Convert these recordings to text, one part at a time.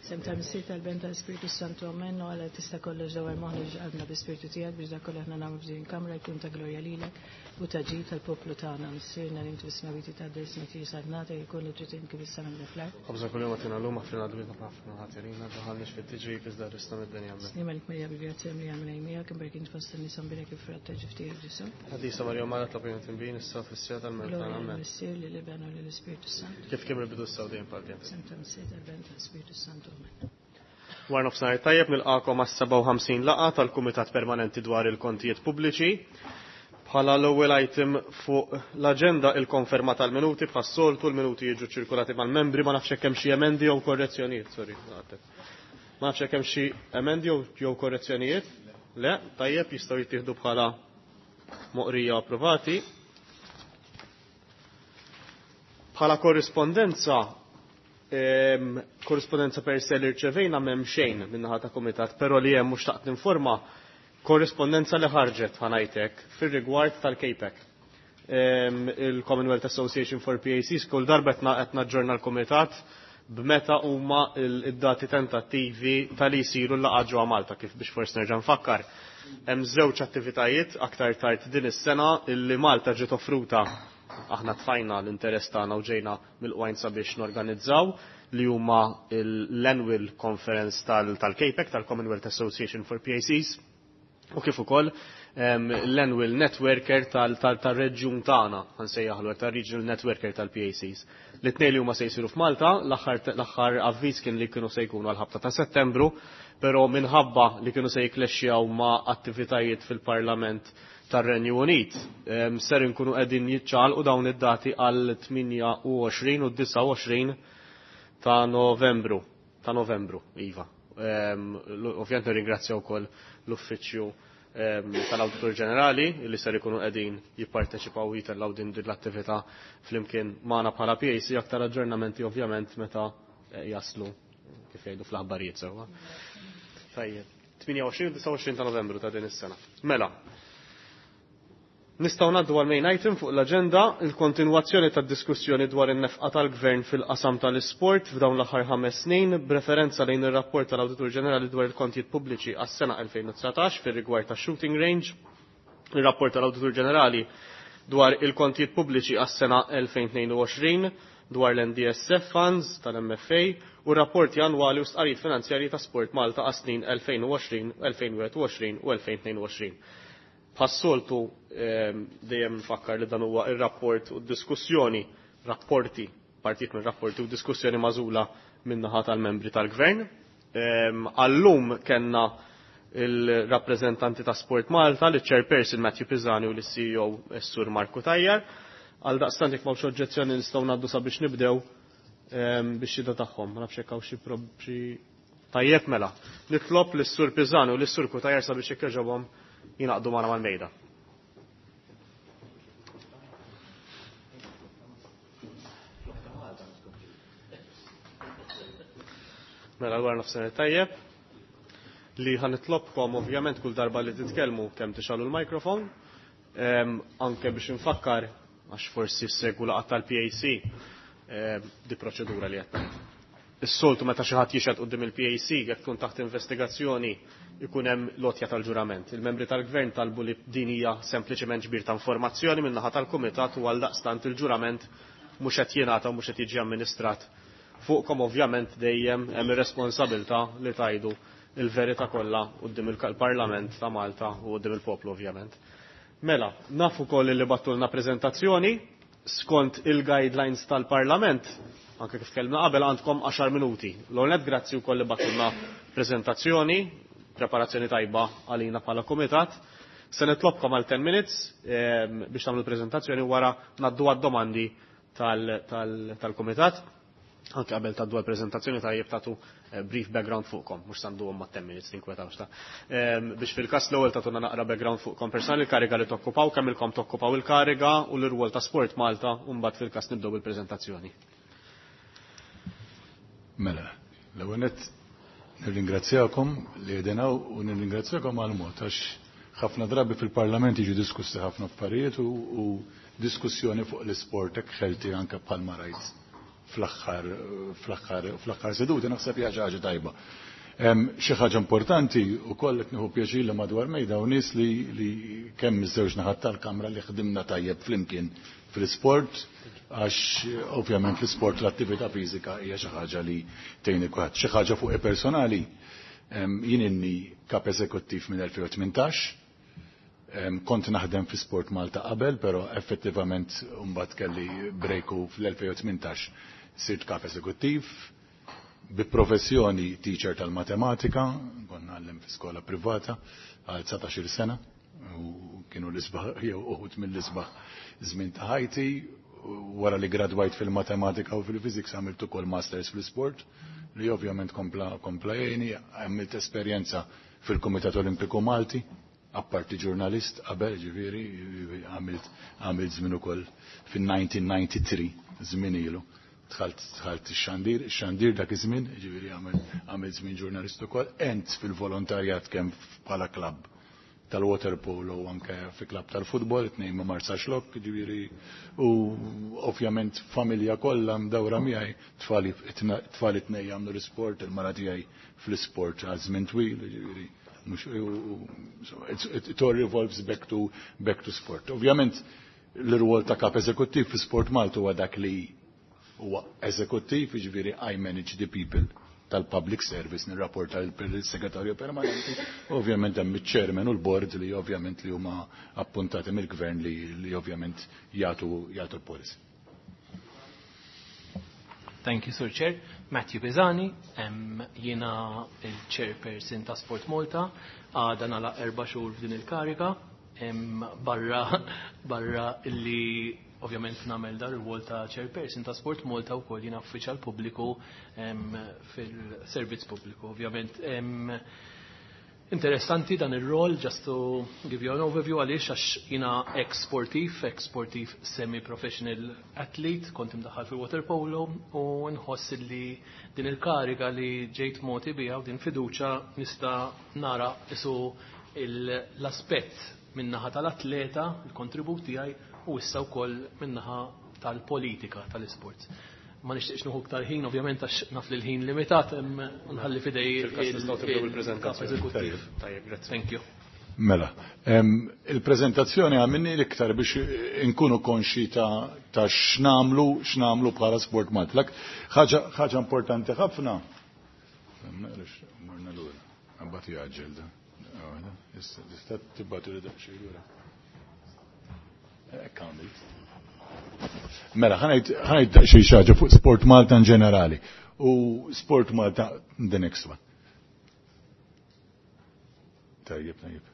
Sem ta' Missier tal-Ben tal-Spiritu Santu Amen, u għala tista' kollox dawar moħħna ġqalbna bi-Spiritu tiegħek biex dak kollu aħna nagħmlu f'din il-kamra jkun ta' glorja lilek u ta' ġid tal-poplu tagħna. Missierna li inti fis-smawiti ta' ismek tiġi saltnata jkun li trid int kif is-sema kif fl-art. Ħobżna kuljum agħtina llum aħfrilna dnubietna bħalma aħna ħatirina, daħalniex fit-tiġrib iżda ħrisna mid-dinja. Amen. Slim għalik Marija bil-grazzja mlija Mulej miegħek, imberkin int fost in-nisa mbierek il-frott ta' ġuf tiegħek Ġesù. Qaddisa Marija Omm Alla tlob għalina tinbin issa u fis-siegħa tal-mewt tagħna. Glorja Amen. lill-Missier, lill-Iben u lill-Ispirtu Santu. Kif kien mill-bidu issa u dejjem bħal dejjem. Sem ta' Missier tal-Ben tal-Spiritu Santu. Amen. War nofsinhar tajjeb nilqakom għas-57 laqgħa tal-Kumitat Permanenti dwar il-Kontijiet Pubbliċi. Bħala l-ewwel item fuq l-aġenda il-konferma tal-minuti bħas-soltu l-minuti jiġu ċirkulati mal-membri ma nafx hekk hemm xi emendi jew korrezzjonijiet, sorry, għadet. Ma nafx hekk hemm xi emendi jew korrezzjonijiet? Le, tajjeb jistgħu jittieħdu bħala moqrija approvati. Bħala korrispondenza, korrispondenza per se li rċevejna m'hemm xejn min-naħa ta' kumitat, però li hemm mhux taqt ninforma korrispondenza li ħarġet ħanajtek fir-rigward tal-KPEC. Il-Commonwealth Association for PACs kull darba qed naġġorna l-kumitat b'meta huma id-dati tentattivi tal-li jsiru l-laqgħa ġewwa Malta kif biex forsi nerġa' nfakkar. Hemm żewġ attivitajiet aktar tard din is-sena illi Malta ġiet offruta aħna tfajna l-interess tagħna u ġejna mill-qwajn sabiex norganizzaw li huma l-Annual Conference tal-KPEC, tal-Commonwealth Association for PACs, u kif ukoll l-Annual Networker tal-reġjun tagħna, ħansejjaħlu hekk, tal-Regional Networker tal-PACs. L-tnejn li huma se jsiru f'Malta, l-aħħar avviż kien li kienu se jkunu għal-ħabta ta' Settembru, però minħabba li kienu se jiklexxjaw ma' attivitajiet fil-Parlament tar-Renju Unit, ser inkunu qegħdin jiċċaqalqu dawn id-dati għal 28 u 29 ta' Novembru. Ta' Novembru, iva. Ovvjament nirringrazzja wkoll l-Uffiċċju tal-Awditur Ġenerali li ser ikunu qegħdin jipparteċipaw u jitellgħu din l-attività flimkien magħna bħala PAC aktar aġġornamenti ovvjament meta jaslu kif jgħidu fl-aħbarijiet sewwa. Tajjeb. 28 u 29 ta' Novembru ta' din is-sena. Mela, nistgħu ngħaddu għal main item fuq l-aġenda il-kontinwazzjoni tad-diskussjoni dwar in-nefqa tal-Gvern fil-qasam tal-isport f'dawn l-aħħar 5 snin b'referenza lejn ir-rapport tal-Awditur Ġenerali dwar il-kontijiet pubbliċi għas-sena 2019 fir-rigward tax-shooting range, ir-rapport tal-Awditur Ġenerali dwar il-kontijiet pubbliċi għas-sena 2022 dwar l-NDSF funds tal-MFA u rapporti annwali u stqarrijiet finanzjarji ta' Sport Malta għas-snin 2020, 2021 u 2022. Bħas-soltu dejjem nfakkar li dan huwa ir-rapport u d-diskussjoni, rapporti, partijiet minn rapporti u diskussjoni magħżula min-naħa tal-membri tal-Gvern. Għallum kellna il-rappreżentanti ta' Sport Malta, li chairperson Matthew Pisani u l-CEO Sur Marku Tajjar. Għal daqstant jekk m'hawnx oġġezzjoni nistgħu ngħaddu sabiex nibdew biex xhieda tagħhom. Ma nafx jekk hawn xi xi tajjeb mela. Nitlob lis-Sur Pisani u lis-Sur Cutajar sabiex jekk jogħġobhom jingħaqdu magħna mal-mejda. Mela l-wara nofsinhar tajjeb li ħanitlobkom ovvjament kull darba li titkellmu kemm tixgħalu l-mikrofon, anke biex infakkar għax forsi ssegwu laqgħa tal-PAC di proċedura li qed ngħid. Is-soltu meta xi ħadd jixhed quddiem il-PAC jekk tkun taħt investigazzjoni ikun hemm lotja tal-ġurament. Il-membri tal-Gvern talbu li din hija sempliċement ġbir ta' informazzjoni min-naħa tal-Kumitat u għaldaqstant il-ġurament mhux qed jingħata u mhux qed jiġi amministrat. Fuqkom ovvjament dejjem hemm ir-responsabilità li tgħidu il-verità kollha quddiem il-Parlament ta' Malta u quddiem il-poplu ovvjament. Mela, nafu ukoll li battulna preżentazzjoni skont il-guidelines tal-Parlament, anke kif tkellimna qabel għandkom 10 minuti. L-ewwel nett grazzi wkoll li battulna preżentazzjoni, preparazzjoni tajba għalina bħala kumitat. Se nitlobkom għal 10 minutes biex tagħmlu l-preżentazzjoni wara ngħaddu għad-domandi tal-kumitat. Anke qabel tgħaddu għall-preżentazzjoni tajjeb tagħtu brief background fuqkom, mhux sanduhom ma' 10 minutes tinkwetawx ta'. Biex fil-każ l-ewwel tagħtuna naqra background fuqkom personali, il-kariga li tokkupaw, kemm ilkom tokkupaw il-kariga u l-irwol ta' Sport Malta, u mbagħad fil-każ nibdew bil-preżentazzjoni. Mela, l-ewwel nett nirringrazzjakom li qegħdin hawn u nirringrazzjakom għall-mod għax ħafna drabi fil-Parlament jiġu diskussi ħafna affarijiet u diskussjoni fuq l-isport hekk ħelti anke bħalma rajt. fl-aħħar fl-aħħar fl-aħħar seduti naħseb hija xi ħaġa tajba. Xi ħaġa importanti wkoll qed nieħu pjaċir li madwar mejda u nies li kemm iż-żewġ naħat tal-kamra li ħdimna tajjeb flimkien fl-isport, għax ovvjament l-isport, l-attività fiżika hija xi ħaġa li tgħin kulħadd. Xi ħaġa fuq personali, jien inni kap eżekuttiv minn 2018, kont naħdem fi Sport Malta qabel, però effettivament mbagħad kelli break u fl-2018 sirt kap eżekuttiv. Bi professjoni teacher tal-matematika, konna ngħallem fi skola privata għal 19 sena u kienu l-isbaħ jew uħud mill-isbaħ żmien ta' ħajti. Wara li gradwajt fil-matematika u fil-physics, għamilt ukoll masters fl-sport li ovvjament kompla jgħini. Għamilt esperjenza fil-Kumitat Olimpiku Malti, apparti ġurnalist qabel, ġifieri għamilt żmien ukoll fin-1993, żmien ilu. Dħalt ix-xandir dak iż-żmien, ġifieri għamilt żmien ġurnalist ukoll, ent fil-volontarjat kemm bħala klabb tal-waterpolo u anke fi klabb tal-futbol, it-tnejn ma' Marsaxlokk, ġifieri, u ovvjament familja kollha mdawra miegħi, tfali tnejn jagħmlu l-isport, il-mara tiegħi fl-isport għal żmien twil, ġifieri, so it all revolves back to sport. Ovvjament l-rwol ta' kap eżekuttiv fi Sport Malta huwa dak li huwa eżekuttiv, jiġifieri I manage the people tal-public service, nirrapporta l-segretarju permanenti, ovvjament hemm iċ-chairman u l-board li ovvjament li huma appuntati mill-gvern li ovvjament jagħtu l-policy. Thank you, Sir Chair. Matthew Pisani, jiena il-chairperson ta' Sport Malta, għada nagħlaq 4 xhur f'din il-karika, barra illi ovvjament nagħmel dar ir-rwol ta' chairperson ta' Sport Malta, wkoll jiena uffiċjal pubbliku fil-servizz pubbliku. Ovvjament interessanti dan ir-rol, just to give you an overview, għaliex għax jiena ex-sportiv, ex-sportiv semi-professional athlete, kont imdaħħal fil-water polo u nħoss li din il-kariga li ġejt mogħti biha u din fiduċa nista' nara isu l-aspett min-naħa tal-atleta, il-kontribut tiegħi, u issa wkoll min-naħa tal-politika tal-isports. Ma nixtieqx nieħu iktar ħin, ovvjament, għax naf li l-ħin limitat, nħalli fidej Fil-każ nistgħu tibdew il-preżentazzjoni. Il-kap eżekuttiv. Tajjeb, grazzi. Thank you. Mela, il-prezentazzjoni għamilni l-iktar biex inkunu konxi ta' x'nagħmlu bħala Sport Malta. Ħaġa importanti ħafna. Morna lura. Għabbati għagġel da. Issa, tista' tibgħatu li daqsxejn lura. Hekk għamilt. Mela, ħa ngħid daqsxejn xi ħaġa fuq Sport Malta in ġenerali. U Sport Malta, the next one. Tajjeb.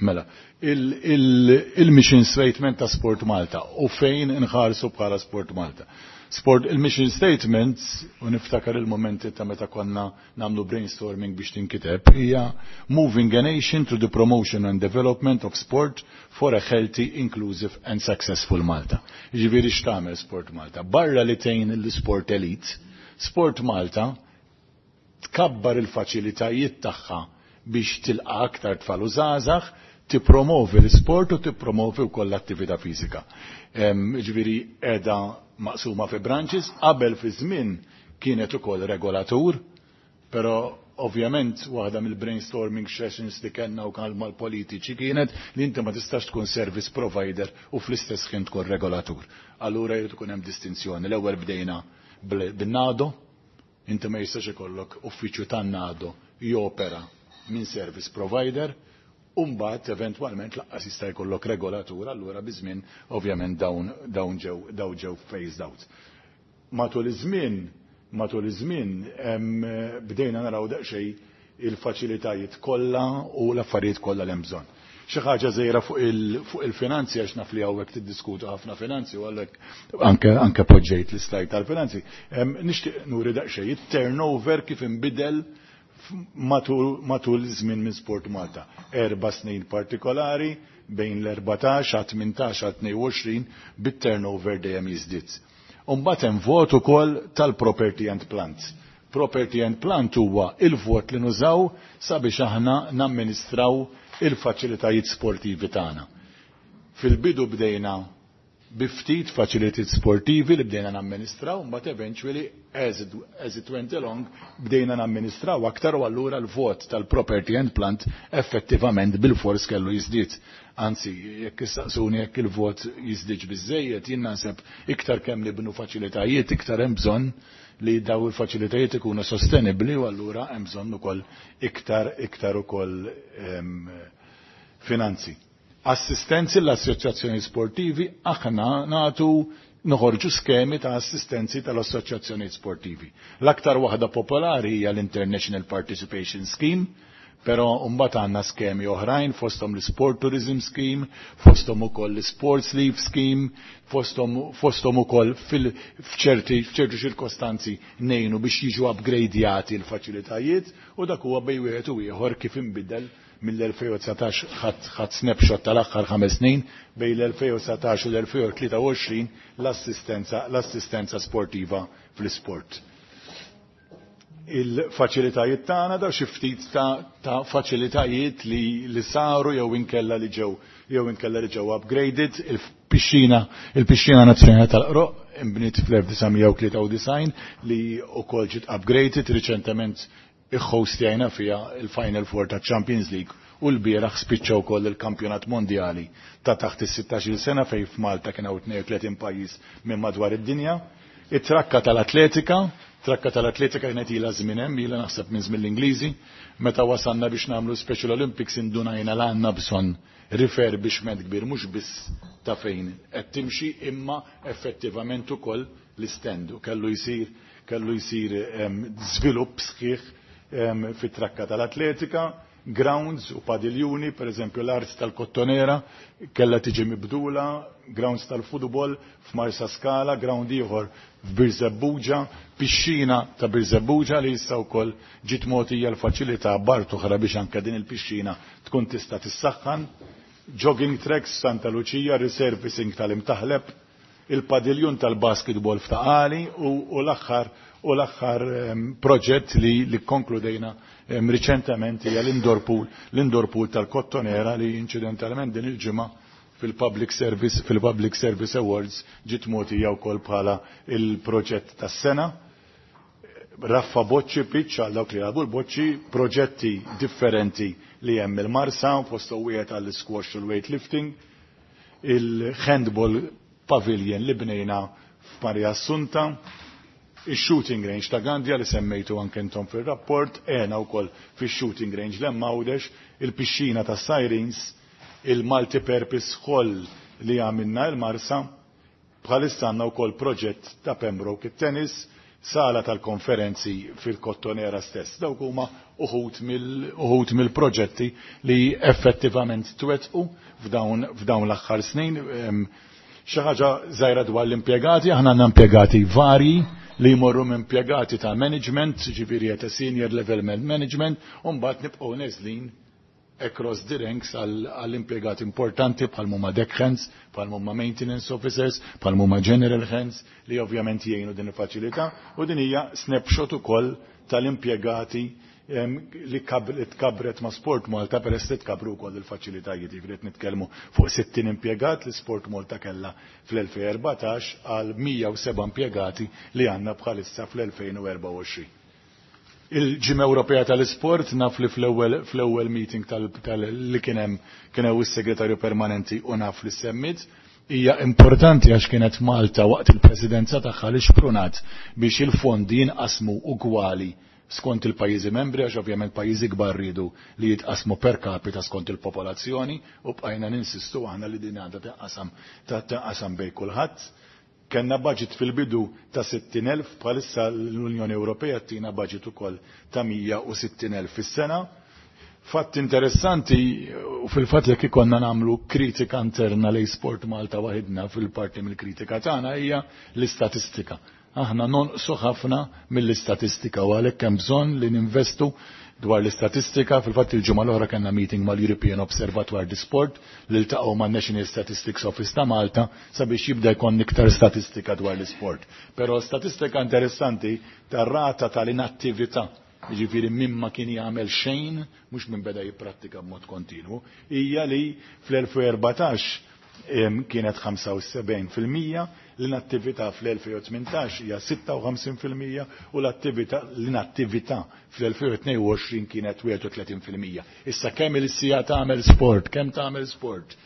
Mela, il-mission statement ta' Sport Malta u fejn inħarsu bħala Sport Malta. Il-mission statement, u niftakar il-momenti ta' meta konna nagħmlu brainstorming biex tinkiteb, hija "Moving a nation to the promotion and development of sport for a healthy, inclusive and successful Malta." Ġifieri x'tagħmel Sport Malta? Barra li tgħin l-sport elite, Sport Malta tkabbar il-faċilitajiet tagħha biex tilqa aktar tfal u żgħażagħ, tippromovi l-sport u tippromovi wkoll l-attività fiżika. Ġifieri qiegħda maqsuma fi branches, qabel fi żmien kienet ukoll regolatur, però ovvjament waħda mill-brainstorming sessions li kellna u mal-politiċi kienet li inti ma tistax tkun service provider u fl-istess ħin tkun regolatur. Allura jrid ikun hemm distinzjoni. L-ewwel bdejna bin-NADO, inti ma jistax ikollok uffiċċju tan-NADO jopera minn service provider, u mbagħad eventwalment lanqas jista' jkollok regolatur, allura biż-żmien ovvjament dawn ġew phased out. Matul iż-żmien bdejna naraw daqsxejn il-faċilitajiet kollha u l-affarijiet kollha li hemm bżonn. Xi ħaġa żgħira fuq il-finanzi, għax naf li hawnhekk tiddiskutu ħafna finanzi u għalhekk anke poġġejt l-islide tal-finanzi. Nixtieq nuri daqsxejn it-turnover kif inbidel matul żmien minn Sport Malta. 4 snin partikolari bejn l-14 għal 18 għal 22 bit-turnover dejjem jiżdied. Umbagħad hemm vot ukoll tal-property and plant. Property and plant huwa il-vot li nużaw sabiex aħna namministraw il-faċilitajiet sportivi tagħna. Fil-bidu bdejna Bi ftit facilities sportivi li bdejna namministraw, mbagħad eventually as it went along bdejna namministraw aktar u allura l-vot tal-property and plant effettivament bil-fors kellu jiżdied. Anzi, jekk issaqsuni jekk il-vot jiżdiedx biżejjed, jien naħseb iktar kemm nibnu faċilitajiet, iktar hemm bżonn li daw il-faċilitajiet ikunu sostenibbli u allura hemm bżonn ukoll iktar ukoll finanzi. Assistenzi l-assoċjazzjoni sportivi, aħna natu noħorġu skemi ta' assistenzi tal-assoċjazzjoni sportivi. L-aktar waħda popolari hija l-International Participation Scheme, però mbagħad għandna skemi oħrajn fosthom l-Sport Tourism Scheme, fosthom ukoll l-Sports Leave Scheme, fosthom ukoll f'ċerti ċirkostanzi ngħinu biex jiġu upgradjati l-faċilitajiet u dak huwa bej wieħed u ieħor kif inbidel mill-2019. Ħadd snapshot tal-aħħar 5 snin bejn l-2019 u l-2023 l-assistenza sportiva fl-isport. Il-faċilitajiet tagħna, daw xi ftit ta' faċilitajiet li saru jew inkella li ġew upgraded. Il-pixxina nazzjonali tal-Qroqq imbniet fl-1993 li wkoll ġiet upgraded riċentement, iħħostjajna fiha il-Final Four ta' Champions League u l-bieraħ spiċċa wkoll il-Kampjonat Mondjali ta' taħt is-16 sena fejn f'Malta kien hawn 32 pajjiż minn madwar id-dinja. It-trakka tal-atletika, trakka tal-atletika kienet ilha żmien hemm, ilha naħseb minn żmien l-Ingliżi, meta wasalna biex nagħmlu Special Olympics indunajna l għandna bżonn refurbishment kbir mhux biss ta' fejn qed timxi imma effettivament ukoll l-stand u kellu jsir żvilupp sħiħ fit-trakka tal-atletika, grounds u padiljuni, per eżempju l-art tal-Kottonera kella tiġi mibdula, grounds tal-futbol f'Marsa Skala, ground ieħor f'Birżebbuġa, pixxina ta' Birżebbuġa li issa wkoll ġiet mogħtija l-faċilità b'art oħra biex anke din il-pixxina tkun tista' tissaħħan, jogging tracks Santa Lucia, resurfacing tal-Imtaħleb, il-padiljun tal-basketball f'Ta' Qali u l-aħħar proġett li konkludejna riċentement hija l-indoor pool tal-Kottonera li incidentalment din il-ġimgħa fil-Public Service Awards ġiet mogħtija wkoll bħala il-proġett tas-sena. Raffa Boċċi pitch għal dawk li jilagħbu l-boċċi, proġetti differenti li hemm il-Marsa, fostu wieħed għall-squash u l-weightlifting, il-handball pavilion li bnejna f'Maria Assunta, il-shooting range ta' Gandja li semmejtu anke intom fil-rapport, għena wkoll fil-shooting range l-Għawdex, il-pixxina ta' Sirens, il-multipurpose hall li għamilna il-Marsa, bħalissa għandna wkoll proġett ta' Pembroke it-tennis, sala tal-konferenzi fil-Kottonera stess. Dawk huma uħud mill-proġetti li effettivament twettqu f'dawn l-aħħar snin. Xi ħaġa żgħira dwar l-impjegati, aħna għandna impjegati varji li jmorru minn impjegati ta' management, ġifieri ta' senior level management, u mbagħad nibqgħu neżlin across the ranks għall-impjegati importanti bħal huma deckhands, bħal huma maintenance officers, bħal huma general hands li ovvjament jgħinu din il-faċilità u din hija snapshot ukoll tal-impjegati li tkabret ma' Sport Malta peress li tkabru wkoll il-faċilitajiet, jiġifieri qed nitkellmu fuq 60 impjegat li Sport Malta kellha fl-2014 għal 107 impjegati li għandna bħalissa fl-2024. Il-Ġimgħa Ewropea tal-Isport, naf li fl-ewwel meeting li kien hemm is-segretarju permanenti u naf li semmit, hija importanti għax kienet Malta waqt il-presidenza tagħha li xprunat biex il-fondi jinqasmu ugwali skont il-pajjiżi membri, għax ovvjament pajjiżi kbar ridu li jitqasmu per capita skont il-popolazzjoni u bqajna ninsistu aħna li din għandha tinqasam bejn kulħadd. Kenna budget fil-bidu ta' 60.000, bħalissa l-Unjoni Ewropea tina budget ukoll ta' 160.000 fis-sena. Fatt interessanti, u fil-fatt jekk ikonna nagħmlu kritika interna lej Sport Malta waħidna, fil-parti mill-kritika tagħna hija l-istatistika. Aħna nonqsu ħafna mill-istatistika u għalhekk hemm bżonn li ninvestu dwar l-istatistika. Fil-fatt il-ġimgħa l-oħra kellna meeting mal-European Observatoire di Sport li ltaqgħu man-National Statistics Office ta' Malta sabiex jibda jkun iktar statistika dwar l-isport. Però statistika interessanti tar-rata tal-inattività, jiġifieri min ma kien jagħmel xejn, mhux minn beda jipprattika b'mod kontinwu, hija li fl-2014 kienet 75%, l-inattività fl-2018 hija 56% u l-attività l-inattività fl-2022 kienet 31%. Issa kemm il-sija tagħmel sport, kemm tagħmel sport,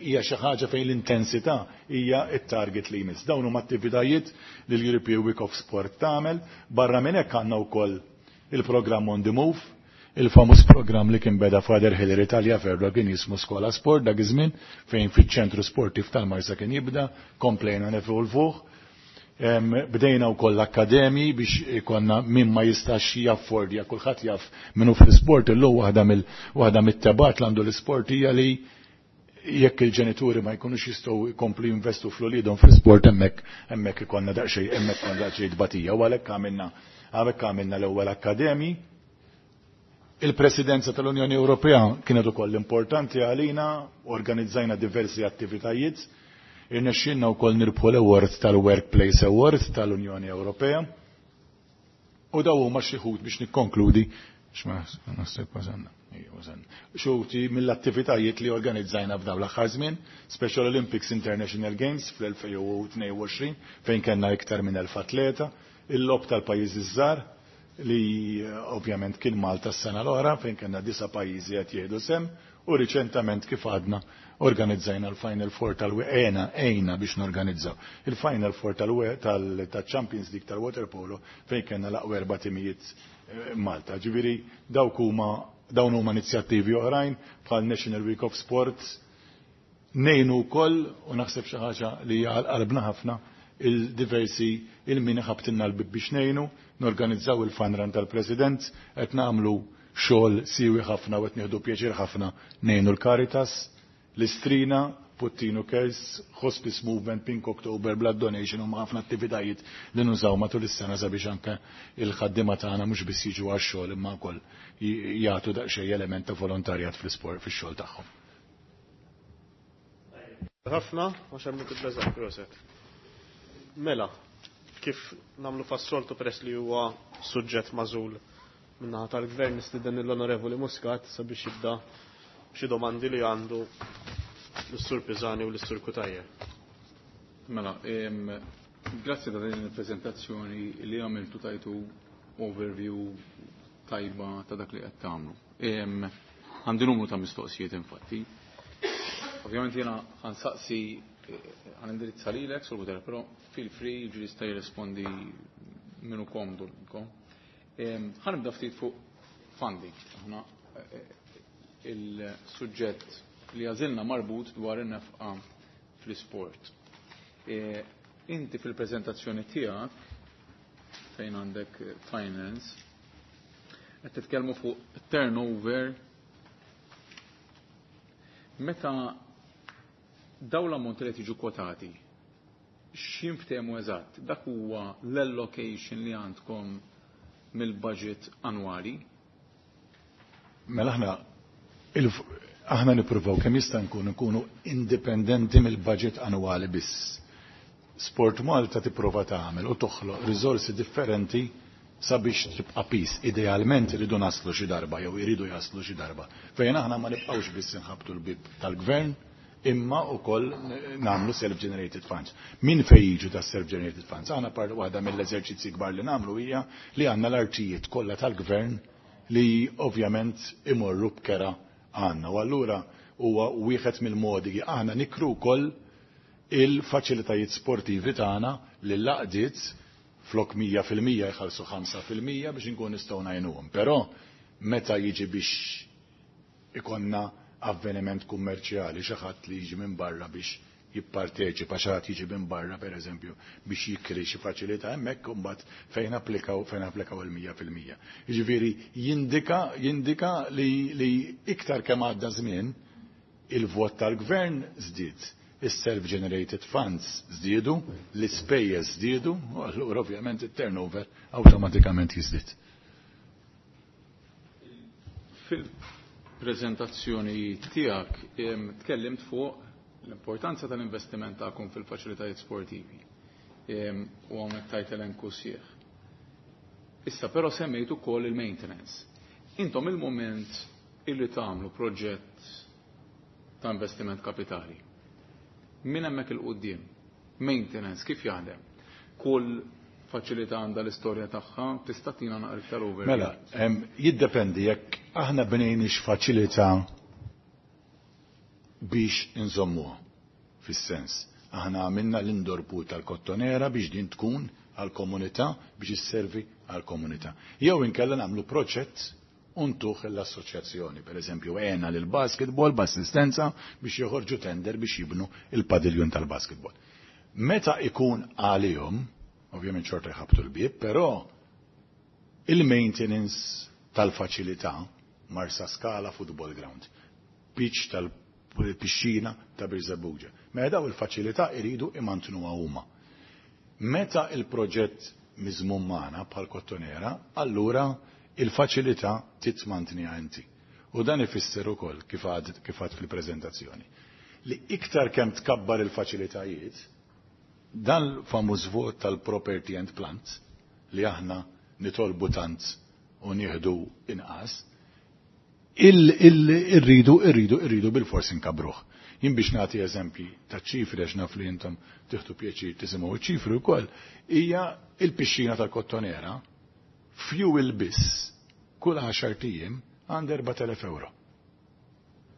hija xi ħaġa fejn l-intensità hija t-target li jmiss. Dawn huma attivitajiet li l-European Week of Sport tagħmel, barra minn hekk għandna wkoll il-programm On the Move, il-famuż programm li kien beda Father Hillary Taliaferro kien jismu Skola Sport dak iż-żmien fejn fiċ-ċentru sportiv tal-Marsa kien jibda, komplejna nevolvuh. Bdejna wkoll l-akkademji biex ikonna min ma jistax jaffordja, kulħadd jaf minnu fl-isport illum waħda mill waħda mit-tebat li għandu l-isport hija li jekk il-ġenituri ma jkunux jistgħu jkomplu jinvestu fl-uliedhom fl-isport hemmhekk hemmhekk ikollna daqsxejn hemmhekk ikollna daqsxejn tbatija u għalhekk għamilna għalhekk għamilna l-ewwel akkademji. Il-Presidenza tal-Unjoni Ewropea kienet ukoll importanti għalina, organizzajna diversi attivitajiet, irnexxinna wkoll nirbħu l-award tal-Workplace Award tal-Unjoni Ewropea. U daw huma xi wħud biex nikkonkludi x'ma naħseb wasalna. Xi mill-attivitajiet li organizzajna f'dawn l-aħħar żmien, Special Olympics International Games fl-2022 fejn kellna iktar minn 1000 atleta, il-logħob tal-pajjiżi żgħar li ovvjament kien Malta s-sena l-oħra fejn kellna disa' pajjiżi qed jieħdu sem u riċentament kif għadna organizzajna l-Final Four tal-għena għejna biex norganizzaw il-Final Four tal-Champions League tal-Waterpolo fejn kellna l-aqwa erba' timijiet Malta. Ġifieri dawk huma dawn huma inizjattivi oħrajn bħal National Week of Sports ngħinu wkoll u naħseb xi ħaġa li hija għal qalbna ħafna il-diversi il-min ħabtilna l-bib biex ngħinu, norganizzaw il-fun run tal-President, qed nagħmlu xogħol siwi ħafna u qed nieħdu pjaċir ħafna ngħinu l-Caritas, l-Istrina, Puttinu Cares, Hospice Movement, Pink October, Blood Donation u ħafna attivitajiet li nużaw matul is-sena sabiex anke il-ħaddiema tagħna mhux biss jiġu għax-xogħol imma wkoll jagħtu daqsxejn element ta' volontarjat fl-isport fix-xogħol tagħhom. Ħafna, għax hemm tibbeżaq proset. Mela, kif nagħmlu fas-soltu peress li huwa suġġett magħżul min-naħa tal-gvern nistieden l-Onorevoli Muscat sabiex jibda xi domandi li għandu l-Sur Pisani u l-Sur Cutajar. Mela, grazzi ta' din il-prezentazzjoni li għamiltu tajtu overview tajba ta' dak li qed tagħmlu. Għandi numru ta' mistoqsijiet infatti. Ovvjament jiena ħansaqsi ħanindirizza lilek sur Cutajar, però feel free ġi jista' jirrispondi minnu komdu lilkom. Ħanibda ftit fuq funding. Aħna il-suġġett li għażilna marbut dwar in-nefqa fl-isport. Inti fil-preżentazzjoni tiegħek fejn għandek finance qed titkellmu fuq turnover meta dawn l-ammonti li jiġu kwotati x'inftehmu eżatt? Dak huwa l-allocation li għandkom mill-budget annwali? Mela aħna aħna nippruvaw kemm jista' nkunu nkunu indipendenti mill-budget annwali biss. Sport Malta tipprova tagħmel u toħloq riżorsi differenti sabiex tibqa' peace. Idealment iridu naslu xi darba jew iridu jaslu xi darba. Fejn aħna ma nibqgħux biss inħabtu l-bib tal-gvern imma wkoll nagħmlu self-generated funds. Min fej jiġu ta' self-generated funds? Aħna par waħda mill-eżerċizzi kbar li nagħmlu hija li għandna l-artijiet kollha tal-gvern li ovvjament imorru b'kera għandna. U allura huwa wieħed mill-modi li aħna nikru wkoll il-faċilitajiet sportivi tagħna lil laqdiet flok 100% jħallsu 5% biex inkun nistgħu ngħinuhom. Però meta jiġi biex ikonna avveniment kummerċjali, xi ħadd li jiġi minn barra biex jipparteċipa, xi ħadd jiġi minn barra pereżempju biex jikri xi faċilità hemmhekk imbagħad fejn applikaw il-100%. Jiġifieri jindika li iktar kemm għadda żmien il-vot tal-gvern żdied, is-self-generated funds żdiedu, l-ispejjeż żdiedu, u allura ovvjament it-turnover awtomatikament jiżdied. Fil-preżentazzjoni tiegħek tkellimt fuq l-importanza tal-investiment tagħkom fil-faċilitajiet sportivi. U hawnhekk tajt elenku sieħ. Issa però semmejt ukoll il-maintenance. Intom il-moment illi tagħmlu proġett ta' investiment kapitali. Minn hemmhekk 'il quddiem, maintenance kif jaħdem? Kull faċilità għandha l-istorja tagħha, tista' tina naqra iktar overview? Mela, jiddependi jekk aħna bnejniex faċilità biex inżommuha, fis-sens. Aħna għamilna l-indoor pool tal-Kottonera biex din tkun għal-komunità, biex isservi għal-komunità. Jew inkella nagħmlu proġett u ntuh l-assoċjazzjoni, per eżempju, għena lil basketball b'assistenza biex joħorġu tender biex jibnu il-padiljun tal-basketball. Meta ikun għalihom, ovvjament xorta jħabtu l-bieb, però il-maintenance tal-faċilità Marsa Scala Football Ground, pitch tal-pixxina ta' Birżebbuġa. Mela daw il-faċilità iridu imantnuha huma. Meta il-proġett miżmum magħna bħal Kottonera, allura il-faċilità titmantniha inti. U dan ifisser ukoll kif għad fil-preżentazzjoni. Li iktar kemm tkabbar il-faċilitajiet, dan l-famuż vot tal-property and plant li aħna nitolbu tant u nieħdu inqas, irridu irridu irridu bil-fors inkabruh. Jien biex nagħti eżempji ta' ċifri għax naf li intom tieħdu pjaċir tisimgħu ċifri wkoll, hija il-pixxina tal-Kottonera fuel biss kull 10 ijiem għand 4000 euro.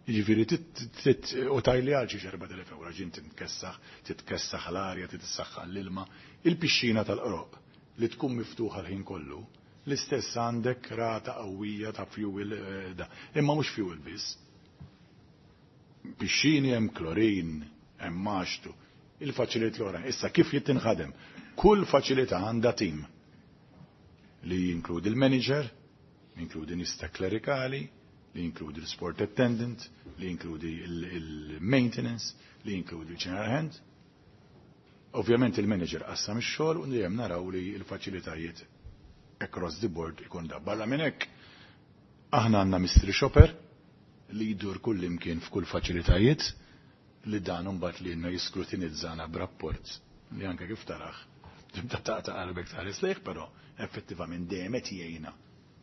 Jiġifieri u tajli għal xi 4000 euro ġin titkessaħ, titkessaħ l-arja, titissaħħan l-ilma. Il-pixxina tal-qroq li tkun miftuħa l-ħin kollu, l-istess għandek rata qawwija ta' fuel da. Imma mhux fuel biss. Pixxini hemm klorin, hemm maxtu, il-faċilit l-oħra. Issa kif jittinħadem? Kull faċilità għandha tim li jinkludi l-manager, jinkludi nista klerikali, li jinkludi l-sport attendant, li jinkludi il-maintenance, li jinkludi l-general hand. Ovvjament il-manager qassam ix-xogħol u dejjem naraw li l-faċilitajiet across the board ikun da. Barra minn hekk aħna għandna mystery shopper li jdur kull imkien f'kull faċilitajiet li dan imbagħad li jenna jiskrutinizzana b'rapport li anke kif taraħ tibda taqta' qalbek tħares lejh, però effettivament dejjem qed jgħinna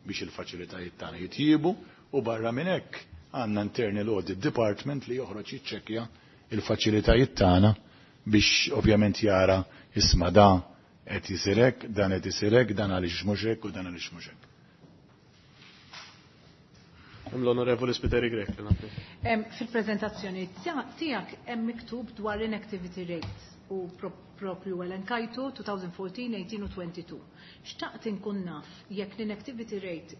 biex il-faċilitajiet tagħna jitjiebu u barra minn hekk għandna internal audit department li joħroġ jiċċekkja il-faċilitajiet tagħna biex ovvjament jara isma' da qed isir hekk, dan qed isir hekk, dan għaliex mhux hekk u dan għaliex mhux hekk. L-Onorevoli Spiteri Grech. Fil-prezentazzjoni tiegħek hemm miktub dwar inactivity rates u propju elenkajtu 2014, 18 u 22. Xtaqt inkun naf jekk l-inactivity rate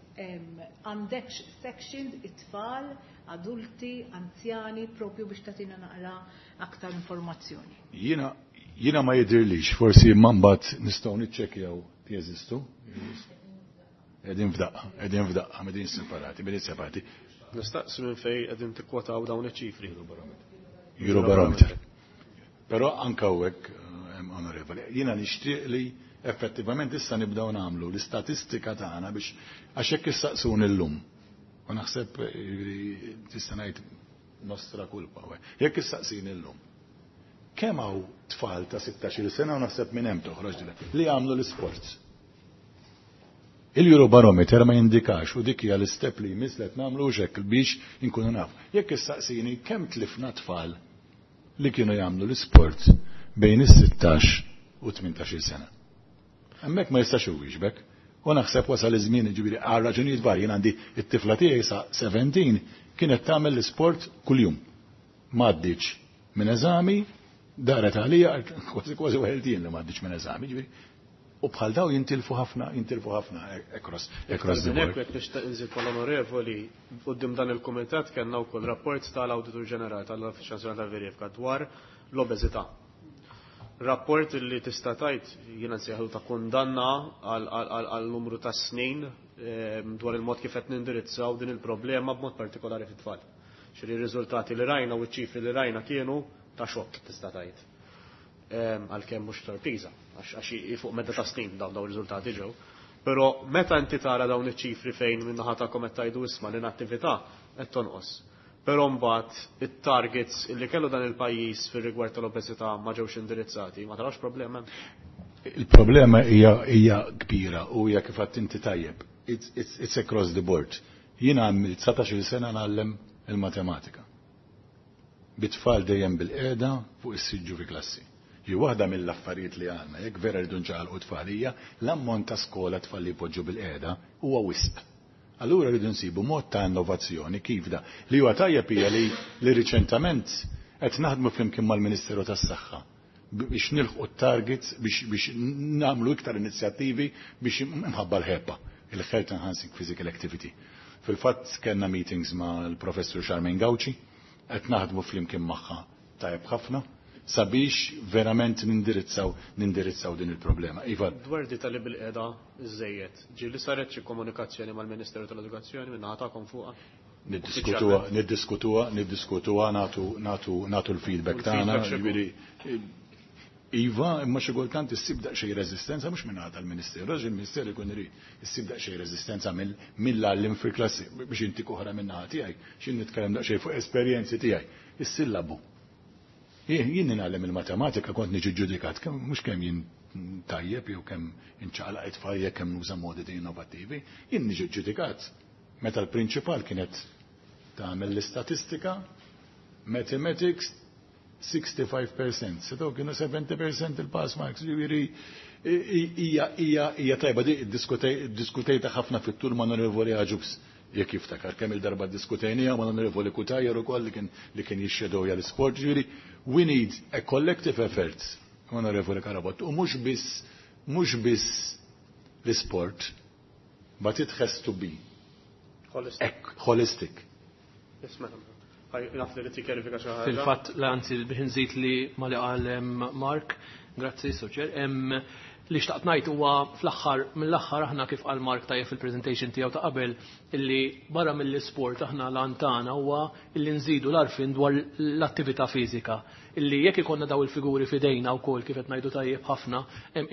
għandekx sections it-tfal, adulti, anzjani, propju biex tagħtina naqra aktar informazzjoni. Jiena ma jidirlix, forsi imma mbagħad nistgħu niċċekkjaw jeżistu. Qegħdin f'daqqa, qegħdin f'daqqa, qegħdin separati, qegħdin separati. Nistaqsi minn fejn qegħdin tikkwataw dawn iċ-ċifri. Eurobarometer. Però anke hawnhekk onorevoli, jiena nixtieq li effettivament issa nibdew nagħmlu l-istatistika tagħna biex għax hekk issaqsuni llum. U naħseb tista' ngħid nostra kulpa. Jekk issaqsini llum. Kemm hawn tfal ta' 16-il sena u naħseb minn hemm toħroġ li jagħmlu l-isports? Il-Eurobarometer ma jindikax u dik hija l-istep li jmiss li qed nagħmlu hekk biex inkunu naf. Jekk issaqsini kemm tlifna tfal li kienu jagħmlu l-isport bejn is-16 u 18 sena. Hemmhekk ma jistax iwieġbek. U naħseb wasal iż-żmien jiġifieri għal raġunijiet varji jien għandi it-tifla tiegħi sa 17 kienet tagħmel l-isport kuljum. M'għaddiċ minn eżami, daret għalija kważi kważi weħeltien li m'għaddiċ minn eżami, ġifieri u bħal daw jintilfu ħafna, jintilfu ħafna across the board. Hekk nixtieq inżid mal-onorevoli, quddiem dan il-kumitat kellna wkoll rapport tal-Awditur Ġenerali tal-Uffiċċju Nazzjonali tal-Verifika dwar l-obeżità. Rapport li tista' tgħid jiena nsejħu ta' kundanna għal numru ta' snin dwar il-mod kif qed nindirizzaw din il-problema b'mod partikolari fit-tfal. Xiri r-riżultati li rajna u ċ-ċifri li rajna kienu ta' xokk tista' tgħid. Għalkemm mhux sorpriża, għax fuq medda ta' snin dawn ir-riżultati ġew. Però meta inti tara dawn iċ-ċifri fejn min-naħa tagħkom qed tgħidu isma' l-inattività qed tonqos. Però mbagħad it-targets li kellu dan il-pajjiż fir-rigward tal-obeżità ma ġewx indirizzati, ma tarax problema? Il-problema hija kbira u hija kif għedt inti tajjeb. It's across the board. Jiena għamilt 19-il sena ngħallem il-matematika. Bit-tfal dejjem bil-qiegħda fuq is-siġġu fi klassi. Hi waħda mill-affarijiet li għandna, jekk vera rridu nċaqalqu tfal hija l-ammont ta' skola tfal li jpoġġu bil-qiegħda huwa wisq. Allura rridu nsibu mod ta' innovazzjoni kif da. Li huwa tajjeb hija li li riċentament qed naħdmu flimkien mal-Ministeru tas-Saħħa biex nilħqu targets biex nagħmlu iktar inizjattivi biex imħabba l-HEPA, il-Health Enhancing Physical Activity. Fil-fatt kellna meetings ma' l-Professur Charmaine Gauci, qed naħdmu flimkien magħha tajjeb ħafna sabiex verament nindirizzaw din il-problema. Iva. Dwar di tal bil-qeda iżejjed, ġieli saret xi komunikazzjoni mal-Ministeru tal-Edukazzjoni minn naħa tagħkom fuqha? Niddiskutuha, niddiskutuha, niddiskutuha, nagħtu l-feedback tagħna, ġifieri Iva, imma xi kultant issib daqsxejn reżistenza mhux minn tal-Ministeru, għax il-Ministeru jkun irid issib daqsxejn reżistenza mill-għallim fil-klassi biex inti oħra minn naħa tiegħi, x'in nitkellem daqsxejn fuq esperjenzi tiegħi. Is-sillabu. Jien ningħallem il-matematika kont niġi ġudikat kemm mhux kemm jien tajjeb jew kemm inċaqlaq it-tfal jekk kemm nuża modi innovattivi, jien niġi ġudikat meta l-prinċipal kienet tagħmel l-istatistika, mathematics 65%, setgħu kienu 70% il-pass marks, ġifieri hija tajba di diskutejta ħafna fit-tul ma' Onorevoli Agius, jekk jiftakar kemm il-darba diskutejnija ma' Onorevoli Cutajar ukoll li kien jixxedowja l-isport, ġifieri we need a collective effort, Onorevoli Carabott, u mhux biss l-isport, but it has to be holistic. Holistic. Naf li tikkjarifika xi ħaġa. Fil-fatt, anzi biex nżid li ma li qal Mark, grazzi Soċer, li xtaqt ngħid huwa fl-aħħar mill-aħħar aħna kif qal Mark tajjeb fil-presentation tiegħu ta' qabel illi barra mill-isport aħna l tagħna huwa illi nżidu l-għarfien dwar l-attività fiżika. Illi jekk ikollna daw il-figuri fidejna wkoll kif qed ngħidu tajjeb ħafna,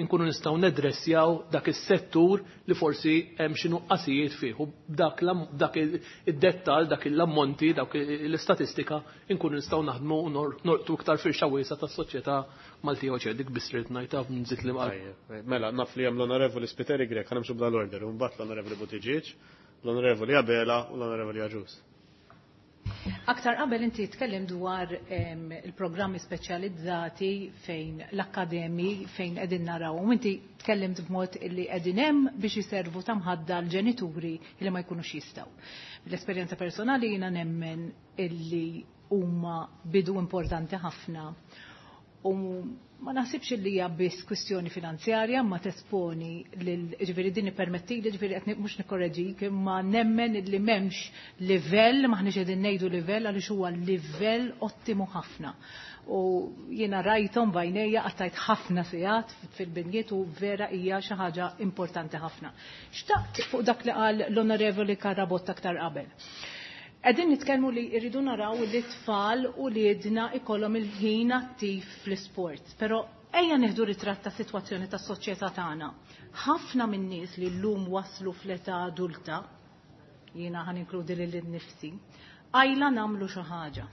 inkunu nistgħu nedressjaw dak is-settur li forsi hemm xi nuqqasijiet fih u dak id-dettal, dak l-ammonti, dak l-istatistika inkunu nistgħu naħdmu u norqtu iktar firxa wiesgħa tas-soċjetà Maltija u dik biss ridt ngħidha nżid li Mela, naf li hemm l-Onorevoli Spiteri Grech, ħa nimxu b'dal-order, u mbagħad l-Onorevoli Buttigieg, l-Onorevoli Abela u l-Onorevoli Agius. Aktar qabel inti tkellem dwar il-programmi speċjalizzati fejn l-akkademi fejn qegħdin naraw. U inti tkellimt b'mod illi qegħdin hemm biex jiservu ta' mħadda l-ġenituri li ma jkunux jistgħu. L-esperjenza personali jiena nemmen illi huma bidu importanti ħafna. U ma naħsibx li hija biss kwistjoni finanzjarja ma tesponi lil ġifieri din ippermetti li ġifieri qed mhux nikkorreġik imma nemmen li m'hemmx livell maħniex qegħdin ngħidu livell għaliex huwa livell ottimu ħafna. U jiena rajthom b'għajnejja qattajt ħafna sigħat fil-binjiet u vera hija xi ħaġa importanti ħafna. Xtaqt fuq dak li qal l-Onorevoli Carabott aktar qabel. Qegħdin nitkellmu li rridu naraw li tfal u li jedna ikollhom il-ħin attiv fl-isport. Però ejja nieħdu ritratt ta' sitwazzjoni tas-soċjetà tagħna. Ħafna min-nies li llum waslu fl-età adulta, jiena ħa ninkludi lil nifsi, għajla nagħmlu xi ħaġa.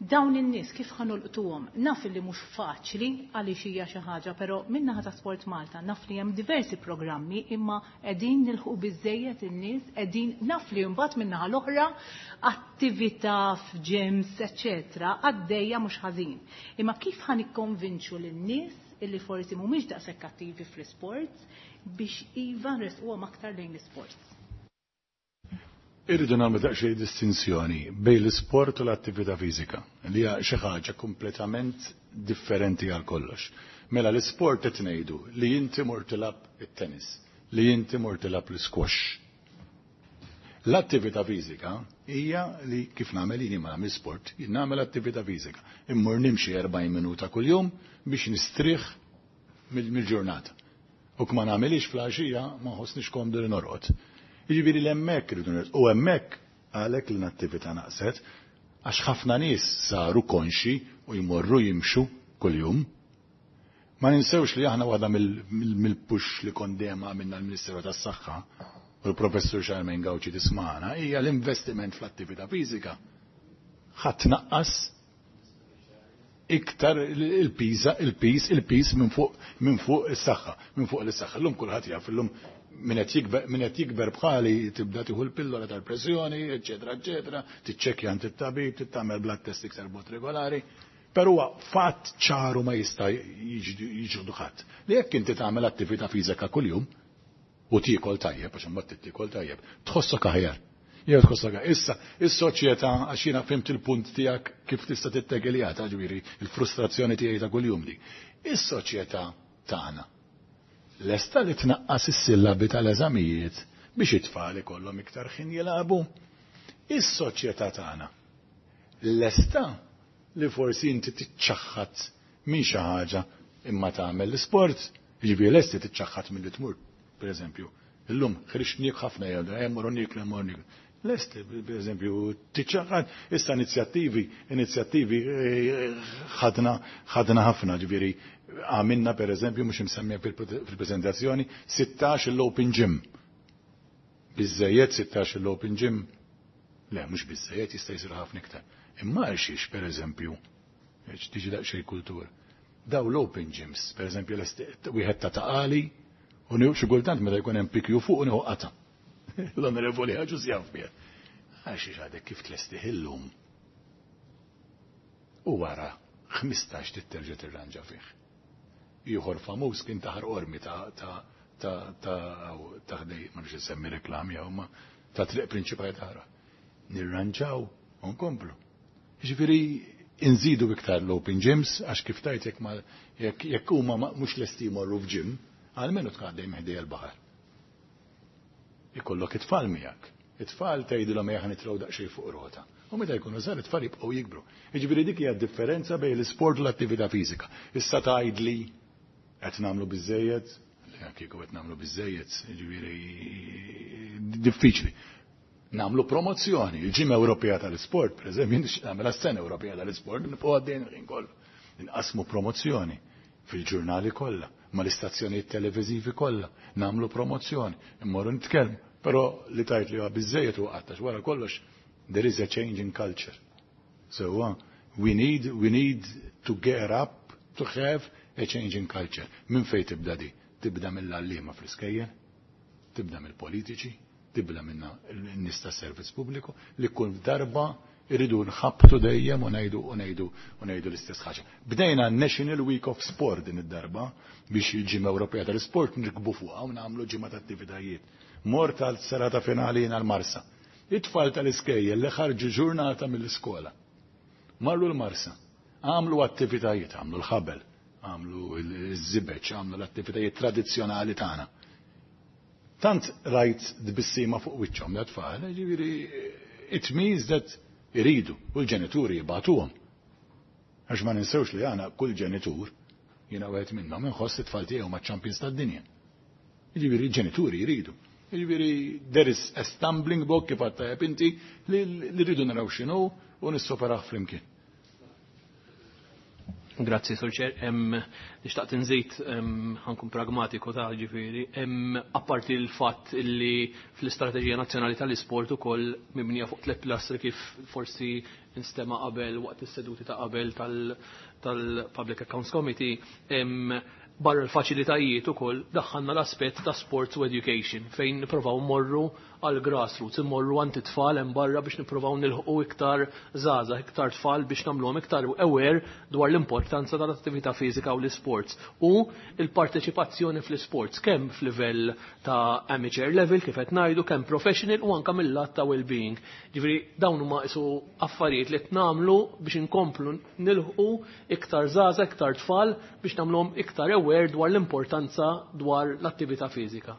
Dawn in-nies kif ħa nolqtuhom? Naf li mhux faċli għaliex hija xi ħaġa, però min-naħa ta' Sport Malta naf li hemm diversi programmi imma qegħdin nilħu biżejjed in-nies, qegħdin naf li mbagħad min-naħa l-oħra attività f'gyms, eċċetera, għaddejja mhux ħażin. Imma kif ħa nikkonvinċu lin-nies illi forsi mhumiex daqshekk attivi fl-isports biex iva nresquhom aktar lejn l-isports? Irridu nagħmlu daqsxejn distinzjoni bejn l-isport u l-attività fiżika, li hija xi ħaġa kompletament differenti għal kollox. Mela l-isport qed ngħidu li inti mur tilgħab it-tennis, li inti mur tilgħab l-squash. L-attività fiżika hija li kif nagħmel jien ma nagħmel sport, jien nagħmel attività fiżika. Immur nimxi 40 minuta kuljum biex nistrieħ mill-ġurnata. U kma nagħmilix fl-għaxija ma nħossnix komdu li norqod. Jiġifieri l-hemmhekk irridu u hemmhekk għalhekk li l-attività naqset għax ħafna nies saru konxi u jmorru jimxu kuljum. Ma ninsewx li aħna waħda mill-push li kondema minna l-Ministeru tas-Saħħa u l-Professur Charmaine Gauci tismana hija l-investiment fl-attività fiżika. Ħadd naqqas iktar il-piż il-piż il-piż minn fuq is-saħħa, minn fuq is-saħħa. Illum kulħadd jaf illum Min qed jikber bħali tibda tieħu l-pillola tal-pressjoni, eċetera, eċetera, tiċċekkja għand it-tabib, tagħmel blood test iktar b'mod regolari. Però huwa fatt ċaru ma jista' jiġu ħadd. Li jekk inti tagħmel attività fiżika kuljum u tiekol tajjeb, għax imbagħad tiekol tajjeb, tħossok aħjar. Jew tħossok Issa, is-soċjetà għax jiena fhimt il-punt tiegħek kif tista' tittegiljata, ġifieri il-frustrazzjoni tiegħi ta' kuljum di. Is-soċjetà tagħna lesta li tnaqqas is-sillabi tal-eżamijiet biex it-tfal ikollhom iktar ħin jilagħbu. Is-soċjetà tagħna lesta li forsi inti tiċċaħħad minn xi ħaġa imma tagħmel l-isport, jiġifieri lesti tiċċaħħad milli tmur, pereżempju. Illum ħriġt ħafna jgħidu, hemm morru nieklu, hemm morru nieklu. Lesti, per eżempju, tiċċaħħad, issa inizjattivi, inizjattivi ħadna ħadna ħafna, ġifieri għamilna per eżempju, mhux imsemmija fil-prezentazzjoni, 16 l-open gym. Biżejjed 16 l-open gym? Le, mhux biżejjed, jista' jsir ħafna iktar. Imma għalxiex, per eżempju, tiġi daqsxejn kultur. Daw l-open gyms, per eżempju, wieħed ta' Ta' Qali, u xi kultant meta jkun hemm pikju fuq u nieħu qata. L-onorevoli Agius jaf bih. Għalxiex għadek kif tlestih illum. U wara 15 titterġa' tirranġa fih. Ieħor famuż kien ta' Qormi ta' ħdej, ma nix insemmi reklami hawn ma ta' triq prinċipali ta' Nirranġaw u nkomplu. Ġifieri inżidu iktar l-open gyms għax kif tajt jekk huma mhux lesti jmorru f'gym, almenu tkun għaddej ħdejn il-baħar. Ikollok it-tfal miegħek. It-tfal tgħidilhom ejja nitilgħu daqsxejn fuq rota. U meta jkunu żgħar it-tfal jibqgħu jikbru. Jiġifieri dik hija differenza bejn l-isport u l-attività fiżika. Issa tgħidli qed nagħmlu biżejjed, le kieku qed nagħmlu biżejjed, jiġifieri diffiċli. Nagħmlu promozzjoni, il-Ġimgħa Ewropea tal-Isport, pereżempju, nagħmel s-sena Ewropea tal-Isport, nibqgħu għaddejn il-ħin kollu. Inqasmu promozzjoni fil-ġurnali kollha, mal-istazzjonijiet televiżivi kollha, nagħmlu promozzjoni, immorru nitkellmu, però li tajt li huwa biżejjed u qattax wara kollox there is a change in culture. So we need to get up to have a change in culture. Min fej tibda di? Tibda mill-għalliema fl-iskejjel, tibda mill-politiċi, tibda minna n-nies ta' servizz pubbliku li kull darba irridu nħabtu dejjem u ngħidu u ngħidu u ngħidu l-istess ħaġa. Bdejna National Week of Sport din id-darba biex il-ġimgħa Ewropea tal-Sport nirkbu fuqha u nagħmlu ġimgħa ta' attivitajiet. Mort tal-serata finali l-Marsa. It-tfal tal-iskejjel li ħarġu ġurnata mill-iskola. Marru l-Marsa. Għamlu attivitajiet, għamlu l-ħabel, għamlu l-żibeċ, għamlu l-attivitajiet tradizzjonali tagħna. Tant rajt tbissima fuq wiċċhom l-tfal, ġifieri it means that iridu u l-ġenituri jibagħtuhom. Għax ma ninsewx li għana kull ġenitur, jiena wieħed minnhom inħoss it-tfal tiegħu ma' champions tad-dinja. Jiġifieri l-ġenituri jridu. Jiġifieri there is a stumbling block kif għedt inti li rridu naraw x'inhu u nissoperaw flimkien. Grazzi, Sur Chair. Nixtaqt nżid, ħa nkun pragmatiku ta' ġifieri. Apparti l-fatt li fl-Istrateġija Nazzjonali tal-Isport ukoll mibnija fuq tliet pilastri kif forsi instema qabel waqt is-seduti ta' qabel tal-Public Accounts Committee, barra l-faċilitajiet ukoll daħħalna l-aspett ta' sports u education fejn nippruvaw morru għal grassroots, immorru għand it-tfal hemm barra biex nippruvaw nilħqu iktar żgħażagħ, iktar tfal biex nagħmluhom iktar aware dwar l-importanza tal-attività fiżika u l-sports u l-parteċipazzjoni fl-sports kemm f'livell ta' amateur level kif qed ngħidu, kemm professional u anke mill-lat ta' well-being. Ġifieri dawn huma isu affarijiet li qed nagħmlu biex inkomplu nilħqu iktar żgħażagħ, iktar tfal biex nagħmluhom iktar aware dwar l-importanza dwar l-attività fiżika.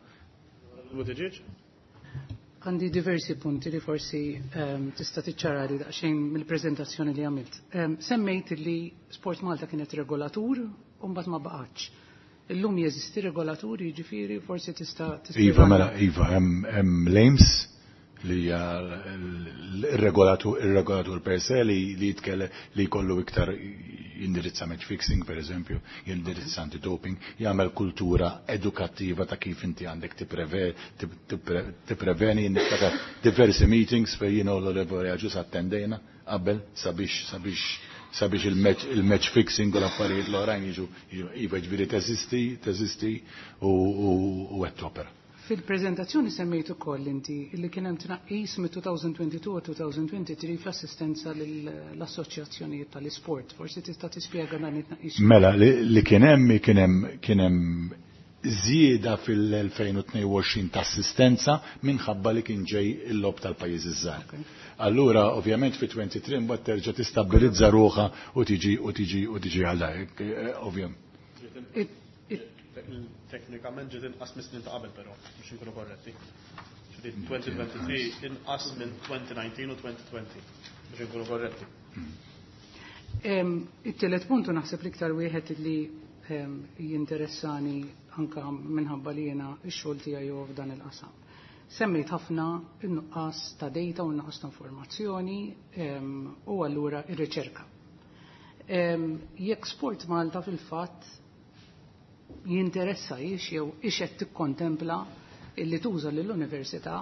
Buttigieg? Għandi diversi punti li forsi tista' tiċċarali daqsxejn mill-preżentazzjoni li għamilt. Semmejt li Sport Malta kienet regolatur u mbagħad ma baqgħetx. Illum jeżisti regolatur, jiġifieri forsi tista' Iva, mela, iva, hemm l-AIMS li hija il-regolatur per se li jitkellem li jkollu iktar jindirizza match fixing, per eżempju, jindirizza anti-doping, jagħmel kultura edukattiva ta' kif inti għandek tippreveni, niftakar diversi meetings fejn jiena u l-Onorevoli Agius attendejna qabel sabiex il-match fixing u l-affarijiet l-oħrajn jiġu iva ġifieri teżisti u qed topera. Fil-prezentazzjoni semmejt ukoll inti li kien hemm tnaqqis mit-2022 u 2023 fl-assistenza lill-assoċjazzjonijiet tal-isport. Forsi tista' tispjega dan it-tnaqqis. Mela, li kien hemm kien hemm żieda fil-2022 ta' assistenza minħabba li kien ġej il-logħob tal-pajjiżi żgħar. Allura, ovvjament fi 23 mbagħad terġa' tistabbilizza ruħha u tiġi u tiġi u tiġi għal ovvjament. Teknikament ġiet inqas mis-snin ta' qabel però, biex inkunu korretti. 2023 inqas minn 2019 u 2020 biex inkunu korretti. It-tielet puntu naħseb l-iktar wieħed li jinteressani anka minħabba li jiena x-xogħol tiegħi huwa f'dan il-qasam. Semmejt ħafna n-nuqqas ta' data u n-nuqqas ta' informazzjoni u allura ir-riċerka. Jekk Sport Malta fil-fatt jinteressa jiex jew ixed tikkontempla illi tuża lill-università,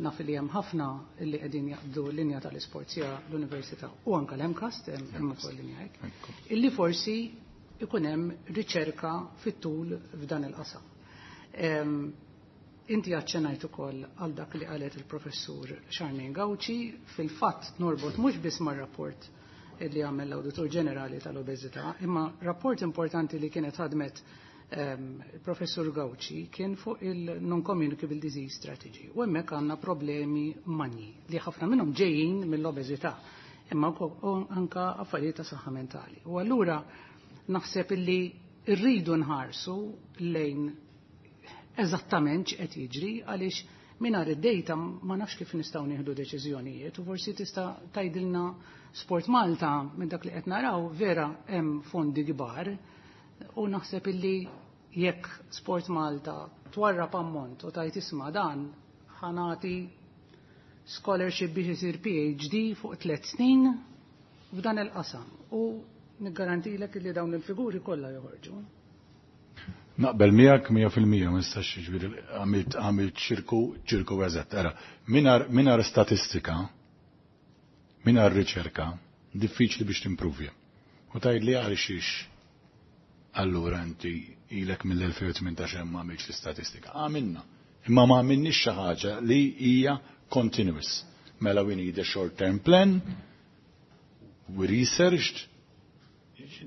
naf li hemm ħafna illi qegħdin jaqbdu l-linja tal-isport sija l-università u anka l-MCAST hemm ukoll linja hekk, illi forsi ikun hemm riċerka fit-tul f'dan il-qasam. Inti aċċenajt ukoll għal dak li qalet il-professur Charmaine Gauci, fil-fatt norbot mhux biss mar-rapport li għamel l-Awditur Ġenerali tal-Obeżità, imma rapport importanti li kienet ħadmet il-professur Gauci kien fuq il-Non-Communicable Disease Strategy. U hemmhekk għandna problemi manji li ħafna minnhom ġejjin mill-obeżità, imma anka affarijiet ta' saħħa mentali. U allura naħseb illi rridu nħarsu lejn eżattament x'qed jiġri għaliex mingħajr id-data ma nafx kif nistgħu nieħdu deċiżjonijiet u forsi tista' tgħidilna Sport Malta minn dak li qed naraw vera hemm fondi kbar u naħseb illi jekk Sport Malta twarrab ammont u tajt isma' dan ħa nagħti scholarship biex isir PhD fuq 3 snin f'dan il-qasam u niggarantilek li dawn il-figuri kollha joħorġu. Naqbel miegħek 100%, ma nistax, jiġifieri għamilt ċirku eżatt. Ara, mingħajr statistika, mingħajr riċerka, diffiċli biex timpruvja. U tgħid li għal xiex allura inti ilek mill-2018 ma għamilx l-istatistika. Għamilna. Imma ma għamilniex xi ħaġa li hija continuous. Mela we need a short term plan, we researched,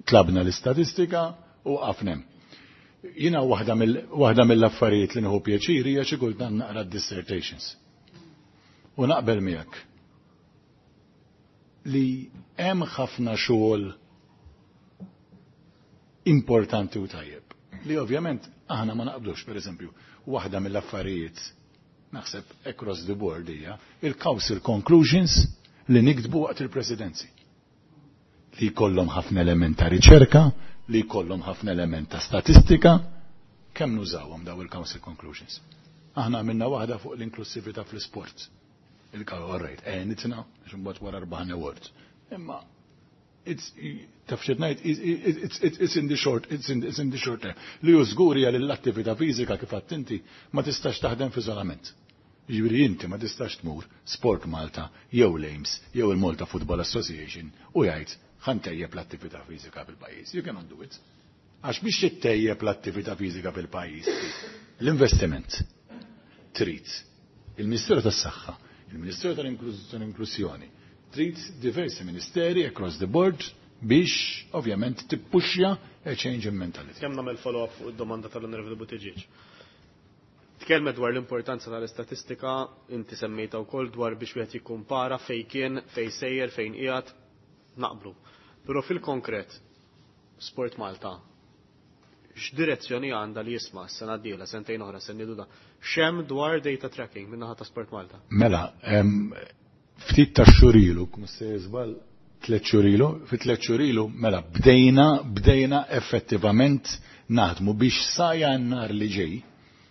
tlabna l-istatistika u għafnem. Jina waħda mill-affarijiet li nieħu pjaċir hija xi kultant naqra dissertations. U naqbel miegħek li hemm ħafna xogħol importanti u tajjeb. Li ovvjament aħna ma naqblux, per eżempju, waħda mill-affarijiet naħseb across the board hija il-council conclusions li niktbu waqt il-presidenzi. Li jkollhom ħafna element ta' riċerka, li jkollhom ħafna element ta' statistika, kemm nużawhom daw il-council conclusions. Aħna għamilna waħda fuq l-inklusività fl-isport. Il-all right, għenitna, biex imbagħad wara rbaħna awards. Imma it's taf x'qed ngħid, it's in the short term. Li hu żgur hija li l-attività fiżika, kif għedt inti, ma tistax taħdem f'iżolament. Jiġifieri inti ma tistax tmur Sport Malta jew l-AIMS jew il-Malta Football Association u jgħid ħa ntejjeb l-attività fiżika fil-pajjiż. You cannot do it. Għax biex tittejjeb l-attività fiżika fil-pajjiż, l-investiment trid il-Ministeru tas-Saħħa, il-Ministeru tal-Inklusjoni, trid diversi ministeri across the board biex ovvjament tippuxja a change in mentality. Kemm nagħmel follow-up fuq id-domanda tal-Onorevoli Buttigieg? Tkellmet dwar l-importanza tal-istatistika, inti semmejta wkoll dwar biex wieħed jikkumpara fejn kien, fejn sejjer, fejn qiegħed, naqblu. Però fil-konkret, Sport Malta, x'direzzjoni għandha li jisma' s-sena d-dieħla, sentejn oħra, sen da, x'hemm dwar data tracking min-naħa ta' Sport Malta? Mela, ftit ta' xhur ilu, kum se żball 3 xhur ilu, fi 3 xhur ilu, mela bdejna effettivament naħdmu biex sa Jannar li ġej,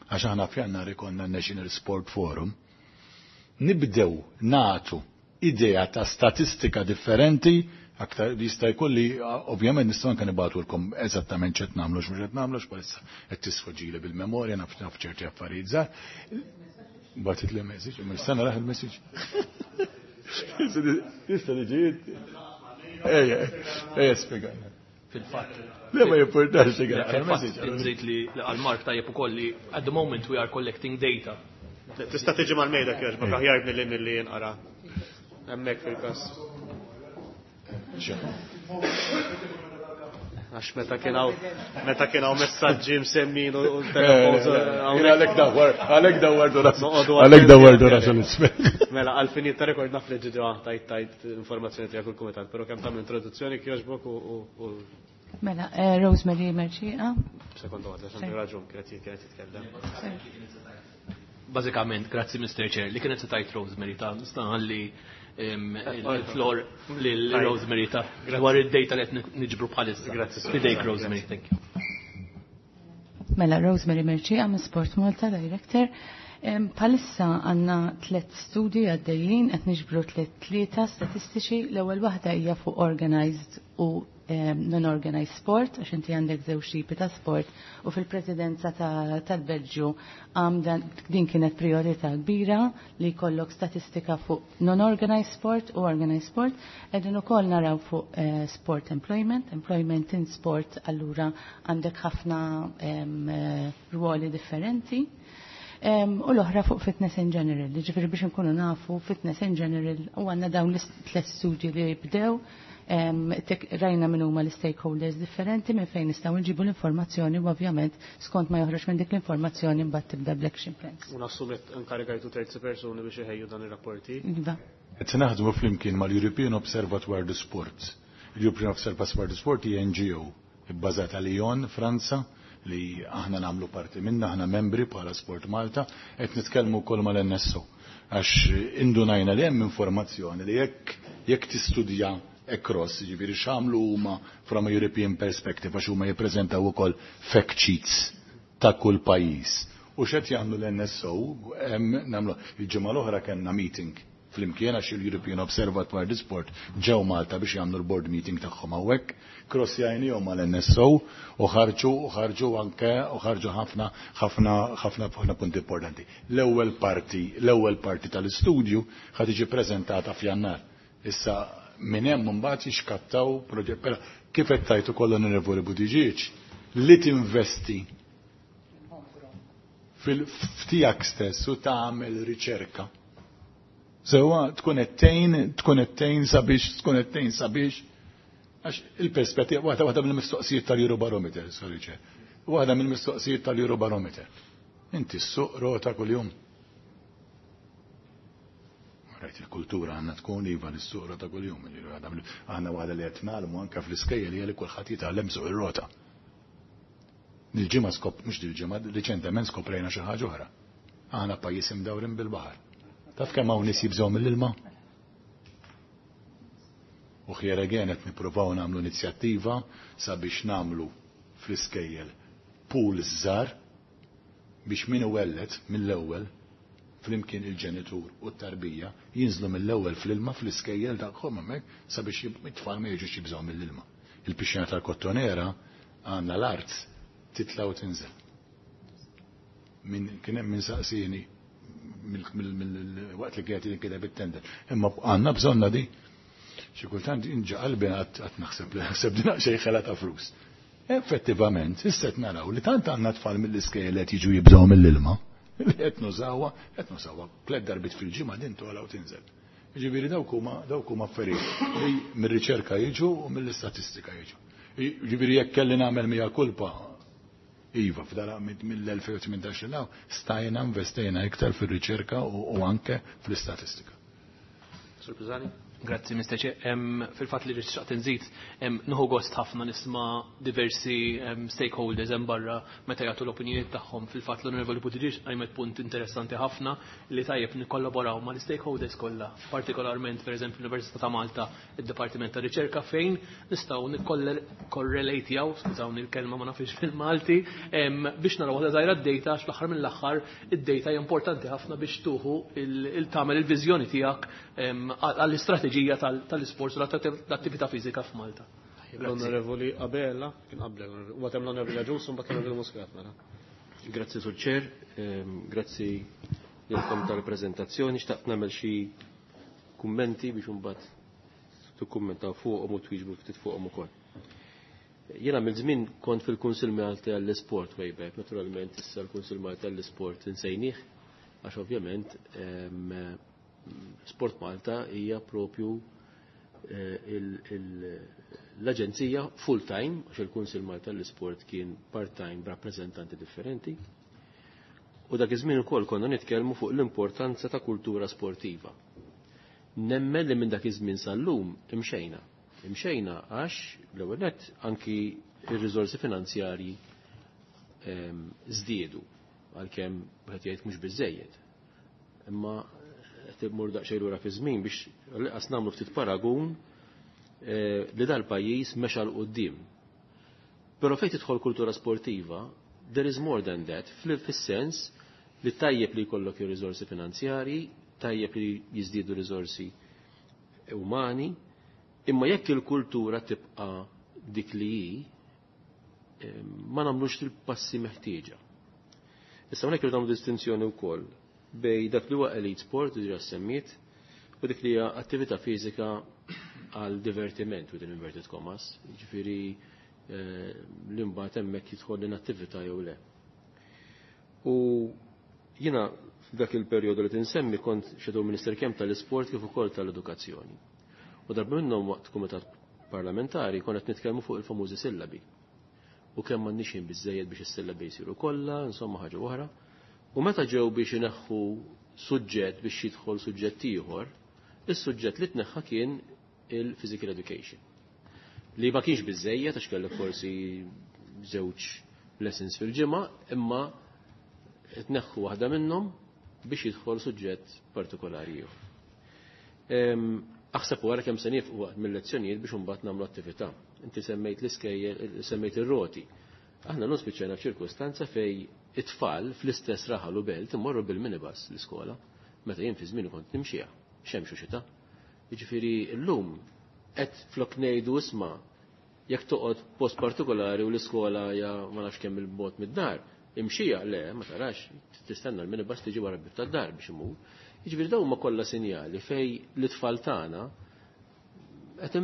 għax aħna f'Jannar ikollna National Sport Forum, nibdew nagħtu idea ta' statistika differenti, aktar jista' jkolli, ovvjament nistgħu anke nibagħtulkom eżattament x'qed nagħmlu, x'mhux qed nagħmlu, x'bħalissa qed tisfoġili bil-memorja, naf ċerti affarijiet żgħar. Bagħtit li message, imma issa naraħ il-message. Tista' tiġi. Ejja, ejja, spjegana. Fil-fatt. Le ma jimpurtax li Fil-fatt, nżid li għal Mark tajjeb ukoll li at the moment we are collecting data. Tista' tiġi mal-mejda kiex, aħjar milli milli jinqara. Hemmhekk fil-każ. Għax meta kien hawn meta kien hawn messaġġi msemmin u telefons. Għalhekk dawwar, għalhekk dawwar għalhekk dawwar rasu l-isfel. Mela għall-fini ta' rekord naf li ġiġa tajt tajt informazzjoni tiegħek il-kumitat, però kemm tagħmel introduzzjoni kjoġbok u Mela, Rosemary Merċieqa. Sekonda waħda, x'għandu raġun kienet kienet titkellem. Bażikament, grazzi Mr. Chair, li kienet se tajt Rosemary ta' nista' ħalli il-floor lil Rosemary ta' dwar id-data li qed niġbru bħalissa. Grazzi. Fidejk Rosemary, thank you. Mela, Rosemary Merċieqa minn Sport Malta, Director. Bħalissa għandna tlet studji għaddejjin, qed niġbru tlet tlieta statistiċi. L-ewwel waħda hija fuq organized u non-organized sport, għax inti għandek żewġ tipi ta' sport, u fil-presidenza tal-Belġju din kienet priorità kbira li jkollok statistika fuq non-organized sport u organized sport. Qegħdin ukoll naraw fuq sport employment, employment in sport, allura għandek ħafna ruoli differenti. U l-oħra fuq fitness in general, ġifieri biex nkunu nafu fitness in general, u għandna dawn l-tlet studji li jibdew, rajna minn huma l-stakeholders differenti minn fejn nistgħu nġibu l-informazzjoni u ovvjament skont ma joħroġ minn dik l-informazzjoni mbagħad tibda bl-action plans. U nassum qed inkarigajtu terzi persuni biex iħejju dan ir-rapporti. Iva. Qed naħdmu flimkien mal-European Observatoire du Sport. Il-European Observatoire du Sport hija NGO bbażata Lyon, Franza, li aħna nagħmlu parti minna, aħna membri bħala Sport Malta, qed nitkellmu wkoll mal-NSO. Għax indunajna li hemm informazzjoni li jekk tistudja across, ġifieri x'għamlu huma from a European perspective, għax huma jippreżentaw ukoll fact sheets ta' kull pajjiż. U x'qed jagħmlu l-NSO, hemm nagħmlu il-ġimgħa l-oħra kellna meeting flimkien għax il-European Observatory du Sport ġew Malta biex jagħmlu l-board meeting tagħhom hawnhekk, crossjajnihom mal-NSO u ħarġu u ħarġu anke u ħarġu ħafna ħafna ħafna ħafna punti importanti. L-ewwel parti, l-ewwel parti tal-istudju ħa tiġi preżentata f'Jannar. Issa minn hemm imbagħad jixkattaw proġett, però kif qed tajt ukoll l-Onorevoli Buttigieg li tinvesti fil-ftijak stess u tagħmel riċerka. Sewa tkun qed tgħin, tkun qed tgħin sabiex, tkun qed tgħin sabiex, għax il-perspettiva, waħda waħda mill-mistoqsijiet tal-Eurobarometer, sorry ċe, waħda mill-mistoqsijiet tal-Eurobarometer. Inti ssuq rota kuljum. Rajt il-kultura għandna tkun iva li ssuq rota kuljum, aħna waħda li qed nagħlmu anke fl-iskejjel hija li kulħadd jitgħallem suq ir-rota. Dil-ġimgħa skop, mhux dil-ġimgħa, riċentement skoprejna xi ħaġa oħra. Aħna pajjiż imdawrin bil-baħar. Taf kemm hawn nies jibżgħu mill-ilma? U here again qed nippruvaw nagħmlu inizjattiva sabiex nagħmlu fl-iskejjel pool żgħar biex min iwelled mill-ewwel flimkien il-ġenitur u t-tarbija jinżlu mill-ewwel fl-ilma fl-iskejjel tagħhom hemmhekk sabiex it-tfal ma jiġux jibżgħu mill-ilma. Il-pixxina tal-Kottonera għandna l-art titla' u tinżel. Min kien hemm min saqsieni mill-waqt li kienet jinkiteb it-tender. Imma għandna bżonna di. Xi kultant inġa qalbi qatt naħseb li naħseb din xejn ħela ta' flus. Effettivament, issa qed naraw li tant għandna tfal mill-iskejjel qed jiġu jibżgħu mill-ilma, li qed nużawha, qed nużawha tliet darbiet fil-ġimgħa din togħla u tinżel. Jiġifieri dawk huma dawk huma affarijiet li mir-riċerka jiġu u mill-istatistika jiġu. Jiġifieri jekk kelli nagħmel mija kulpa, iva, f'dara mill-2018 l stajna investejna iktar fir-riċerka u anke fl-istatistika. Sur Pisani? Grazzi, Mr. Chair. Fil-fatt li xtaqt nżid, nieħu gost ħafna nisma' diversi stakeholders hemm barra meta jagħtu l-opinjonijiet tagħhom. Fil-fatt l-Onorevoli Buttigieg qajmet punt interessanti ħafna li tajjeb nikkollaboraw mal-stakeholders kollha, partikolarment pereżempju l-Università ta' Malta, id-Dipartiment ta' Riċerka fejn nistgħu nikkorrelatjaw, skużawni l-kelma ma nafx fil-Malti, biex naraw waħda żgħira d-data għax fl-aħħar mill-aħħar id-data hija importanti ħafna biex tuħu il-tagħmel il-viżjoni tiegħek għall-istrateġija tal-isports u l-attività fiżika f'Malta. L-Onorevoli Abela, kien qabel, u għatem l-Onorevoli Agius, u mbagħad l-Onorevoli Muscat, mela. Grazzi Sur Chair, grazzi lilkom tal-preżentazzjoni, xtaqt nagħmel xi kummenti biex imbagħad tikkummentaw fuqhom u twieġbu ftit fuqhom ukoll. Jiena mill-żmien kont fil-Kunsill Malti għall-Isport way back, naturalment issa l-Kunsill Malti għall-Isport insejnih, għax ovvjament Sport Malta hija propju l-aġenzija full-time, għax il-Kunsill Malta għall-Isport kien part-time b'rappreżentanti differenti. U dak iż-żmien ukoll konna nitkellmu fuq l-importanza ta' kultura sportiva. Nemmen li minn dak iż-żmien sal-lum imxejna. Imxejna għax l-ewwel nett anki ir-riżorsi finanzjarji żdiedu għalkemm wieħed jgħid mhux biżejjed. Imma qed immur daqsxejn lura fi żmien biex qas nagħmlu ftit paragun li dal-pajjiż mexa 'l quddiem. Però fejn tidħol kultura sportiva, there is more than that, fis-sens li tajjeb li jkollok ir-riżorsi finanzjarji, tajjeb li jiżdiedu riżorsi umani, imma jekk il-kultura tibqa' dik li hi, ma nagħmlux il-passi meħtieġa. Issa hawnhekk irid nagħmlu distinzjoni wkoll bej dak li huwa elite sport, diġà semmiet, u dik li hija attività fiżika għal divertiment within inverted commas, jiġifieri li mbagħad hemmhekk jidħol l-inattività jew le. U jiena f'dak il-perjodu li tinsemmi kont shadow minister kemm tal-isport kif ukoll tal-edukazzjoni. U darba minnhom waqt kumitat parlamentari konna qed nitkellmu fuq il-famużi sillabi. U kemm m'għandniex ħin biżejjed biex is-sillabi jsiru kollha, insomma ħaġa oħra. U meta ġew biex ineħħu suġġett biex jidħol suġġett ieħor, is-suġġett li tneħħa kien il-physical education. Li ma kienx biżejjed għax kellek forsi żewġ lessons fil-ġimgħa, imma tneħħu waħda minnhom biex jidħol suġġett partikolari ieħor. Aħseb wara kemm se nieqfu waqt mill-lezzjonijiet biex imbagħad nagħmlu attività. Inti semmejt l-iskejjel, semmejt ir-roti. Aħna llum spiċċajna f'ċirkustanza fej it-tfal fl-istess raħal u belt imorru bil-minibus l-iskola, meta jien fi żmieni kont nimxiha, xemx u xita. Jiġifieri llum qed flok ngħidu isma' jekk toqgħod post partikolari u l-iskola hija ma nafx kemm il-bogħod mid-dar, imxija le, ma tarax, tistenna l-minibus tiġi wara bib tad-dar biex imur. Jiġifieri dawn huma kollha sinjali fej l-itfal tagħna qed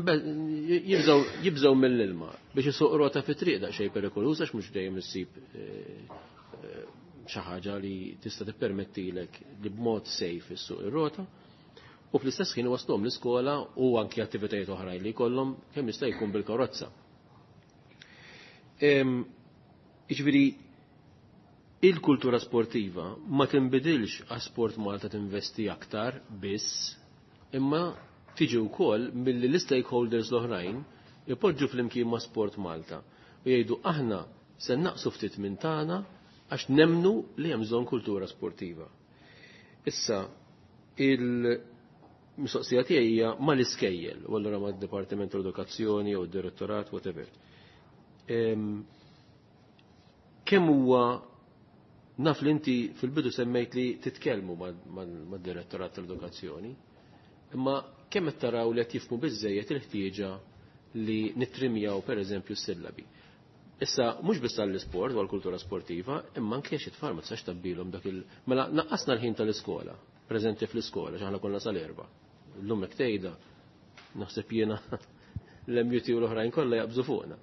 jibżgħu mill-ilma biex isuq rota fi triq daqsxejn perikoluż għax mhux dejjem issib xi ħaġa li tista' tippermettilek li b'mod safe issuq ir-rota. U fl-istess ħin waslhom l-iskola u anki attivitajiet oħrajn li jkollhom kemm jista' jkun bil-karozza. Jiġifieri il-kultura sportiva ma tinbidilx għax Sport Malta tinvesti aktar biss, imma tiġi wkoll milli l-stakeholders l-oħrajn ipoġġu flimkien ma' Sport Malta u jgħidu aħna se naqsu ftit minn tagħna għax nemnu li hemm bżonn kultura sportiva. Issa, il-mistoqsija tiegħi hija mal-iskejjel, u allura mad-Dipartiment tal-Edukazzjoni jew id-Direttorat, whatever. Kemm huwa naf li inti fil-bidu semmejt li titkellmu mad-Direttorat tal-Edukazzjoni, imma kemm qed taraw li qed jifhmu biżejjed il-ħtieġa li nittrimjaw pereżempju s-sillabi. Issa mhux biss għall-isport u għall-kultura sportiva, imma anke xi tfal ma tistax tabbilhom dak il mela naqqasna l-ħin tal-iskola, preżenti fl-iskola, x'aħna konna sal-erba'. Illum hekk tgħidha naħseb jiena l-MUT u l-oħrajn kollha jaqbżu fuqna.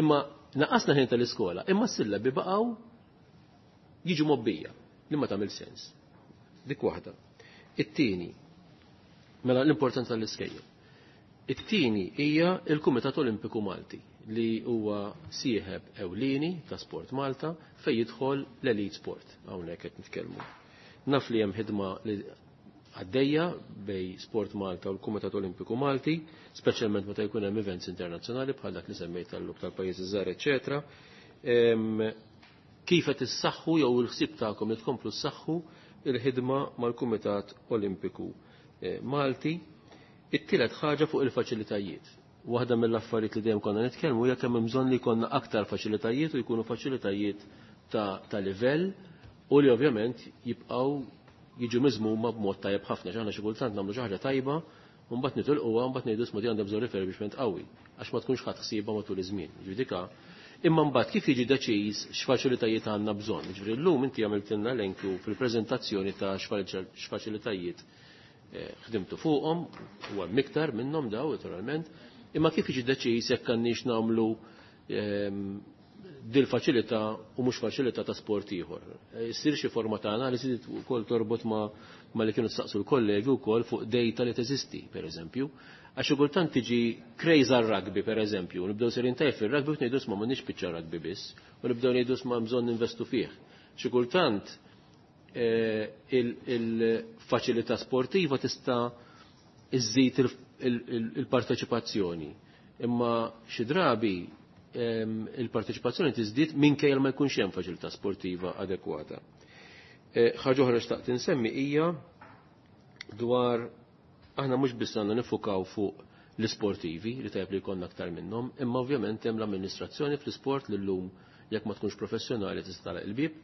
Imma naqqasna ħin tal-iskola, imma s-sillabi baqgħu jiġu mobbija, li ma tagħmel sens. Dik waħda. It-tieni, mela l-importanza tal-iskejjel. It-tieni hija il-Kumitat Olimpiku Malti li huwa sieħeb ewlieni ta' Sport Malta fejn jidħol l-Elite Sport hawnhekk qed nitkellmu. Naf li hemm ħidma li għaddejja bej Sport Malta u l-Kumitat Olimpiku Malti, speċjalment meta jkun hemm events internazzjonali bħal dak li semmejt tal-luk tal-pajjiżi żgħar, eċetera. Kif qed issaħħu jew il-ħsieb tagħkom li tkomplu ssaħħu il-ħidma mal-Kumitat Olimpiku Malti. It-tielet ħaġa fuq il-faċilitajiet. Waħda mill-affarijiet li dejjem konna nitkellmu hija kemm hemm bżonn li jkollna aktar faċilitajiet u jkunu faċilitajiet ta' livell u li ovvjament jibqgħu jiġu miżmuma b'mod tajjeb ħafna. X'aħna xi kultant nagħmlu xi ħaġa tajba u mbagħad nitilquha u mbagħad ngħidu isma' di għandha bżonn refurbishment qawwi għax ma tkunx ħadd ħsiebha matul iż-żmien. Ġifieri dika imma mbagħad kif jiġi deċiż x'faċilitajiet għandna bżonn. Ġifieri llum inti għamiltilna elenku fil-preżentazzjoni ta' x'faċilitajiet ħdimtu fuqhom, u hemm iktar minnhom daw naturalment, imma kif jiġi deċiż jekk għandniex nagħmlu dil-faċilità u mhux faċilità ta' sport ieħor. Issir xi forma ta' analiżi li wkoll torbot ma li kienu staqsu l-kollegi wkoll fuq data li teżisti, pereżempju. Għax xi kultant tiġi craze għar-rugby, pereżempju, nibdew serin tajjeb fir-rugby u ngħidu sma m'għandniex biċċa rugby biss, u nibdew ngħidu sma bżonn ninvestu fih. Xi kultant il-faċilità sportiva tista' iżżid il-parteċipazzjoni. Imma xi drabi il-parteċipazzjoni tiżdied minkejja ma jkunx hemm faċilità sportiva adekwata. Ħaġa oħra xtaqt insemmi hija dwar aħna mhux biss għandna nifukaw fuq l-isportivi li tajjeb li jkollna aktar minnhom, imma ovvjament hemm l-amministrazzjoni fl-isport li llum jekk ma tkunx professjonali tista' tagħlaq il-bieb,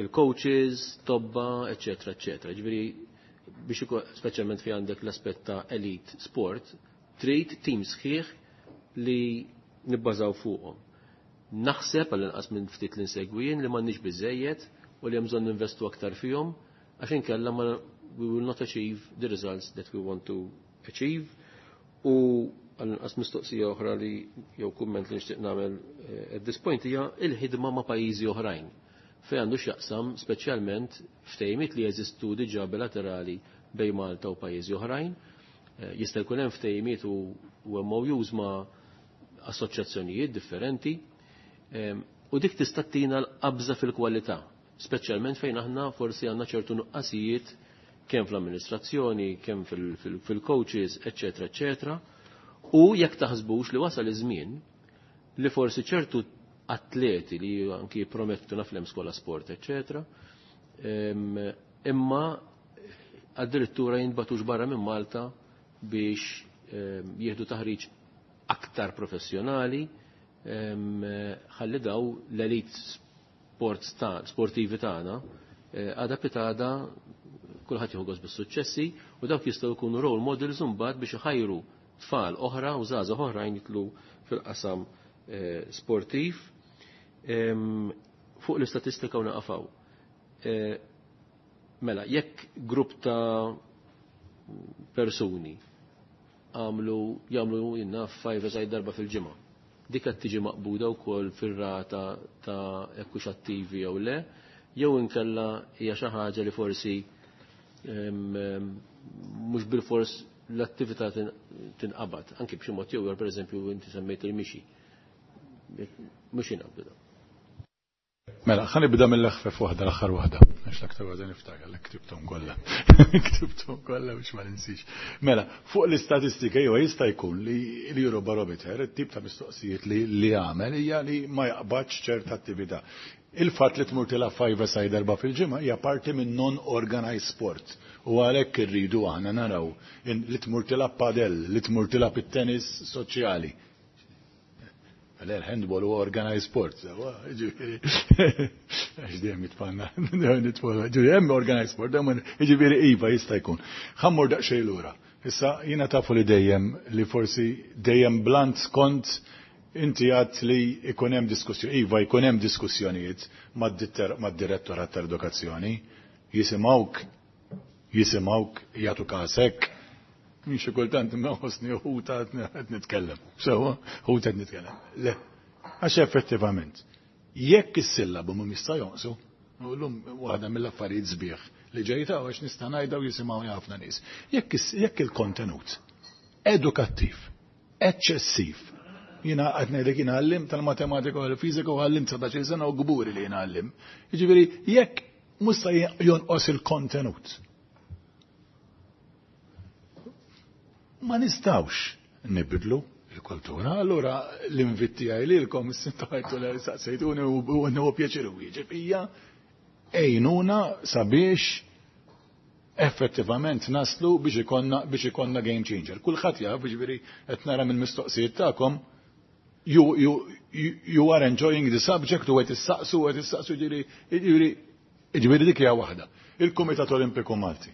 il-coaches, tobba, eċetera, eċetera. Ġifieri biex speċjalment fi għandek l-aspett ta' elite sport, trid tim sħiħ li nibbażaw fuqhom. Naħseb għall-inqas minn ftit li nsegwijin li m'għandniex biżejjed u li hemm bżonn ninvestu aktar fihom għax inkella ma we will not achieve the results that we want to achieve. U għall-inqas mistoqsija oħra li jew kumment li nixtieq nagħmel at this point hija il-ħidma ma' pajjiżi oħrajn fejn għandu x'jaqsam speċjalment ftehimiet li jeżistu diġà bilaterali bejn Malta u pajjiżi oħrajn. Jista' jkun hemm ftehimiet u MOUs ma' assoċjazzjonijiet differenti u dik tista' tina l-qabża fil-kwalità, speċjalment fejn aħna forsi għandna ċertu nuqqasijiet kemm fl-amministrazzjoni, kemm fil-coaches, eċetera, eċetera. U jekk taħsbux li wasal iż-żmien li forsi ċertu atleti li anki promettu naf skola sport, eċetera, imma addirittura jintbatux barra minn Malta biex jieħdu taħriġ aktar professjonali ħalli daw l-elite sports sportivi tagħna għada pitada kulħadd jieħu gost bis-suċċessi u dawk jistgħu jkunu role models imbagħad biex iħajru tfal oħra u żgħażagħ oħrajn jitlu fil-qasam sportiv. Fuq l-istatistika u naqafaw. Mela, jekk grupp ta' persuni għamlu jagħmlu jinna five side darba fil-ġimgħa. Dik qed tiġi maqbuda wkoll fir-rata ta' jekk hux attivi jew le, jew inkella hija xi ħaġa li forsi mhux bilfors l-attività tinqabad, anki b'xi mod jew pereżempju inti semmejt il-mixi. Mhux jinqabdu da. Mela, ħa nibda mill-eħfef waħda, l-aħħar waħda. Għax l-aktar waħda niftakar, l ktibthom kollha. Ktibthom kollha biex ma ninsix. Mela, fuq l-istatistika jew jista' jkun li l-Eurobarometer, it-tip ta' mistoqsijiet li għamel hija li ma jaqbadx ċerta attività. Il-fatt li tmur tilgħab five side darba fil-ġimgħa hija parti minn non-organized sport. U għalhekk irridu aħna naraw li tmur tilgħab padel, li tmur tilgħab it-tennis soċjali. L-handball u organized sport, ġifieri, għax dejjem jitfanna, dejjem nitfanna, ġifieri, hemm organized sport, dejjem ġifieri iva jista' jkun. Ħa mmur daqsxejn lura. Issa jiena tafu li dejjem li forsi dejjem blunt kont inti għat li ikun hemm diskussjoni, iva jkun hemm diskussjonijiet mad-direttorat tal-edukazzjoni, jisimgħuk, jisimgħuk, jagħtu kasek, Min xi kultant nħossni ħuta qed nitkellem. Sewa, ħuta qed nitkellem. Le, għax effettivament, jekk is-sillabu mhum jista' jonqsu, u llum waħda mill-affarijiet sbieħ li ġejta għax nista' ngħidha u jisimgħu ħafna nies. Jekk il-kontenut edukattiv, eċċessiv, jiena qed ngħidlek jiena għallim tal-matematika u l-fiżika u għallim 19 sena u gburi li jiena għallim. Jiġifieri jekk mhux se jonqos il-kontenut. Ma nistawx nibidlu il-kultura, allura l-invit tiegħi lilkom s-sintajtu li saqsejtuni u nħu pjaċir u wieġeb hija għinuna sabiex effettivament naslu biex ikonna game changer. Kulħadd jaf, jiġifieri qed nara mill-mistoqsijiet tagħkom you are enjoying the subject u qed issaqsu qed issaqsu ġifieri dik hija waħda. Il-Kumitat Olimpiku Malti.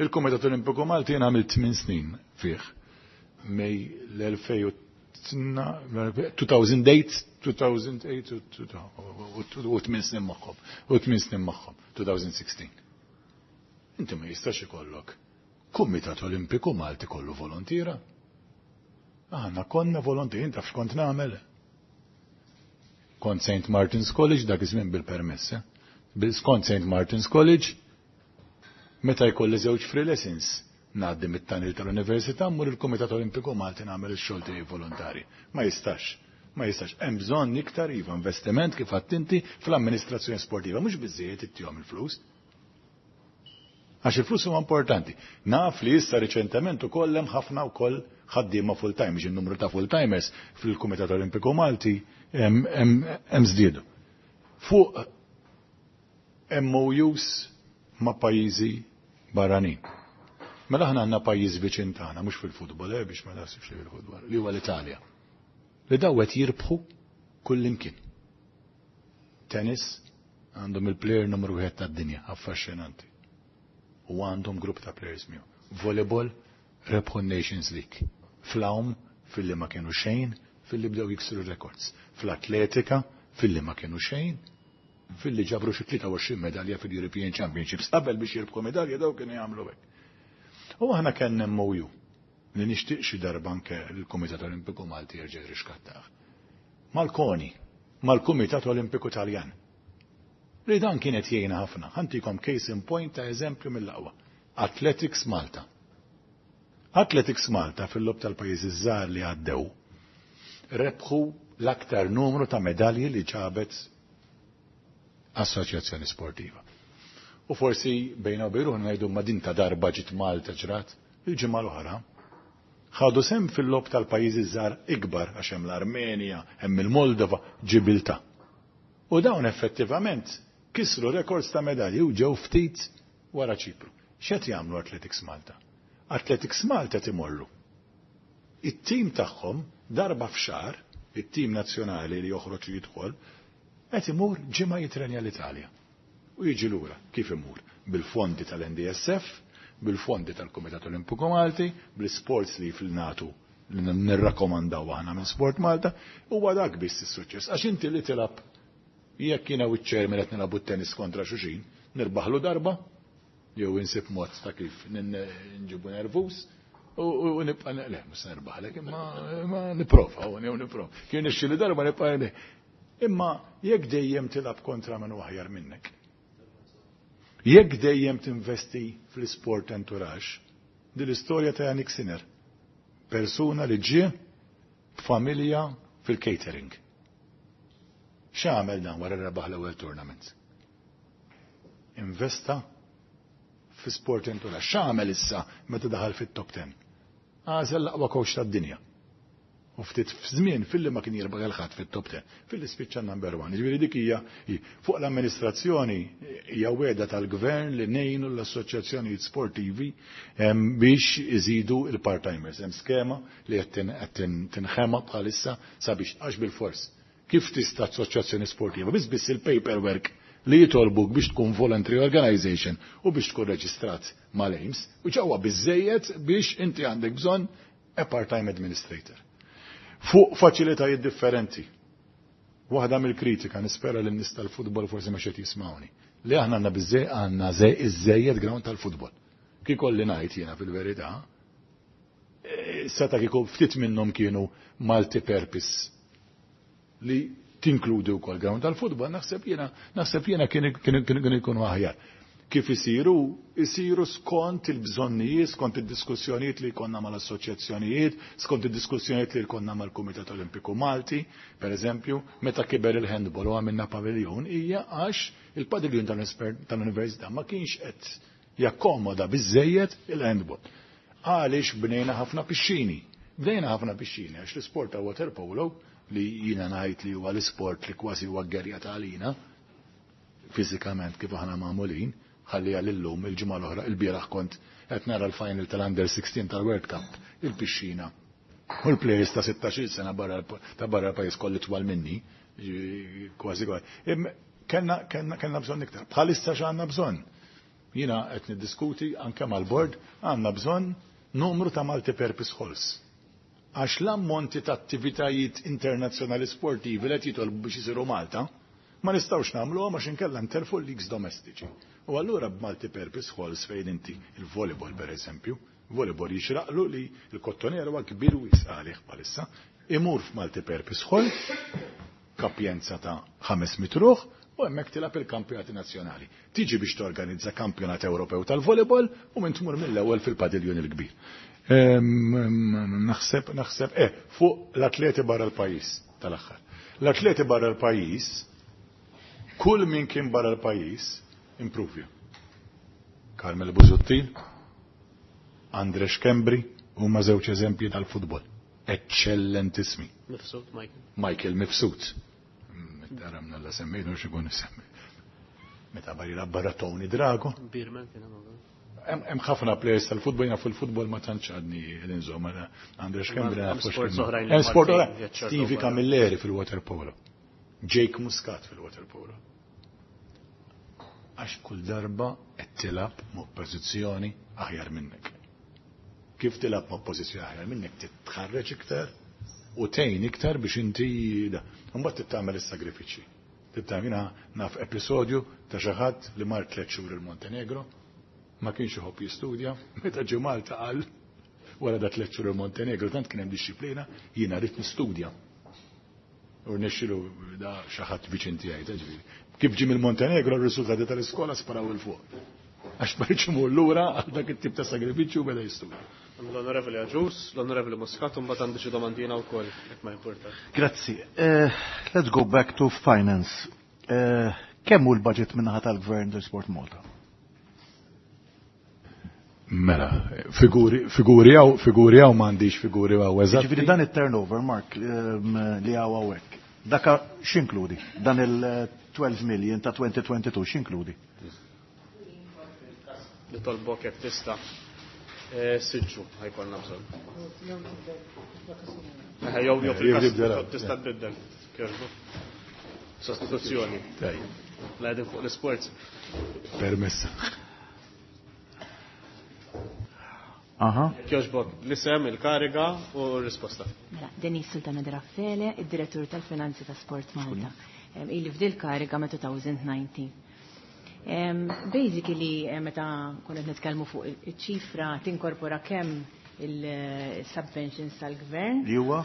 Il-Kumitat Olimpiku Malti jien għamilt 8 snin fih. Mej l-2008, 2008 u 8 snin magħhom, u 8 snin magħhom, 2016. Inti ma jistax ikollok Kumitat Olimpiku Malti kollu volontira. Aħna konna volontieri, inta f'kont nagħmel. Kont St. Martin's College dak iż-żmien bil-permess, eh? Kont St. Martin's College, meta jkolli żewġ free lessons, ngħaddi mit-tunnel tal-Università mmur il-Kumitat Olimpiku Malti nagħmel ix-xogħol tiegħi volontari. Ma jistax. Ma jistax. Hemm bżonn iktar iva investiment kif inti fl-amministrazzjoni sportiva, mhux biżejjed ittihom il-flus. Għax il-flus huma importanti. Naf li issa riċentement ukoll hemm ħafna wkoll ħaddiema full-time, biex il-numru ta' full-timers fil-Kumitat Olimpiku Malti hemm żdiedu. Fuq MOUs ma' pajjiżi barranin. Mela aħna għandna pajjiż viċin tagħna, mhux fil-futbol, biex ma naħsibx li fil-futbol, li huwa l-Italja. Li dawet jirbħu kullimkien. Tennis għandhom il-player numru 1 tad-dinja, affaxxinanti. U għandhom grupp ta' players miegħu. Volleyball rebħu Nations League. Fl-għawm filli ma kienu xejn, filli bdew jiksru records. Fl-atletika filli ma kienu xejn, filli ġabru xi 23 medalja fil-European Championships. Qabel biex jirbħu medalja daw kienu jagħmlu hekk. U aħna kellna MOU li nixtieq xi darba anke l-Kumitat Olimpiku Malti jerġa' jirrixkattah. Mal-KONI, mal-Kumitat Olimpiku Taljan. Li dan kienet jgħinna ħafna. Ħa ntikom case in point ta' eżempju mill-aqwa. Athletics Malta. Athletics Malta fil-logħob tal-pajjiżi żgħar li għaddew rebħu l-aktar numru ta' medalji li ġabet assoċjazzjoni sportiva. U forsi bejna u bejn ngħidu ma din ta' darba ġiet Malta ġrat, il-ġimgħa l-oħra ħadu sehem fil-logħob tal-pajjiżi żgħar ikbar għax hemm l-Armenja, hemm il-Moldova, Ġibilta. U dawn effettivament kisru rekords ta' medalji u ġew ftit wara Ċipru. X'qed jagħmlu Athletics Malta? Athletics Malta timorru. It-tim tagħhom darba f'xahar, it-tim nazzjonali li joħroġ u jidħol, qed imur ġimgħa jitrenja l-Italja. U jiġi lura kif imur bil-fondi tal-NDSF, bil-fondi tal-Kumitat Olimpiku Malti, bl-sports li fil-natu li nirrakkomandaw aħna minn Sport Malta, huwa dak biss is-suċċess. Għax inti li tilab jekk jiena u ċ-chairman qed nilagħbu tennis kontra xulxin, nirbaħlu darba, jew insib mod ta' kif nġibu nervus, u nibqa' le, mhux nirbaħlek, imma nipprova, u jew nipprova. Kien nixxi li darba nibqa' Imma jekk dejjem tilab kontra minn aħjar minnek. Jekk dejjem tinvesti fl-sport entourage, din l-istorja ta' Jannik Sinner, persuna li ġie b'familja fil-catering. X'għamel dan wara rebaħ l-ewwel tournament? Investa fi sport entourage. X'għamel issa meta daħal fit-top 10? Għażel l-aqwa coach tad-dinja. U ftit f'żmien filli ma kien jirbaħ il-ħadd fit-top 10, filli spiċċa number 1. Ġifieri dik hija fuq l-amministrazzjoni hija wegħda tal-gvern li ngħinu l-assoċjazzjonijiet sportivi biex iżidu il-part-timers. Hemm skema li qed tinħema bħalissa sabiex għax bil-fors. Kif tista' assoċjazzjoni sportiva? Biss biss il-paperwork li jitolbuk biex tkun voluntary organization u biex tkun reġistrat mal-AIMS u ġewwa biżejjed biex inti għandek bżonn a part-time administrator. Fuq faċilitajiet differenti. Waħda mill-kritika, nispera li n-nies tal-futbol forsi ma xed jismawni. Li aħna għandna biżej għandna iżejjed ground tal-futbol. Kikolli ngħid jiena fil-verità, seta kieku ftit minnhom kienu multi-purpose li tinkludi wkoll ground tal-futbol, naħseb jiena kien ikunu aħjar. Kif isiru? Isiru skont il-bżonnijiet, skont il-diskussjonijiet li jkollna mal-assoċjazzjonijiet, skont il-diskussjonijiet li jkollna mal-Kumitat Olimpiku Malti, per eżempju, meta kiber il-handball u għamilna paviljon, hija għax il-padiljun tal-Università ma kienx qed jakkomoda biżejjed il-handball. Għaliex bnejna ħafna pixxini? Bnejna ħafna pixxini għax l-isport ta' water polo li jina ngħid li huwa l-isport li kważi huwa gwerra tagħna fiżikament kif aħna magħmulin, ħalli għal-illum il-ġimgħa l-oħra il-bieraħ kont qed nara l-final tal-Under 16 tal-World Cup, il-pixxina. U l-players ta' 16 sena barra ta' barra l-pajjiż kolli twal minni, kważi kważi. Kellna bżonn iktar. Bħalissa x'għandna bżonn? Jiena qed niddiskuti anke mal-board, għandna bżonn numru ta' multi-purpose halls. Għax l-ammonti ta' attivitajiet internazzjonali sportivi li qed jitolbu biex isiru Malta, ma nistgħux nagħmluhom għax inkella ntelfu l-leagues domestiċi. U allura b'multi-purpose halls fejn inti il-volleyball per eżempju, volleyball jixraqlu li l-Kottonera huwa kbir wisq għalih bħalissa, imur f'multi-purpose hall. Kapjenza ta' 500 ruħ u hemmhekk tilgħab il-kampjonati nazzjonali. Tiġi biex torganizza kampjonat Ewropew tal-volleyball u minn tmur mill-ewwel fil-padiljun il-kbir. Naħseb, naħseb, fuq l-atleti barra l-pajjiż tal-aħħar. L-atleti barra l-pajjiż, kull min kien barra l-pajjiż, improvja. Carmel Busuttil, Andre Schembri, huma żewġ eżempji tal-futbol. Eccellentissimi. Mifsud, Michael. Michael Mifsud. Meta la semmejnu x'ikun isemmi. Meta barri barra Tony Drago. Birman kien hemm ukoll. Hemm ħafna players tal-futbol, jiena fil-futbol ma tantx għadni inżomm, Andre Schembri Hemm nafux sports kien. oħrajn li Hemm sport Maltin oħrajn. jaċċertaw Stevie barra. Camilleri fil-water polo. Jake Muscat fil-water polo. Għax kull darba qed tilgħab ma' pożizzjoni aħjar minnek. Kif tilgħab ma' pożizzjoni aħjar minnek titħarreġ iktar u tgħin iktar biex inti da. Imbagħad titgħamel is-sagrifiċċji. Titgħamel jiena naf episodju ta' xi ħadd li mar 3 xhur il-Montenegro, ma kienx iħobb jistudja, meta ġie Malta qal wara da 3 xhur il-Montenegro tant kien hemm dixxiplina, jiena rrid nistudja. U rnexxilu da xi ħadd viċin tiegħi, ta' ġifieri. Kif ġie mill-Montenegro r-riżultati tal-iskola sparaw 'il fuq. Għax ma rridx imur lura għal dak it-tip ta' sagrifiċċju u beda jistudja. L-Onorevoli Agius, l-Onorevoli Muscat, u mbagħad għandi xi domandina wkoll, jekk ma importax. Grazzi. Let's go back to finance. Kemm hu l-budget min-naħa tal-Gvern tal Sport Malta? Mela, figuri hawn, figuri hawn m'għandix figuri hawn eżatt. Ġifieri dan it-turnover, Mark, li hawn hawnhekk. Daka x'inkludi? Dan il-12 million ta' 2022 x'inkludi? Nitolbok jekk tista'. Siġġu ħajkonna bżonn. Jew jew fil-każ Jibdel. tista' tbiddel. Kjerbu. Sostituzzjoni. Tajjeb. La qegħdin fuq l-isports. Permessa. Aha. Kjoġbok, l-isem, il-kariga u r-risposta. Mela, Denise Sultana de Raffaele, id-direttur tal-Finanzi ta' Sport Malta. Ili f'dil kariga ma' 2019. Basically, meta konna qed nitkellmu fuq iċ-ċifra tinkorpora kemm il-subventions tal-gvern. Li huwa?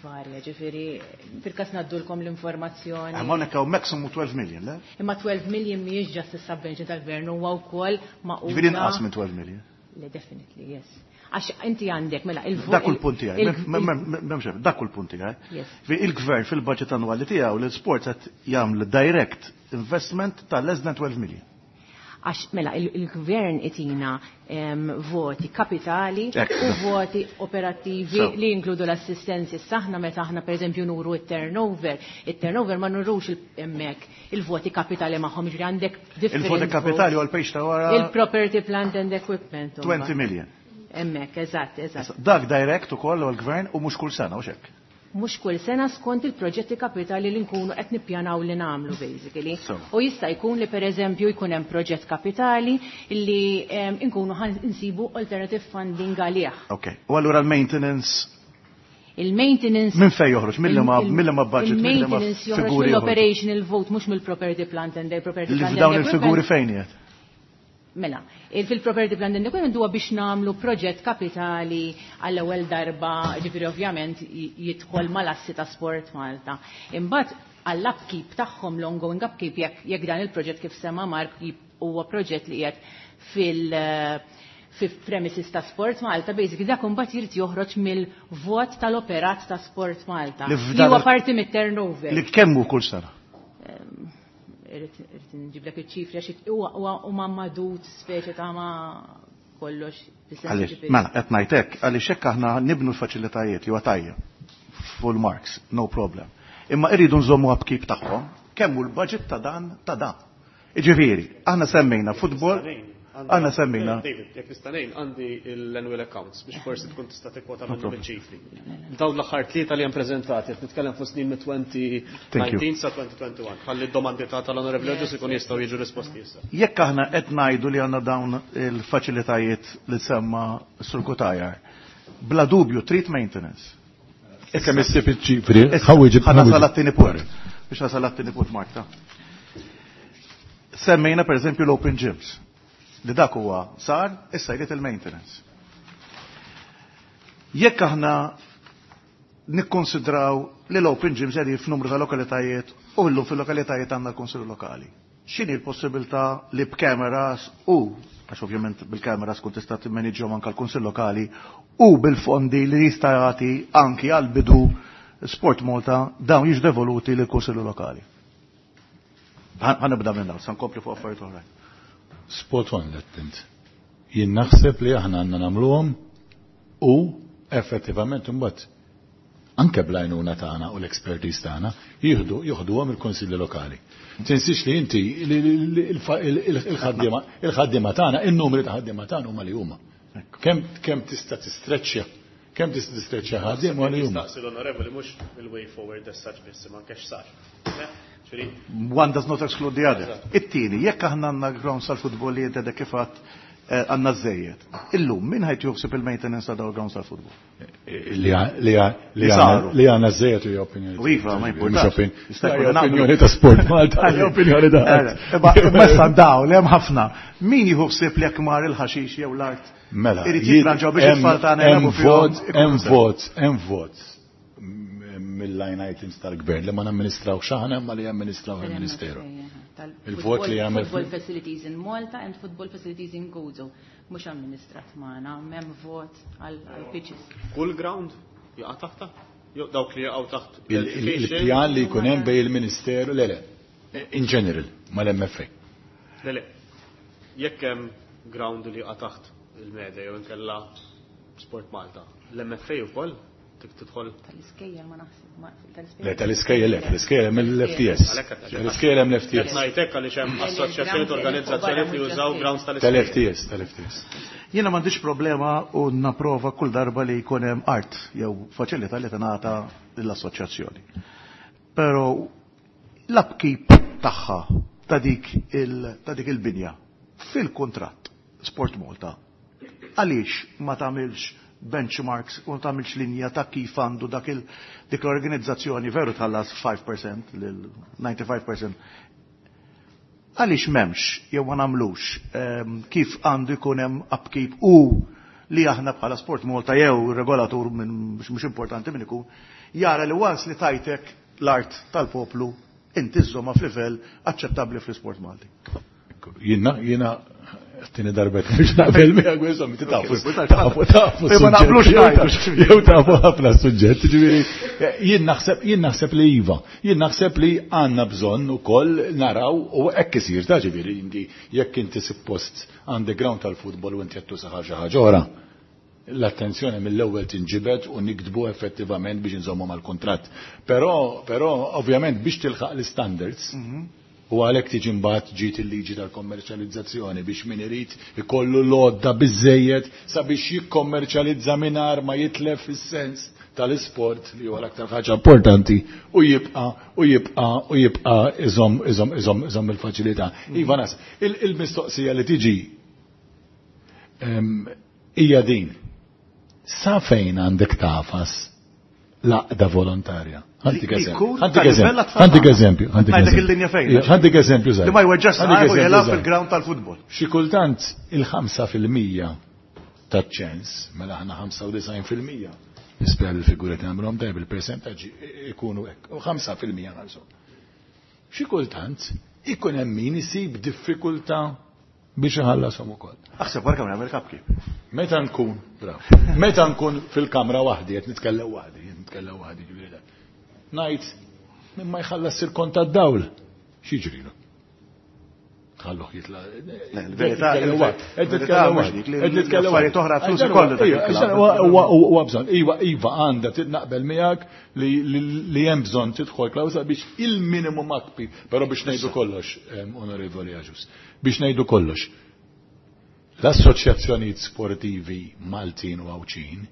Varja, ġifieri, fil-każ ngħaddulkom l-informazzjoni. Hemm hawnhekk hawn maximum 12 million, le? Imma 12 million mhijiex just is-subvention tal-gvern, huwa wkoll maquda. Ġifieri inqas minn 12 million. Le, definitely, yes. Għax inti għandek, mela, il-vo- Dak kull punt tiegħi, m'hemmx hemm, dak kull punt tiegħi. Yes. Fi il-gvern fil-budget annwali tiegħu l-sport qed jagħmel direct investment ta' less than 12 million. Għax, mela, il-gvern itina voti kapitali u voti operattivi li jinkludu l-assistenzi. Saħna meta aħna per eżempju nuru il-turnover, il-turnover ma nurux hemmhekk il-voti kapitali magħhom, ġifieri għandek different Il-voti kapitali votes. u l-page ta' wara Il-property, plant and equipment. 20 million. Hemmhekk, eżatt, eżatt. Dak direct ukoll u l-gvern u mhux kull sena u xekk. Mhux kull sena skont il-proġetti kapitali li nkunu qed nippjanaw li nagħmlu basically. U jista' jkun li pereżempju jkun hemm proġett kapitali li nkunu ħan insibu alternative funding għalih. Ok. U allura l-maintenance Il-maintenance Minn fejn joħroġ? Mill ma budget, mill ma Il-maintenance joħroġ figuri joħroġ? mill-operational vote, mhux mill-property plant and the property Li plant and f'dawn equipment. il-figuri fejn qiegħed? Mela, fil-property plant and equipment huwa biex nagħmlu proġett kapitali għall-ewwel darba, ġifieri ovvjament jidħol mal-assi ta' Sport Malta. Imbagħad għall-upkeep tagħhom, l-ongoing upkeep, jekk dan il-proġett kif sema Mark huwa proġett li qiegħed fi premises ta' Sport Malta, basically dak imbagħad jrid joħroġ mill-vot tal-operat ta' Sport Malta. Li Li f'dan huwa il- parti mit-turnover. Li kemm hu kull sena? Irrid nġiblek iċ-ċifri għax huwa huma madut speċi ta' ma kollox fis-sens Għaliex, ġifieri. mela, qed ngħid hekk, għaliex hekk aħna nibnu l-faċilitajiet li huwa tajjeb. Full marks, no problem. Imma irridu nżommu upkeep tagħhom, kemm hu l-budget ta' dan ta' dan. Jiġifieri, aħna semmejna football, aħna semmejna David, jekk nista' ngħid, għandi l-annual accounts biex forsi tkun tista' tikkwota No minnhom problem. iċ-ċifri. Dawn l-aħħar tlieta li hemm preżentati, qed nitkellem fuq snin mit Thank you. 2019 sa 2021. Ħalli d-domandi ta' tal-Onorevoli Agius ikun jistgħu jiġu risposti issa. Jekk aħna qed ngħidu li għandna dawn il-faċilitajiet li semma Sur Cutajar, bla dubju trid maintenance. Issa issib iċ-ċifri, Issa, ħawieġib, ħa nasal ħawieġib. għat-tieni punt. Biex nasal għat-tieni punt, Marta. Semmejna per eżempju l-open gyms. Li dak huwa sar, issa jrid il-maintenance. Jekk aħna Nikkonsidraw li l-open gyms qegħdin f'numru ta' lokalitajiet u llum fil-lokalitajiet għandna l-Kunsill Lokali. X'inhi l-possibilità li b'kameras u għax ovvjament bil-kameras kun tista' timmaniġġhom anke l-Kunsill Lokali u bil-fondi li jista' jagħti anki għal bidu Sport Malta dawn jiġu devoluti lill kunsilli Lokali. Ħa nibda minn dawn, sa nkompli fuq affarijiet oħrajn. Spot on l-attent. Jien naħseb li aħna għandna nagħmluhom u effettivament imbagħad anke bl-għajnuna tagħna u l-expertise tagħna jieħdu joħduhom il-kunsilli lokali. Tinsix li inti il-ħaddiema tagħna, in-numri ta' ħaddiema tagħna huma li huma. Kemm tista' tistreċċja, kemm tista' tistreċċja ħaddiem huwa li huma. Nistaqsi l-onorevoli mhux il-way forward as such biss, imma anke x'sar. One does not exclude the other. It-tieni, jekk aħna għandna grounds tal-futbol li inti kif għedt għandna żejjed. Illum min ħajt juħsib il-maintenance ta' dawn grounds tal-futbol? Li saru. Li għandna żejjed hija opinjoni. U iva, ma jimpurtax. Jista' jkun nagħmlu- Opinjoni ta' Sport Malta, hija opinjoni ta' Imma issa daw li hemm ħafna. Min jieħu ħsieb li jekk mar il-ħaxix jew l-art Mela, irid jitranġaw biex it-tfal tagħna hemm jilagħbu fihom, vot, ikun hemm sew. vot, hemm vot mill-line items tal-gvern li ma namministraw aħna imma li jamministraw il-Ministeru. Il-vot li jagħmel Football facilities in Malta and football facilities in Gozo. Mhux amministrat magħna, m'hemm vot għal pitches. Kull ground jaqa' taħta? Jew dawk li jaqgħu taħt Il-pjan li jkun hemm bejn il-Ministeru, le le, in general, mal-MFA. Le le, jekk hemm ground li jaqa' taħt il-media jew inkella Sport Malta, l-MFA wkoll tidħol Tal-iskejjel ma naħseb. Tal-iskejjel. Le, tal-iskejjel, le, tal-iskejjel hemm l-FTS. Tal-iskejjel hemm l-FTS. Qed ngħidlek għaliex hemm assoċjazzjonijiet organizzazzjonijiet li jużaw grounds tal-iskejjel. Tal-FTS, tal-FTS. Jiena m'għandix problema u napprova kull darba li jkun hemm art jew faċilità li tingħata lill-assoċjazzjoni. Però l-upkeep tagħha ta' dik il-binja fil-kuntratt Sport Malta għaliex ma tagħmilx benchmarks u ma tagħmilx linja ta' kif għandu dik l-organizzazzjoni veru tħallas 5% lil 95%. Għaliex m'hemmx jew ma nagħmlux kif għandu jkun hemm upkeep u li aħna bħala Sport Malta jew regolatur minn mhux importanti min ikun jara li once li tajtek l-art tal-poplu inti żżomha f'livell aċċettabbli fl-isport Malti. Jiena t-tieni darbet biex naqbel miegħek, insomma, inti tafu, tafu, tafu Ma naqblux suġġett, ngħidu. jew tafu ħafna suġġett, ġifieri, jien naħseb li iva, jien naħseb li għandna bżonn ukoll naraw u hekk isir ta' ġifieri inti jekk inti suppost underground tal-futbol u inti qed tuża xi ħaġa oħra. L-attenzjoni mill-ewwel tinġibed u nikdbu effettivament biex inżommu mal-kuntratt. Però ovvjament biex tilħaq l-standards, u għalhekk tiġi mbagħad ġiet il-liġi tal-kommerċjalizzazzjoni biex min irid ikollu l-għodda biżejjed sabiex jikkommerċjalizza mingħajr ma jitlef is-sens tal-isport li huwa l-aktar ħaġa importanti u jibqa' u jibqa' u jibqa' iżomm, iżomm, iżomm, iżomm il-faċilità. Iva nas, il-mistoqsija li tiġi hija din. Sa fejn għandek tafas l-għaqda volontarja? Ħantik Li eżempju. jkun Ħantik tal-livell eżempju. għat-tfal Ħantik tagħna. eżempju. Ħantik Ngħidlek eżempju. il-linja fejn. Ija, ħantik eżempju żgħir. Li ma jweġġax Ħantik saqajh u eżempju jilgħab żgħir. fil-ground tal-futbol. Xi kultant il-ħamsa fil-mija taċ-ċens, mela aħna ħamsa u disgħin fil-mija. Nispera li l-figuri nagħmluhom tajjeb il-percentaġġi ikunu hekk, u ħamsa fil-mija nagħżu. Xi kultant ikun hemm min isib diffikultà biex iħallasom ukoll. Aħseb wara kemm jagħmel upkeep. Meta nkun, bravo. Meta nkun fil-kamra waħdi, qed nitkellem waħdi, qed nitkellem waħdi ġifieri dak. Ngħid min ma jħallas il-kont tad-dawl, x'jiġrilu? Tħalluh jitla'. Le, il-verità, Qed nitkellem waħdi, qed il-verità nitkellem mhux waħdi, dik li qed nitkellem l-affarijiet waħdi. oħra flus Għax ikollu dak ija, il-klabb. għax huwa bżonn. Iva, iva, għandha titnaqbel miegħek li hemm bżonn tidħol klawsa biex il-minimum upkeep, però biex ngħidu kollox, onorevoli Agius, biex ngħidu kollox. L-assoċjazzjonijiet sportivi Maltin u Għawdxin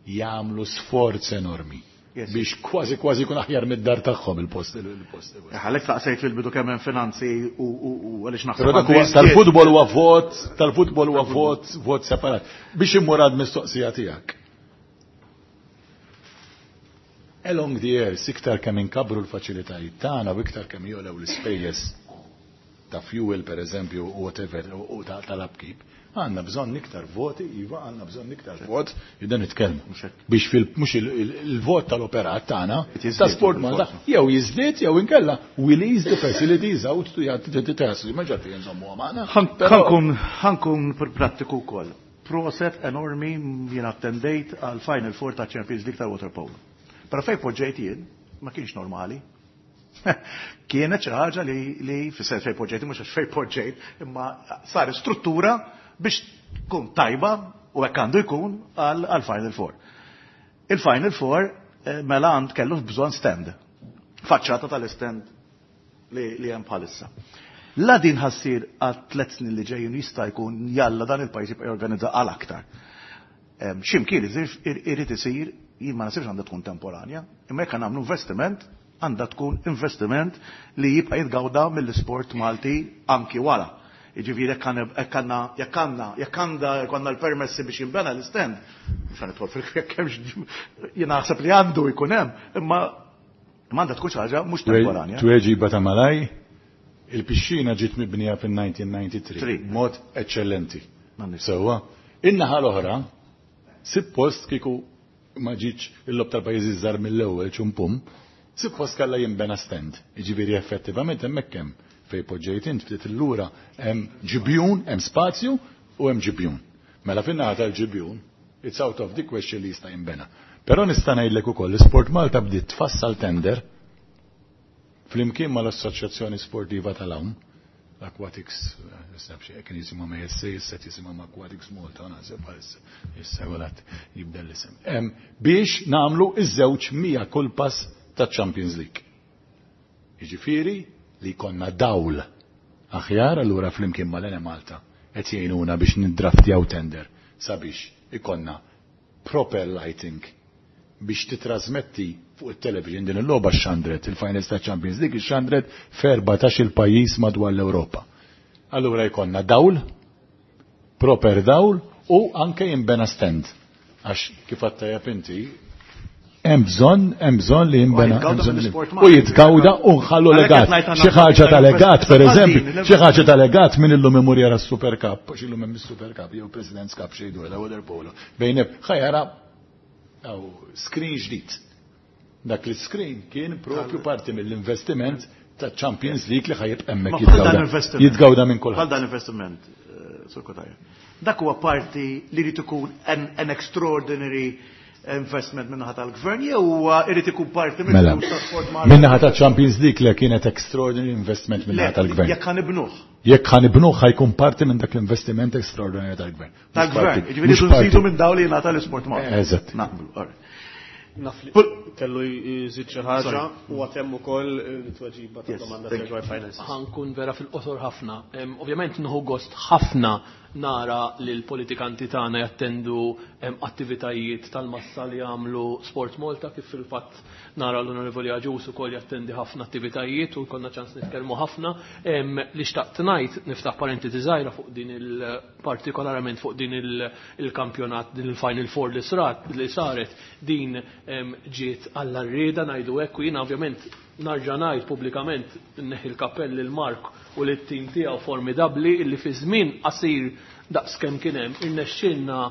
jagħmlu sforz enormi biex kważi kważi jkun aħjar mid-dar tagħhom il-post, il-post. Għalhekk taqsejt fil-bidu kemm hemm finanzi u għaliex naħseb Però dak għandu huwa jiżdied. tal-futbol huwa vot, tal-futbol huwa vot, vot separat. Biex immur għad mistoqsija tiegħek. Along the years, iktar kemm inkabru l-faċilitajiet tagħna u iktar kemm jogħlew l-ispejjeż ta' fuel per eżempju u whatever u tal-upkeep, għandna bżonn iktar voti, iva għandna bżonn iktar vot, jidda nitkellmu. Biex fil mhux il-vot tal-operat tagħna ta' Sport Malta jew jiżdied jew inkella we lease the facilities out to jagħti ma ġarfi nżommu magħna. Ħankun prattiku wkoll. Proset enormi jien attendejt għal Final Four ta' Champions League ta' water polo. Però fejn poġġejt jien ma kienx normali. Kienet xi ħaġa li fis-sens fejn poġġejt mhux għax fejn poġġejt, imma sar struttura biex tkun tajba u hekk għandu jkun għal Final Four. Il-Final Four mela għand kellu bżonn stand. Faċċata tal-stand li hemm bħalissa. La din ħassir għal 3 snin li ġejjin jista' jkun jalla dan il-pajjiż jibqa' jorganizza għal aktar. X'imkien irid isir, jien ma nasibx għandha tkun temporanja, imma jekk nagħmlu investiment, għandha tkun investiment li jibqa' jitgawda mill-isport Malti anki wara. Jiġifieri jekk għandna jkollna l-permessi biex jinbena l-istand, mhux ħanidħol fil-jekk hemmx jien naħseb li għandu jkun hemm, imma għandha tkun xi ħaġa mhux temporanja. Tweġiba ta' malaj, il-pixxina ġiet mibnija fin-1993 b'mod eċċellenti. Sewwa, in-naħa l-oħra, suppost kieku ma ġietx il-lob tal-pajjiżi żgħar mill-ewwel ċumpum, suppost kellha jinbena stand. Jiġifieri effettivament hemmhekk hemm fej poġġejt int ftit illura hemm ġibjun, hemm spazju u hemm ġibjun. Mela fin-naħa tal-ġibjun, it's out of the question li jista' jinbena. Però nista' ngħidlek ukoll l-Sport Malta bdiet tfassal tender flimkien mal-Assoċjazzjoni Sportiva tal-Għawm, l-Aquatics, kien jisimhom ASA, issa jisimhom Aquatics Malta, naħseb bħalissa, issa għolat jibdel l-isem. Biex nagħmlu iż-żewġ 100 kull pass ta' Champions League. Jiġifieri li konna dawl aħjar, allura flimkien mal-Ene Malta qed jgħinuna biex niddraftjaw tender sabiex ikonna proper lighting biex titrasmetti fuq il-television din il-logħba xandret, il-Finals ta' Champions League xandret f'14 il-pajjiż madwar l-Ewropa. Allura jkollna dawl, proper dawl u anke jinbena stand. Għax kif għattajab inti, hemm bżonn li jinbena u jitgawda u nħallu legat. Xi ħaġa ta' legat, per eżempju, xi ħaġa ta' legat min illum imur jara s-Super Cup, għax illum hemm is-Super Cup jew President's Cup xi jdur da water polo. Bejn ħajara screen ġdid. Dak li screen kien propju parti mill-investiment ta' Champions League li ħajib hemmhekk jitgawda minn kulħadd. Bħal dan investiment, Sur Cutajar. Dak huwa parti li jrid ikun an extraordinary investment minnaħa tal-gvern jew huwa irid ikun parti minn Sport Malta? Minnaħa ta' Champions League li kienet extraordinary investment minnaħa tal-gvern. Jekk ħanibnuh. Jekk ħanibnuh ħajkun parti minn dak l-investiment extraordinary tal-gvern. Tal-gvern, jiġifieri nżidu minn dawn li jingħata l-Sport Malta. Eżatt. Naqblu, all right. Naf li kellu jżid xi ħaġa u għatemm ukoll it-tweġiba tad-domanda dwar finance. Ħankun vera fil-qosor ħafna. Ovvjament nieħu gost ħafna nara li l-politikanti tagħna jattendu attivitajiet tal-massa li jagħmlu Sport Malta, kif fil-fatt nara l-Onorevoli Agius ukoll jattendi ħafna attivitajiet u jkollna ċans nitkellmu ħafna. Li xtaqt ngħid, niftaħ parentesi żgħira fuq din il-partikolarment fuq din il-kampjonat, din il-Final Four li srat, li saret, din ġiet għall-arrieda ngħidu hekk, u jiena ovvjament narġa' ngħid pubblikament nneħħi l-kappell lil Mark u lit-tim tiegħu formidabbli illi fi żmien qasir daqs kemm kien hemm irnexxielna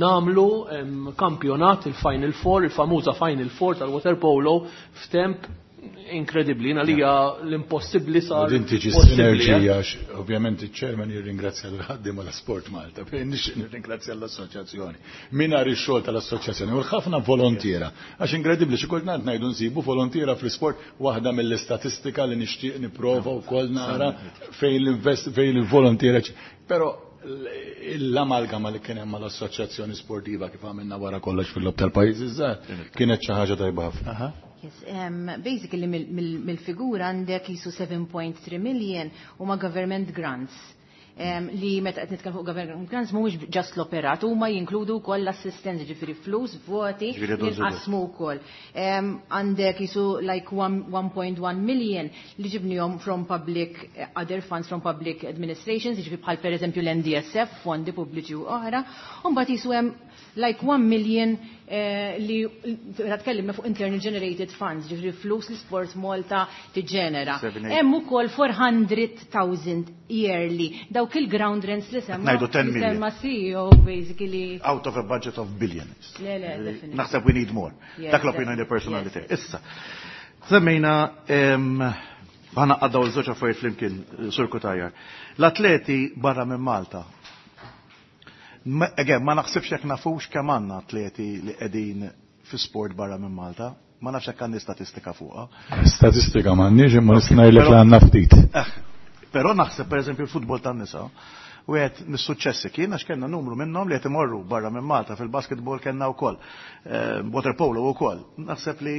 nagħmlu kampjonat il-Final Four, il-famuża Final Four tal-waterpolo f'temp inkredibbli. Jiena lija l-impossibbli sar. Din tiġi possibbli, sinerġija, għax ovvjament iċ-chairman jirringrazzja l-ħaddiema l Sport Malta, fejn nixtieq nirringrazzja l-assoċjazzjoni. Mingħajr ix-xogħol tal-assoċjazzjoni u l-ħafna volontiera. Għax inkredibbli xi kultant ngħidu nsibu volontiera fl-isport, waħda mill-istatistika li nixtieq nipprova wkoll nara fejn fejn il-volontiera. Però l-amalgama li kien hemm mal-assoċjazzjoni sportiva kif għamilna wara kollox fil-lob tal-pajjiżi żgħar kienet xi ħaġa tajba ħafna. Yes, basically mill-figura għandek jisu 7.3 million huma government grants. Li meta qed nitkellmu fuq government grants mhuwiex just l-operat, huma jinkludu wkoll l-assistenza, ġifieri flus, voti, jinqasmu wkoll. Għandek jisu like 1.1 million li ġibnihom from public other funds from public administrations, ġifieri bħal pereżempju l-NDSF, fondi pubbliċi u oħra, u mbagħad jisu hemm like 1 million li tkellimna fuq internal generated funds, ġifieri flus li Sport Malta tiġġenera. Hemm ukoll 400,000 yearly dawk il-ground rents li semma. Ngħidu 10 million. Semma CEO basically. Out of a budget of billions. Le, le, definitely. Naħseb we need more. Dak l-opinjoni personali tiegħi. Issa, semmejna ħana għaddaw l-żewġ affarijiet flimkien, Sur Cutajar. L-atleti barra minn Malta. Again, ma naħsibx jekk nafux kemm għandna atleti li qegħdin fi sport barra minn Malta. Ma nafx jekk għandi statistika fuqha. Statistika m'għandniex imma nista' ngħidlek li għandna ftit. Però naħseb pereżempju l-futbol tan-nisa, wieħed mis-suċċessi kien għax kellna numru minnhom li qed imorru barra minn Malta fil-basketball kellna wkoll, water polo wkoll. Naħseb li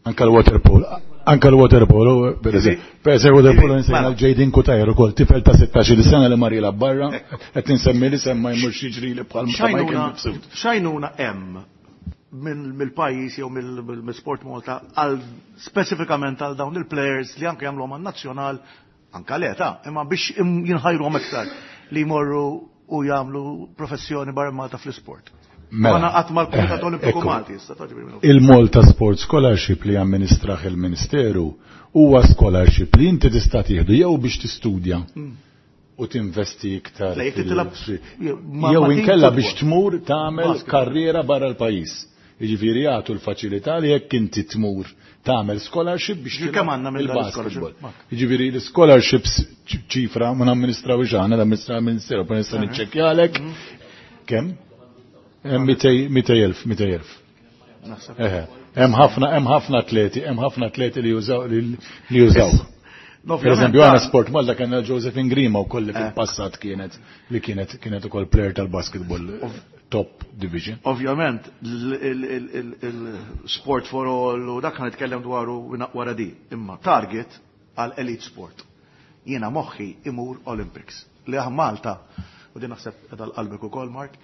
Anka l-waterpolo, anka l-waterpolo, per eżempju, waterpolo nsejna l-Jadin Cutajar ukoll, tifel ta' 16 sena li mar jilgħab barra, qed insemmi li semma jmur jiġri li bħal ma Michael Mifsud. Xajnuna hemm mill-pajjiż jew mill-Sport Malta għal speċifikament għal dawn il-players li anke jagħmluhom għan-nazzjonal, anke l-età, imma biex jinħajruhom iktar li jmorru u jagħmlu professjoni barra Malta fl-isport. Mela. Ma naqgħod mal-Kumitat Olimpiku Malti, issa taġbi minnu. Il-Malta Sports Scholarship li amministraħ il-Ministeru huwa scholarship li inti tista' tieħdu jew biex tistudja u tinvesti iktar Le, jekk titilab jew ma' team inkella football. biex tmur tagħmel Basket. karriera barra l-pajjiż. Jiġifieri jagħtu l-faċilità li jekk inti tmur tagħmel scholarship biex Ġifieri tilgħab kemm għandna minn dan il-basketball. l-scholarship? Jiġifieri l-scholarships ċifra ma namministrawx aħna, l-amministraw il-Ministeru, però nista' niċċekkjalek. Kemm? Hemm mitej elf, mitej elf. Naħseb. Eħe. Hemm ħafna, hemm ħafna atleti, hemm ħafna atleti li jużaw, li jużaw. No, Per eżempju, ovvjament, għana Sport Malta kellna Josephine Grima wkoll li Eh. fil-passat kienet li kienet kienet ukoll player tal-basketball top division. Ovvjament, il-sport for all u dak nitkellem dwaru wara di, imma target għal elite sport. Jiena moħħi imur Olympics. Li aħ Malta, u din naħseb qiegħda l-qalbek ukoll, Mark,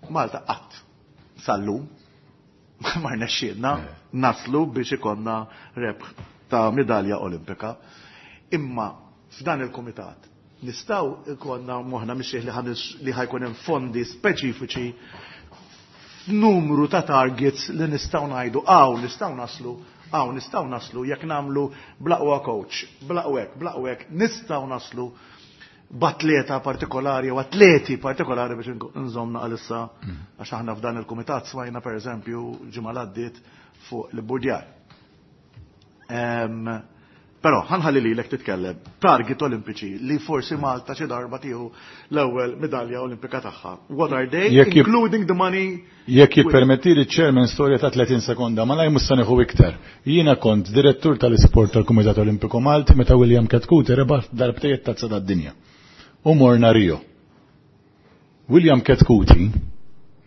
Malta qatt sal-lum ma rnexxielna naslu biex ikonna rebħ ta' medalja olimpika. Imma f'dan il-kumitat nistgħu ikonna moħħna mixjih li ħajkun hemm fondi speċifiċi f'numru ta' targets li nistgħu ngħidu hawn nistgħu naslu, hawn nistgħu naslu jekk nagħmlu blaqwa coach, blaqwa hekk, blaqwa hekk, nistgħu naslu b'atleta partikolari u atleti partikolari biex nżomna għalissa għax aħna f'dan il-kumitat smajna pereżempju ġimgħa l-għaddiet fuq l-burdjar. Però ħanħalli lilek titkellem target olimpiċi li forsi Malta xi darba tieħu l-ewwel medalja olimpika tagħha. What are they? Jekk Including the money. Jekk jippermetti li ċermen storja ta' 30 sekonda, ma laj mhux se nieħu iktar. Jiena kont direttur tal-isport tal-Kumitat Olimpiku Malti meta William Chetcuti rebaħ darbtejn tazza tad-dinja. U morna Rio. William Chetcuti,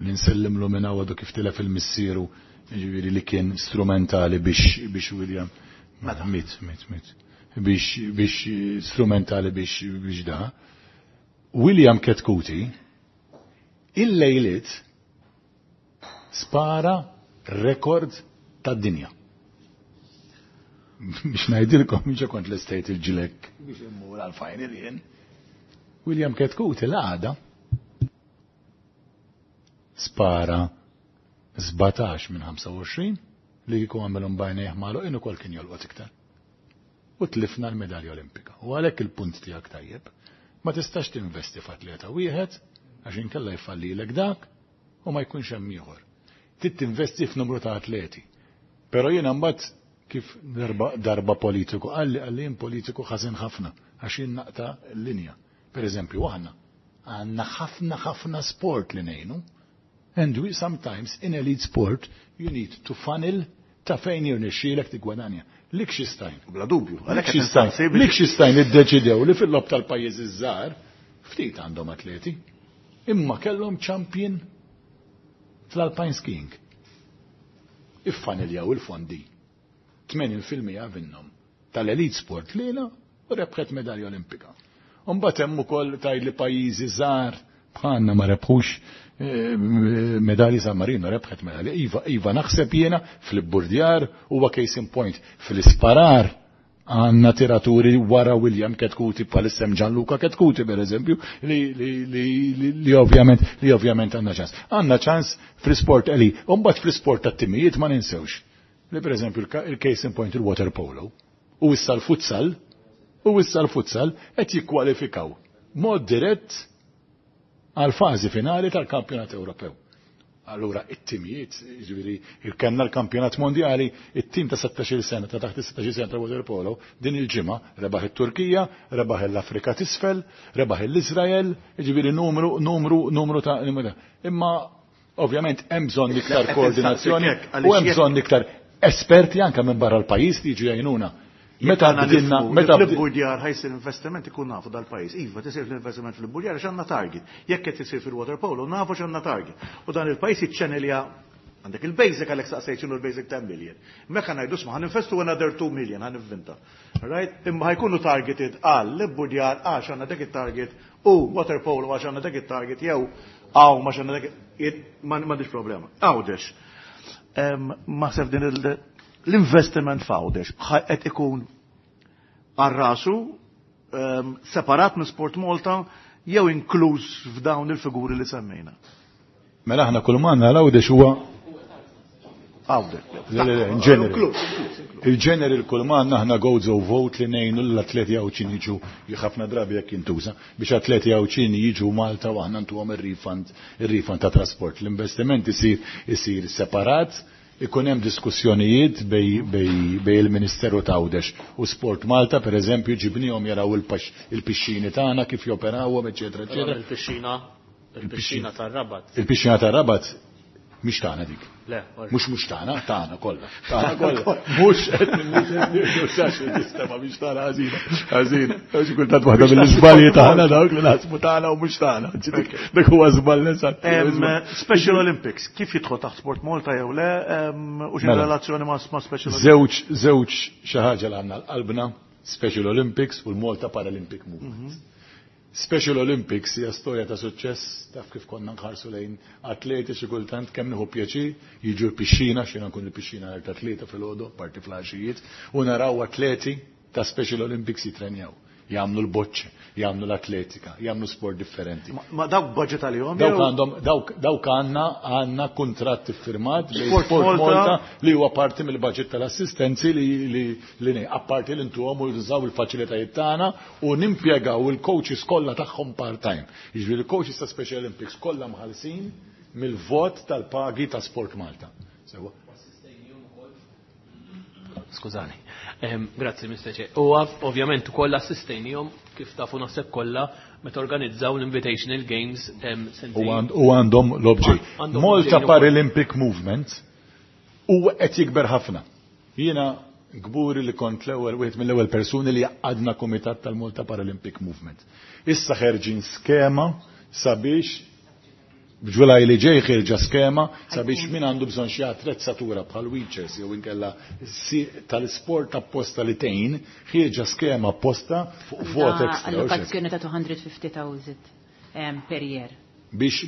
li nsellimlu minn għadu kif tilef il-missieru, jiġifieri li kien strumentali biex William Meta? Mit, mit, mit. Biex strumentali biex da. William Chetcuti, il-lejliet spara rekord tad-dinja. Biex ngħidilkom, biex kont l-estate il-ġilek biex immur għal-final jien. William Chetcuti l-għada spara 17 minn 25 li kieku għamilhom bajnejh magħluqin ukoll kien jolqot iktar. U tlifna l-medalja olimpika. U għalhekk il-punt tiegħek tajjeb, ma tistax tinvesti f'atleta wieħed għax inkella jfallilek dak u ma jkunx hemm ieħor. Trid tinvesti f'numru ta' atleti. Però jiena mbagħad kif darba politiku qalli jien politiku ħażin ħafna għax jien naqta' l-linja. Per eżempju, aħna għandna ħafna ħafna sport li ngħinu. And we sometimes in elite sport you need to funnel ta' fejn jirnexxielek tigwadanja. Liechtenstein. Bla dubju. Għalhekk qed Liechtenstein. nistaqsi biex Liechtenstein iddeċidew li fil-lob tal-pajjiżi żgħar ftit għandhom atleti, imma kellhom champion fl-alpine skiing. Iffaniljaw il-fondi. 80% minnhom tal-elite sport lejla u rebħet medalja olimpika. Mbagħad hemm ukoll tgħid li pajjiżi żgħar bħalna ma rebħux medalji. San Marino rebħet medalji. Iva, iva, naħseb jiena fl-ibburdjar huwa case in point. Fl-isparar għandna tiraturi wara William Chetcuti, bħalissa hemm Gianluca Chetcuti per eżempju, li ovvjament għandna ċans. Għandna ċans fl-sport eli, mbagħad fl-sport tat-timijiet ma ninsewx. Li per eżempju il-case in point il-water polo u issa l-futsal qed jikkwalifikaw mod dirett għal fażi finali tal-Kampjonat Ewropew. Allura, it-timijiet, ġifieri, il-kellna l-kampjonat mondjali, it-tim ta' 16 sena, ta' taħt 16 sena ta' water polo, din il-ġimgħa rebaħ it-Turkija, rebaħ l-Afrika t'isfel, rebaħ l-Izrael, ġifieri numru, numru, numru ta' Imma, ovvjament, hemm bżonn iktar koordinazzjoni u hemm bżonn iktar esperti anke minn barra l-pajjiż li jiġu jgħinuna. Meta bdilna, meta fil-burdjar ħa jsir investiment ikun nafu dal-pajjiż. Iva, tisir l-investiment fil-burdjar għax għandna target. Jekk qed isir fil-water polo, nafu x'għandna target. U dan il-pajjiż jiċċenelja għandek il-basic, għalhekk saqsejt x'inhu l-basic 10 million. Mekka ngħidu sma' ħa ninvestu another 2 million, ħa nivvinta. Right? Imma ħa jkunu targeted għal l-burdjar għax għandna dak it-target u water polo għax għandna dak it-target jew għaw ma għandna dak m'għandix problema. Għawdex. Ma sef din l-investiment f'Għawdex qed ikun għal rasu separat minn Sport Malta jew inkluż f'dawn il-figuri li semmejna? Mela aħna kull manna l-Għawdex huwa Għawdex. Le, le, in ġeneri. Il-ġeneri l-kull manna aħna Gozo Vote li ngħinu l-atleti Għawdxin jiġu, ħafna drabi jekk jintuża, biex atleti Għawdxin jiġu Malta u aħna ntuhom il-refund ta' trasport. L-investiment isir separat, ikun hemm diskussjonijiet bejn il-Ministeru t'Għawdex u Sport Malta, per eżempju, ġibnihom jaraw il-pixxini tagħna kif joperawhom, eċetera, eċetera. Il-pixxina tar-Rabat. Il-pixxina tar-Rabat mhix tagħna dik. Le, Mhux tagħna, tagħna kollha. Tagħna kollha. Mhux qed nistema sistema mhix tagħna, ħażina. Ħażina. Xi kultant waħda mill-iżbalji tagħna dawk li naħsbu tagħna u mhux tagħna. Dik huwa żball eżatt. Special Olympics, kif jidħol taħt Sport Malta jew le u xi Mela. relazzjoni ma' Special Olympics? Żewġ xi ħaġa li għandna l-qalbna, Special Olympics u l-Malta Paralympic Movement. Special Olympics hija storja ta' suċċess, taf kif konna nħarsu lejn atleti xi kultant kemm nieħu pjaċir jiġu l-pixxina, xina nkun il-pixxina ta' 3 filgħodu, parti flaxijiet, u naraw atleti ta' Special Olympics jitrenjaw. Jagħmlu l-boċċi, jagħmlu l-atletika, jagħmlu sport differenti. Ma dawk budget għalihom? Dawk għandhom, dawk għandna kuntratt iffirmat bejn Sport Sport Malta. Malta li huwa parti mill-budget tal-assistenzi li apparti li ntuhom u jużaw il-faċilitajiet tagħna u nimpjegaw il-coaches kollha tagħhom part-time. Jiġifieri il-coaches ta' Special Olympics kollha mħallsin mill-vot tal-pagi ta' Sport Malta. Sewa. Skużani. Grazzi, Mr. Chair. U ovvjament ukoll assistejnihom, kif tafu naħseb kollha, meta organizzaw l-Invitational Games U għandhom l-obġej. Għandhom Malta l-obġej. Paralympic Movement u qed jikber ħafna. Jiena kburi li kont l-ewwel wieħed mill-ewwel persuni li għadna kumitat tal-Malta Paralympic Movement. Issa ħerġin skema sabiex b'Ġulaj li ġej ħirġa skema sabiex min għandu bżonn xi attrezzatura bħal wheelchairs jew inkella tal-sport apposta li tgħin, ħirġa skema apposta fuq vot extra. Allokazzjoni ta' 250,000 per year. Biex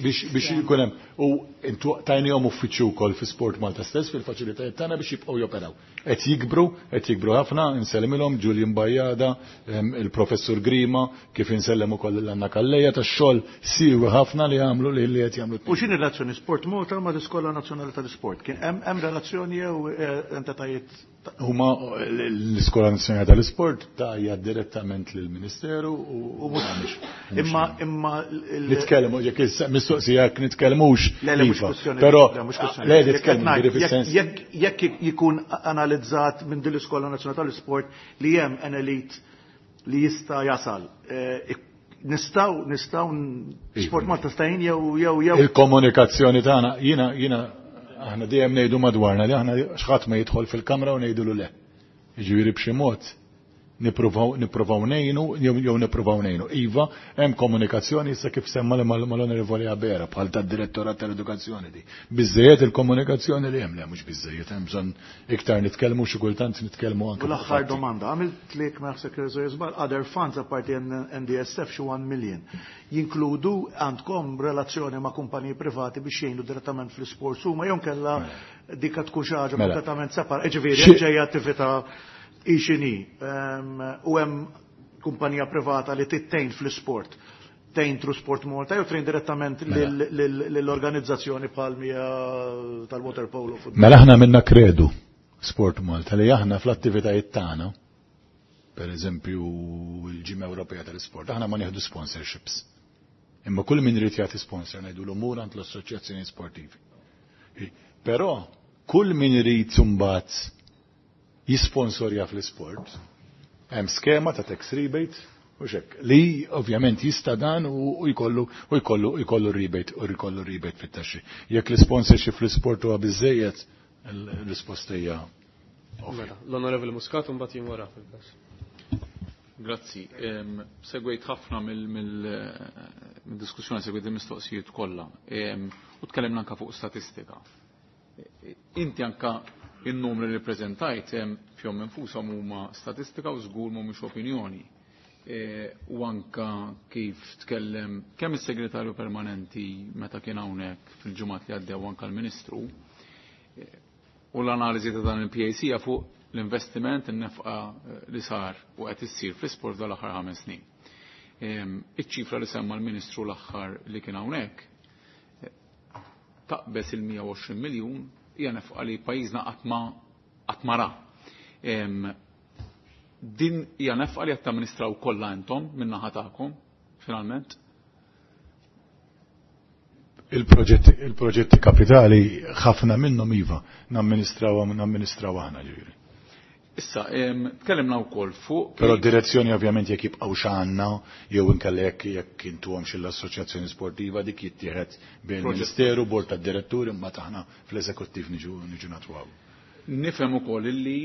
jkun hemm u intu tajnihom uffiċċju wkoll fi Sport Malta stess fil-faċilitajiet tagħna biex jibqgħu joperaw. Qed jikbru ħafna, insellimilhom Julian Bajada, il-Professur Grima, kif insellem ukoll l-Anna Calleja tax-xogħol siewi ħafna li għamlu li qed jagħmlu. U x'inhi relazzjoni Sport Malta ma' l-Iskola Nazzjonali tal-Sport? Kien hemm relazzjoni jew entitajiet? Huma l-Iskola Nazzjonali tal-Isport tajja direttament lill-Ministeru u mhux Imma Nitkellmu jekk mistoqsija jekk nitkellmux. Le, mhux iva. kwestjoni. Però Le, mhux kwestjoni. le Jekk nitkellmu ngħid, ġifieri fis-sens. Jekk jikun analizzat minn din l-Iskola Nazzjonali tal-Isport li hemm an elite li jista' jasal, nistgħu Sport Malta stajn jew Il-komunikazzjoni tagħna, jiena aħna dejjem ngħidu madwarna li aħna x'ħadd ma jidħol fil-kamra u ngħidulu le. Jiġifieri b'xi mod Nippruvaw nippruvaw ngħinu jew nippruvaw ngħinu. Iva, hemm komunikazzjoni issa kif semma li mal-Onorevoli Abera bħal tad-Direttorat tal-Edukazzjoni di. Biżejjed il-komunikazzjoni li hemm le mhux biżejjed hemm bżonn iktar nitkellmu xi kultant nitkellmu anke. U l-aħħar domanda, għamilt lek ma naħseb żball other funds apparti NDSF xi 1 million. Jinkludu għandkom relazzjoni ma' kumpaniji privati biex jgħinu direttament fl-isports huma jew kellha mela. dika tkun xi ħaġa mela. kompletament separ. Ġifieri ġejja attività ixini u hemm kumpanija privata li tittejn fl-isport tejn through Sport Malta jew trejn direttament mela. lill-organizzazzjoni bħal mija tal-water polo. Mela aħna minna kredu Sport Malta li aħna fl-attivitajiet tagħna, per eżempju l-Ġimgħa Ewropea tal-Isport, aħna ma nieħdu sponsorships. Imma kull min irid jagħti sponsor ngħidu l-umur għand l-assoċjazzjoni sportivi. Però kull min irid imbagħad jisponsorja fl-isport, hemm skema ta' tax rebate u xek, li ovvjament jista' dan u jkollu u jkollu jkollu rebate u jkollu rebate fit-taxxi. Jekk l-sponsorship fl-isport huwa biżejjed, il-risposta hija mela, L-Onorevoli Muscat mbagħad jien wara fil-każ. Grazzi. Segwejt ħafna mill-diskussjoni, segwejt il-mistoqsijiet kollha. U tkellimna anka fuq statistika. Inti anka in-numri li preżentajt fihom infushom huma statistika u żgur mhumiex opinjoni. E, u anka kif tkellem kemm is-segretarju permanenti meta kien hawnhekk fil-ġimgħat li għaddew anka l-Ministru e, u l-analiżi ta' dan il-PAC fuq l-investiment in-nefqa e, li sar u qed issir fl-isport dal-aħħar ħames snin. Iċ-ċifra li semma l-Ministru l-aħħar li kien hawnhekk taqbes il-120 miljun hija nefqa li pajjiżna qatt ma ra. Din hija nefqa li qed tamministraw kollha intom min-naħa tagħkom finalment. Il-proġetti il kapitali ħafna minnhom iva namministraw namministraw aħna ġifieri. Issa, tkellimna wkoll fuq. Però direzzjoni ovvjament jekk jibqgħu x'għandna jew inkella jekk jekk intuhom l-assoċjazzjoni sportiva dik jittieħed bejn il-Ministeru, bord tad-diretturi imma taħna fl-eżekuttiv niġu niġu natwaw. Nifhem ukoll illi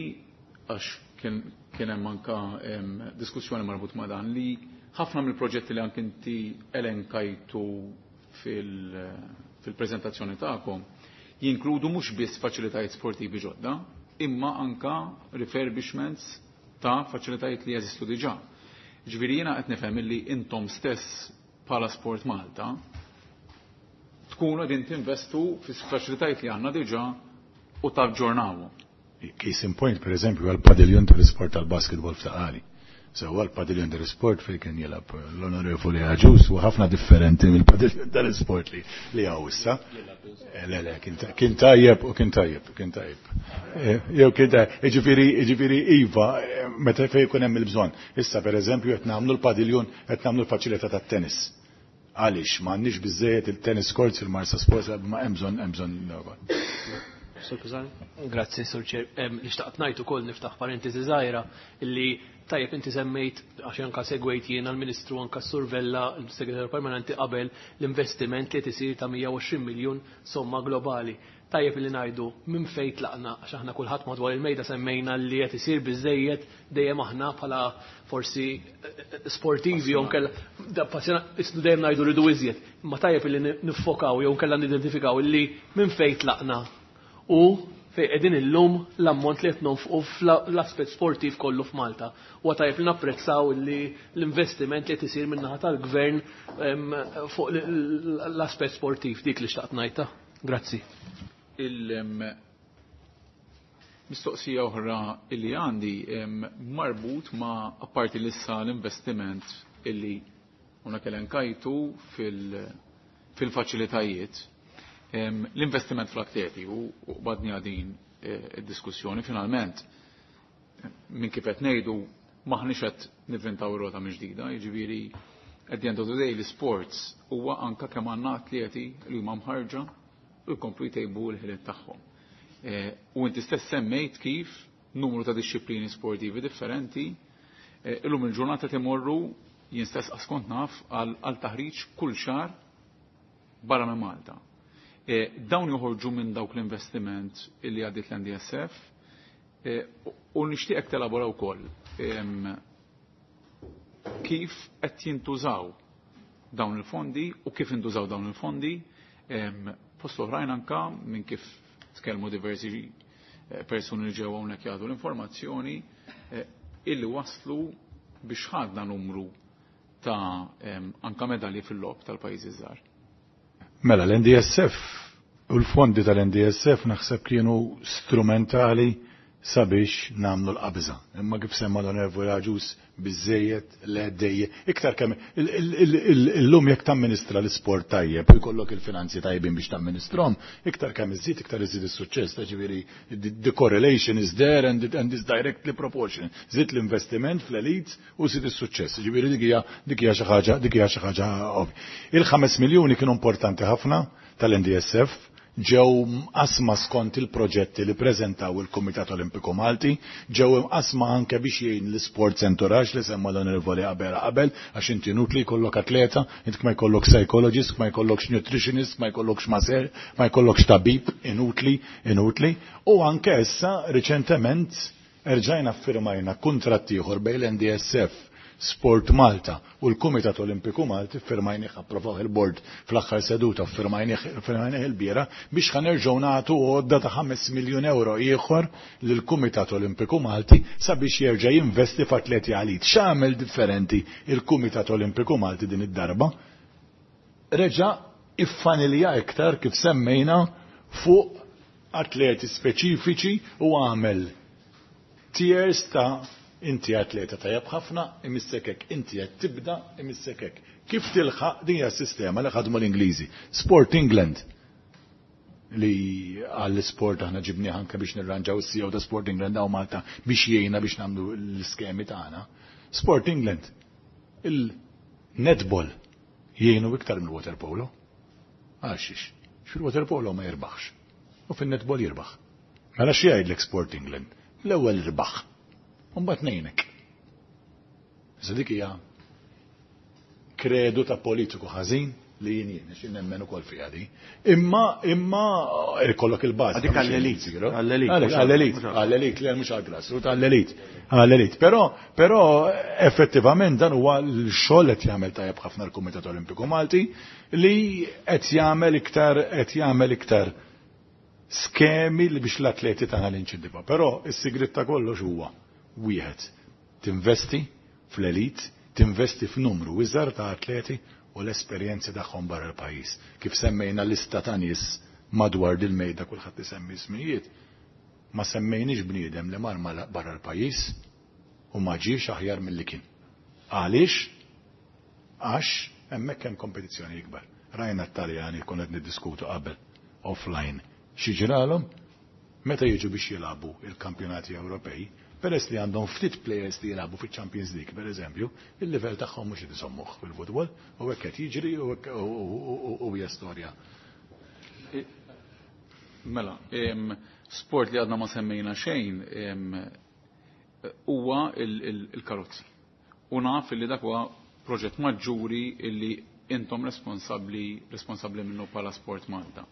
għax kien hemm anka diskussjoni marbut ma' dan li ħafna mill-proġetti li anke inti elenkajtu fil-preżentazzjoni tagħkom jinkludu mhux biss faċilitajiet sportivi ġodda, imma anka refurbishments ta' faċilitajiet li jeżistu diġà. Ġifieri jiena qed nifhem illi intom stess bħala Sport Malta tkunu qegħdin tinvestu fis-faċilitajiet li għandna diġà u taġġornawhom. Case in point, per eżempju, għal-padiljun tal-isport tal-basketball f'Ta' Sewwa l-padiljun tal-isport fejn kien jilgħab l-onorevoli Agius u ħafna differenti mill-padiljun tal-isport li li hawn issa. Eh, le, le, kien tajjeb u kien tajjeb, kien tajjeb. Eh, jew kien tajjeb, jiġifieri, jiġifieri iva, eh, meta fejn jkun hemm il-bżonn. Issa pereżempju qed nagħmlu l-padiljun, qed nagħmlu l-faċilità tat-tennis. Għaliex m'għandniex biżejjed il-tennis courts il-Marsa Sports ma hemm bżonn hemm bżonn Sur Pisani. Grazzi, Sur Chair. Li xtaqt ngħid ukoll niftaħ parentesi żgħira illi tajjeb inti semmejt għax anka segwejt jiena l-Ministru anka Sur Vella l-Segretarju Permanenti qabel l-investiment li tisir ta' 120 miljun somma globali. Tajjeb li ngħidu minn fejn tlaqna għax aħna kulħadd madwar il-mejda semmejna li qed isir biżejjed dejjem aħna bħala forsi sportivi jew nkella dejjem ngħidu rridu iżjed. Imma tajjeb li niffokaw jew nkella nidentifikaw illi minn fejn tlaqna u fejn qegħdin illum l-ammont li qed nonfqu fl-aspett sportiv kollu f'Malta. Huwa tajjeb li napprezzaw li l-investiment li qed isir min-naħa tal-gvern fuq l-aspett sportiv dik li xtaqt ngħidha. Grazzi. Il-mistoqsija oħra illi għandi marbut ma' apparti lissa l-investiment illi una kelenkajtu fil-faċilitajiet l-investiment fl-atleti u badni għadin id-diskussjoni finalment minn kif qed ngħidu maħniex qed nivvintaw rota minn ġdida, jiġifieri at the end of the day l-sports huwa anka kemm għandna atleti li huma mħarġa u jkomplu jtejbu l-ħiliet tagħhom. U inti stess semmejt kif numru ta' disċiplini sportivi differenti illum il-ġurnata timorru jien stess askont naf għal taħriġ kull xahar barra minn Malta. Dawn joħorġu minn dawk l-investiment illi għaddit l-NDSF u nixtieqek telabora wkoll. Kif qed jintużaw dawn il-fondi u kif intużaw dawn il-fondi fost oħrajn anka minn kif tkellmu diversi persuni li ġew hawnhekk jagħtu l-informazzjoni illi waslu biex ħadna numru ta' anka medalji fil-logħob tal-pajjiżi żgħar. Mela l-NDSF u l-fondi tal-NDSF naħseb kienu strumentali sabiex namlu l-qabża. Imma kif semma l-Onorevoli Agius biżejjed le dejje. Iktar kemm illum jekk tamministra l-isport tajjeb u jkollok il-finanzi tajbin biex tamministrom, iktar kemm iżid iktar iżid is-suċċess. Ta' ġifieri the correlation is there and is directly proportional. Żid l-investiment fl-elites u żid is-suċċess. Ġifieri dik hija xi ħaġa, dik hija xi ħaġa ovvja. Il-5 miljuni kienu importanti ħafna tal-NDSF, ġew mqasma skont il-proġetti li preżentaw il-Kumitat Olimpiku Malti, ġew imqasma anke biex jgħin l-Sports Entourage li semma l-Onorevoli Abela qabel, għax inti inutli jkollok atleta, int ma jkollok psychologist, ma jkollokx nutritionist, ma jkollokx maser, ma jkollokx tabib, inutli, inutli. U anke issa riċentement erġajna firmajna kuntratt ieħor bejn l-NDSF, Sport Malta u l-Kumitat Olimpiku Malti, firmajnih, approvaw il-bord fl-aħħar seduta, firmajnih il-biera biex ħanerġgħu nagħtu għodda ta' 5 miljun euro ieħor lill-Kumitat Olimpiku Malti sabiex jerġa' jinvesti f'atleti għalit. X'għamel differenti il-Kumitat Olimpiku Malti din id-darba? Reġa' iffanilja iktar kif semmejna fuq atleti speċifiċi u għamel tiers ta' inti atleta tajjeb ħafna, imissek hekk, inti qed tibda, imissek hekk. Kif tilħaq din hija s-sistema li ħadmu l-Ingliżi. Sport England li għall-sport aħna ġibnieh anke biex nirranġaw is-CEO ta' Sport England hawn Malta biex jgħinna biex nagħmlu l-iskemi tagħna. Sport England, il-netball jgħinu iktar mill-water polo. Għaxiex, fil-water polo ma jirbaħx u fin-netball jirbaħ. Mela xi jgħidlek Sport England? L-ewwel irbaħ. Mbagħad ngħinek. Issa dik hija kredu ta' politiku ħażin li jien jien, għax nemmen ukoll fiha di. Imma ikollok il-bażi. Dik għall-elit, għall-elit, Għalek, għall-elit, għall-elit, li mhux għall-grassroot, għall-elit, għall-elit. Però effettivament dan huwa l-xogħol qed jagħmel tajjeb ħafna l-Kumitat Olimpiku Malti li qed jagħmel iktar, qed jagħmel iktar skemi li biex l-atleti tagħna l-inċentivaw. Però is-sigrit ta' kollox huwa wieħed, tinvesti fl-elit, tinvesti f'numru iżgħar ta' atleti u l-esperjenzi tagħhom barra l-pajjiż. Kif semmejna lista ta' nies madwar dil-mejda kulħadd isemmi ismijiet, ma semmejniex bniedem li mar barra l-pajjiż u ma ġiex aħjar milli kien. Għaliex? Għax hemmhekk hemm kompetizzjoni ikbar. Rajna t-Taljani konna qed niddiskutu qabel offline. Xi ġralhom? Meta jiġu biex jilagħbu il-kampjonati Ewropej, peress li għandhom ftit players li jilagħbu fiċ-Champions League, per eżempju, il-livell tagħhom mhux qed isommuh fil-futbol, u hekk qed jiġri u hekk u hija storja. Mela, sport li għadna ma semmejna xejn huwa il-karozzi. U naf li dak huwa proġett maġġuri illi intom responsabbli minnu bħala Sport Malta.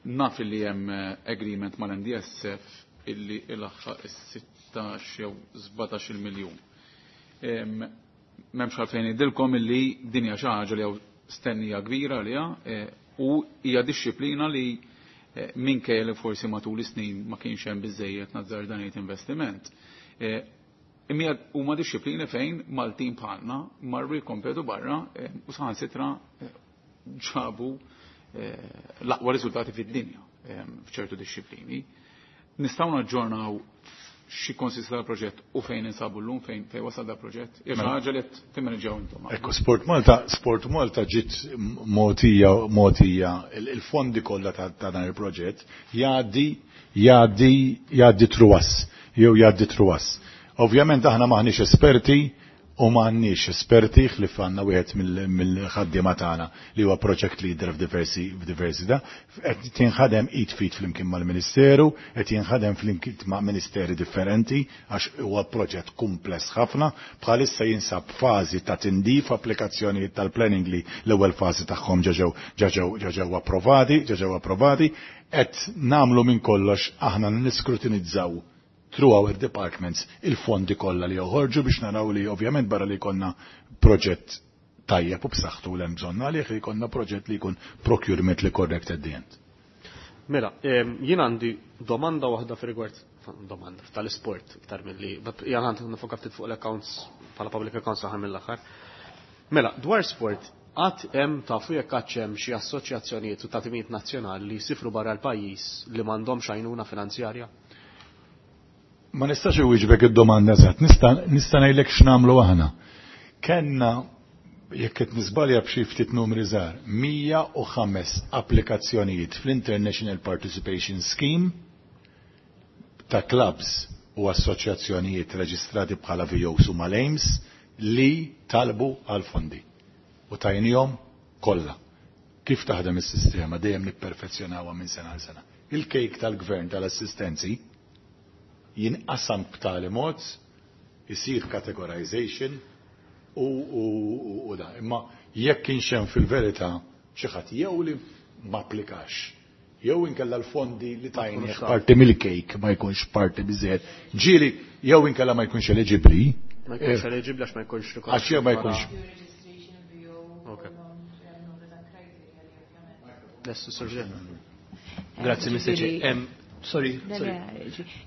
Naf li hemm agreement mal-NDSF illi ilaħħaq is-16 jew 17 miljun. M'hemmx għalfejn ngħidilkom illi din hija xi ħaġa li hawn stennija kbira għaliha u hija dixxiplina li minkejja li forsi matul is-snin ma kienx hemm biżejjed nazzar dan investiment. Imma huma dixxiplini fejn Maltin bħalna marru jkompetu barra u saħansitra ġabu l-aqwa riżultati fid-dinja f'ċertu dixxiplini. Nistgħu naġġornaw xi konsista dal-proġett u fejn insabu llum, fejn wasal dal-proġett? Hija xi ħaġa li qed timmanġjaw intom. Ekku, Sport Malta, Sport Malta ġiet mogħtija il-fondi kollha ta' dan il-proġett jgħaddi truwas, jew jgħaddi truwas. Ovvjament aħna maħniex esperti u m'għandniex esperti ħlief għandna wieħed mill-ħaddiema tagħna li huwa project leader f'diversi da, qed tinħadem id fit flimkien mal-Ministeru, qed jinħadem flimkien ma' ministeri differenti għax huwa proġett kumpless ħafna, bħalissa jinsab fażi ta' tindif applikazzjonijiet tal-planning li l-ewwel fażi tagħhom ġeġew approvati, ġeġew approvati, qed nagħmlu minn kollox aħna niskrutinizzaw through our departments il-fondi kollha li joħorġu biex naraw li ovvjament barra li jkollna proġett tajjeb u b'saħħtu l hemm bżonn għalih li jkollna proġett li jkun procurement li correct at the end. Mela, jien għandi domanda waħda fi rigward domanda tal-isport iktar milli jien għandi nifoka ftit fuq l-accounts bħala public accounts aħħar mill-aħħar. Mela, dwar sport, għad hemm tafu jekk għad hemm xi assoċjazzjonijiet u ta' timijiet nazzjonali li jsifru barra l-pajjiż li m'għandhomx għajnuna finanzjarja? Ma nistax iwieġbek id-domanda eżatt, nista' ngħidlek x'nagħmlu aħna. Kenna jekk qed niżbalja b'xi ftit numri żgħar, 105 applikazzjonijiet fl-International Participation Scheme ta' clubs u assoċjazzjonijiet reġistrati bħala VOs u mal-AIMS li talbu għal fondi. U tajnihom kollha. Kif taħdem is-sistema dejjem nipperfezzjonawha minn sena għal sena. Il-kejk tal-gvern tal-assistenzi jinqasam b'tali mod, isir categorization u da. Imma jekk kienx hemm fil-verità xi ħadd jew li ma applikax, jew inkella l-fondi li tajnih parti mill-kejk ma jkunx parti biżejjed. Ġieli jew inkella ma jkunx eligibbli. Ma jkunx eligibbli għax ma jkunx Għax jew ma jkunx. Ok. Lestu, Sir. Grazzi, Mr. Chair. Sorry, sorry.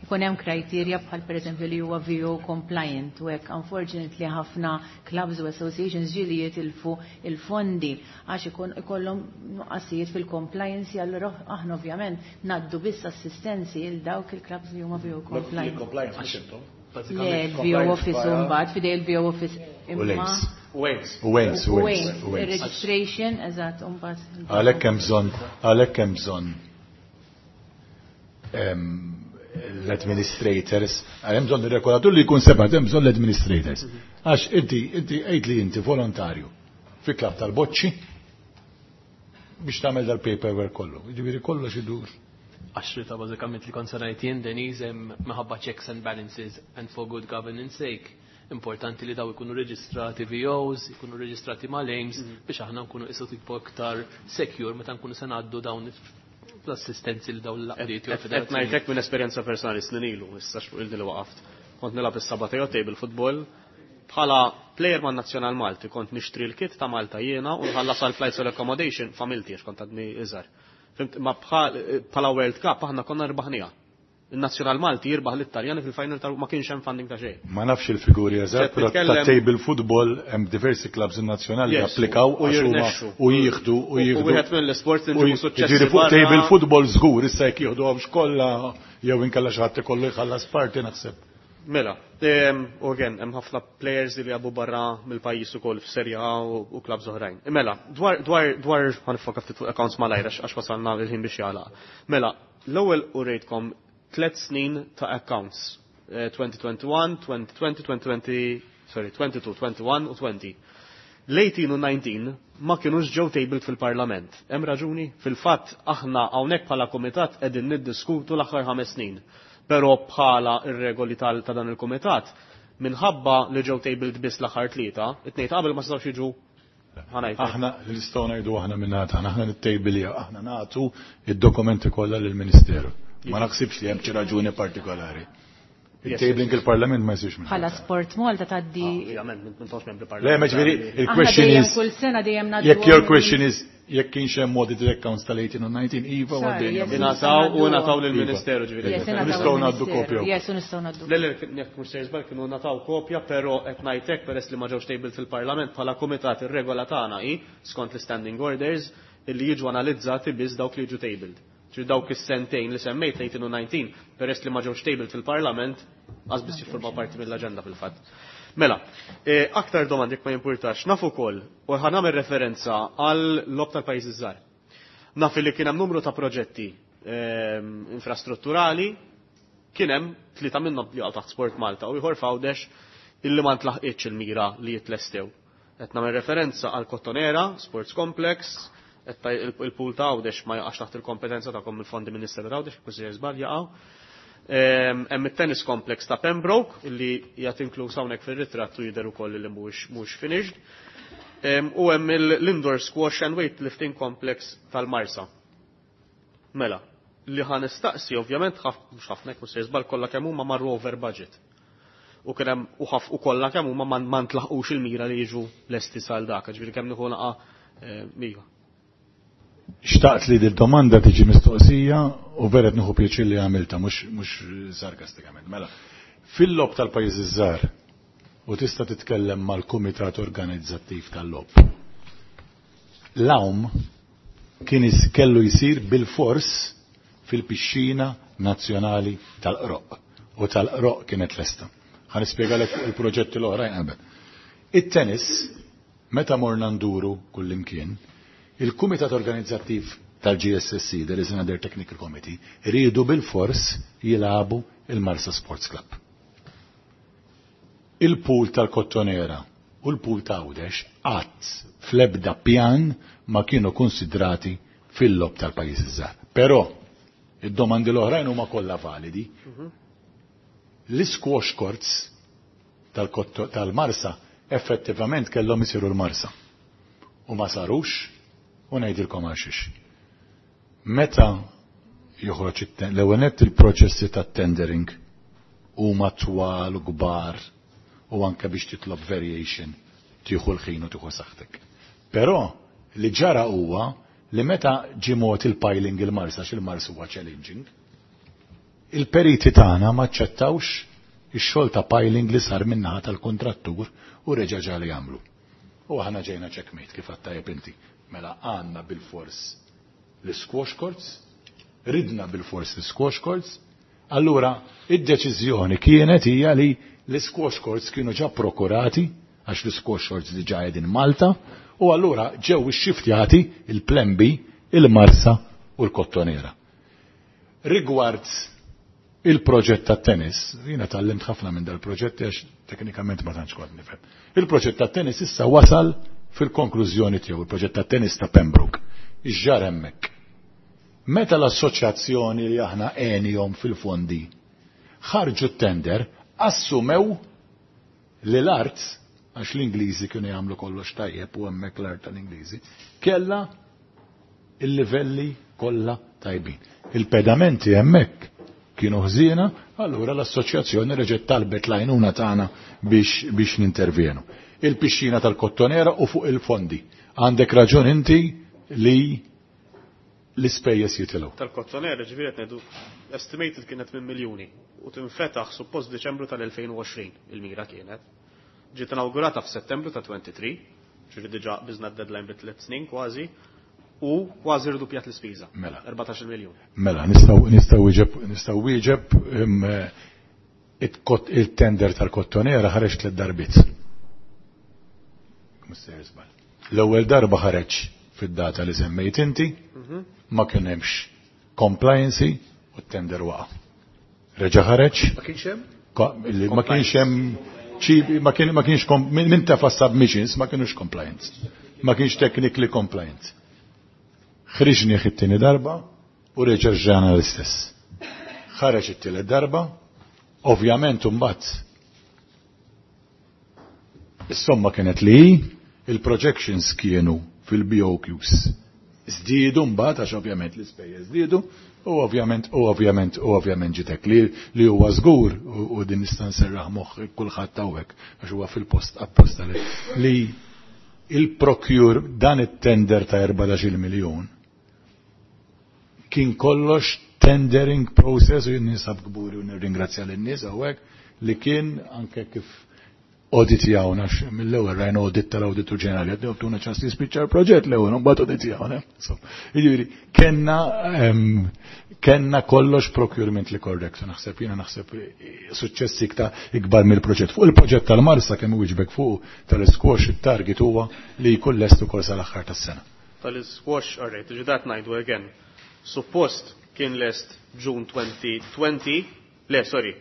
Ikun hemm criteria bħal pereżempju li huwa VO compliant u hekk unfortunately ħafna clubs u associations ġieli jitilfu il-fondi għax ikun ikollhom nuqqasijiet fil-compliance, allura aħna ovvjament ngħaddu biss assistenzi il dawk il-clubs li huma VO compliant. Compliance mhux intom. Le, il-VO office u mbagħad fidej il-VO office U imma l-AIMS. Wales. U Wales, u U Wales, Wales, u Wales. il-registration, eżatt, u mbagħad. Għalhekk hemm bżonn l-administrators, hemm bżonn ir-regolatur li jkun separat, hemm bżonn l-administrators. Għax inti għid li inti volontarju fi klabb tal-boċċi biex tagħmel dal-paperwork kollu. Jiġifieri kollox idur. Għax ta' bażikament li kont se ngħid jien, Denise, hemm minħabba checks and balances and for good governance sake, importanti li daw ikunu reġistrati VOs, ikunu reġistrati mal-AIMS biex aħna nkunu isu tipo iktar secure meta nkunu se ngħaddu dawn l-assistenzi li dawn l-għaqdiet jew Qed federazzjonijiet. ngħidlek minn esperjenza personali snin ilu, issa xfuq il li waqaft. Kont nilgħab is-Sabateo table football bħala player man Nazzjonal Malti kont nixtri l-kit ta' Malta jiena u nħallas għal flights u l-accommodation familti għax kont għadni iżgħar. Fhimt, ma bħala World Cup aħna konna rbaħnija. Il-Nazzjonal Malti jirbaħ l-Italjani fil-final tal ma kienx hemm funding ta' xejn. Ma nafx il-figuri eżatt, Qed però ta' table football hemm diversi clubs nazzjonali li applikaw U għax huma jirnexxu. u jieħdu u U jieħdu. wieħed mill-isports li U nġibu suċċessi jiġifieri fuq barra. table football żgur issa jekk jieħduhomx kollha jew inkella xi ħadd ikollu jħallas parti naħseb. Mela, u again, hemm ħafna players li jilagħbu barra mill-pajjiż ukoll f'Serie A u clubs oħrajn. Mela, dwar ħa nifoka ftit fuq accounts malajr għax wasalna il-ħin biex jagħlaq. Mela, l-ewwel urejtkom 3 snin ta' accounts. 2021, 2020, 2020, sorry, 22, 21 u 20. L-18 u 19 ma kienux ġew tabled fil-Parlament. Hemm raġuni? Fil-fatt aħna hawnhekk bħala komitat qegħdin niddiskutu l-aħħar 5 snin. Però bħala ir-regoli ta' dan il-komitat, minħabba li ġew tabled biss l-aħħar tlieta, it-tnejn ta' qabel ma setgħux jiġu ħa ngħid. Aħna li nistgħu ngħidu aħna minn aħna nittejbilja, aħna nagħtu id-dokumenti kollha lill-Ministeru. Ma naħsibx li hemm xi raġuni partikolari. Il-tabling il-Parlament ma jsirx minn. Bħala Sport Malta tgħaddi. Ovvjament, m'intomx membri Le, ma ġifieri Aħna il-question dejjem is kull sena dejjem ngħaddu jekk your question is jekk kienx hemm audited accounts tal-18 u 19, iva u Sorry, għaddejna. yes, Ingħataw u ngħataw lill-Ministeru ġifieri. Yes, ingħataw Nistgħu ngħaddu lill-Ministeru. kopja. Yes, u nistgħu ngħaddu. Le, jekk mhux sejjer żball kienu ngħataw kopja, però qed ngħidlek peress li ma ġewx tabled fil-Parlament bħala kumitat ir-regola tagħna hi skont l-standing orders illi jiġu analizzati biss dawk li jiġu tabled. Ġifieri dawk is-sentejn li semmejt 18 u 19 peress li ma ġewx tabled fil-Parlament qas biss jiffurmaw parti mill-aġenda fil-fatt. Mela, aktar domandi jekk ma jimpurtax, naf ukoll u ħa nagħmel referenza għal logħob tal-pajjiżi żgħar. Naf li kien hemm numru ta' proġetti infrastrutturali, kien hemm tlieta minnhom li jaqgħu taħt Sport Malta u ieħor f'Għawdex illi ma ntlaħqitx il-mira li jitlestew. Qed nagħmel referenza għal Kottonera, Sports Complex, qed il-pool ta' Għawdex ma jaqax taħt il-kompetenza tagħkom il-fondi Ministeru ta' Għawdex, kważi żball jaqgħu. Hemm it-tennis complex ta' Pembroke illi qiegħed inkluż hawnhekk fir-ritratt u jidher ukoll li mhuwiex finished. U hemm l-indoor squash and weightlifting complex tal-Marsa. Mela, Li ħa nistaqsi, ovvjament, mhux ħafna jekk mhux se żball kollha kemm huma marru over budget. U kien hemm u ħaf u kollha kemm huma ma ntlaħqux il-mira li jiġu lesti sal dak, ġifieri kemm nieħu naqa' iva. Xtaqt li dil-domanda tiġi mistoqsija u vera nieħu pjaċir li għamilta, mhux sarkastikament. Mela, fil-logħob tal-pajjiżi żgħar u tista' titkellem mal-kumitat organizzattiv tal-logħob. L-għawm kien kellu jsir bil-fors fil-pixxina nazzjonali tal-Qroq u tal-Qroq kienet lesta. Ħa nispjegalek fuq il-proġetti l-oħrajn qabel. It-tennis, meta morna nduru kullimkien, il-Kumitat Organizzattiv tal-GSSC, there is another technical committee, riedu bil-fors jilagħbu il-Marsa Sports Club. Il-pool tal-Kottonera u l-pool ta' Għawdex qatt fl-ebda pjan ma kienu konsidrati fil-logħob tal-pajjiżi żgħar. Però id-domandi l-oħrajn huma kollha validi. L-squash courts tal-Marsa effettivament kellhom isiru l-Marsa. U ma sarux u ngħidilkom għalxiex. Meta joħroġ l-ewwel nett il-proċessi tat-tendering huma twal u kbar u anke biex titlob variation tieħu l-ħin u tieħu saħħtek. Però li ġara huwa li meta ġie mod il-piling il-Marsa, x'il-Marsa huwa challenging, il-periti tagħna ma ċċettawx ix-xogħol ta' piling li sar min-naħa tal-kontrattur u reġa' ġali jagħmlu. U aħna ġejna checkmate kif għattajjeb inti. Mela għandna bil-fors l-squash courts, ridna bil-fors l-squash courts, allura id-deċiżjoni kienet hija li l-squash courts kienu ġa prokurati, għax l-squash courts diġa qegħdin Malta, u allura ġew ixxiftjati il-Plan B, il-Marsa u l-Kottonera. Rigward il-proġett ta' tennis, jiena tgħallimt ħafna minn dal-proġett għax teknikament ma tantx kont nifhem. Il-proġett ta' tennis issa wasal fil-konklużjoni tiegħu, il-proġett ta' tennis ta' Pembroke. Ix'ġara hemmhekk. Meta l-assoċjazzjoni li aħna għenihom fil-fondi ħarġu t-tender, assumew li l-art, għax l-Ingliżi kienu jagħmlu kollox tajjeb u hemmhekk l-art tal-Ingliżi, kella il-livelli kollha tajbin. Il-pedamenti hemmhekk kienu ħżiena, allura l-assoċjazzjoni reġgħet talbet l-għajnuna tagħna biex nintervjenu. Il-pixxina tal-Kottonera u fuq il-fondi. Għandek raġun inti li l-ispejjeż jitilgħu. Tal-Kottonera ġifieri qed ngħidu estimated kienet minn miljuni u tinfetaħ suppost Deċembru tal-2020 il-mira kienet. Ġiet inaugurata f'Settembru ta' 23, ġifieri diġà biżna d-deadline bi 3 snin kważi, u kważi rduppjat l-ispiża. Mela. 14 miljun. Mela, nistgħu wieġeb il-tender tal-Kottonera ħareġ 3 darbiet. L-ewwel darba ħareġ fid-data li semmejt inti, ma kien hemmx compliance u t-tender waqa'. Reġa' ħareġ? Ma kienx hemm? Ma kienx hemm ċibi, ma kien, ma kienx min tefa' submissions ma kienux compliance. Ma kienx technically compliant. Ħriġni it-tieni darba u reġa' ġrana l-istess. Ħareġ it-tielet darba, ovvjament imbagħad is-somma kienet li il-projections kienu fil-BOQs. Żdiedu mbagħad għax ovvjament l-ispejjeż żdiedu u ovvjament u ovvjament u ovvjament ġitek li huwa żgur u din nista' nserraħ moħħ kulħadd hawnhekk għax huwa fil-post apposta li il-procure dan it-tender ta' 14 miljun kien kollox tendering process u jien ninsab kburi u nirringrazzja lin-nies hawnhekk li kien anke kif audit jawna, mill-ewwel rajna audit tal-Awditur Ġenerali, għaddew tuna ċans li jispiċċa l-proġett l-ewwel, mbagħad audit jawna. So, jiġifieri, kenna kollox procurement li correct, naħseb jiena naħseb suċċessi iktar ikbar mill-proġett. Fuq il-proġett tal-Marsa kemm wieġbek fuq tal-squash it-target huwa li jkun lest ukoll sal-aħħar tas-sena. Tal-squash, all right, ġidat ngħidu again. Suppost kien lest June 2020, le, sorry.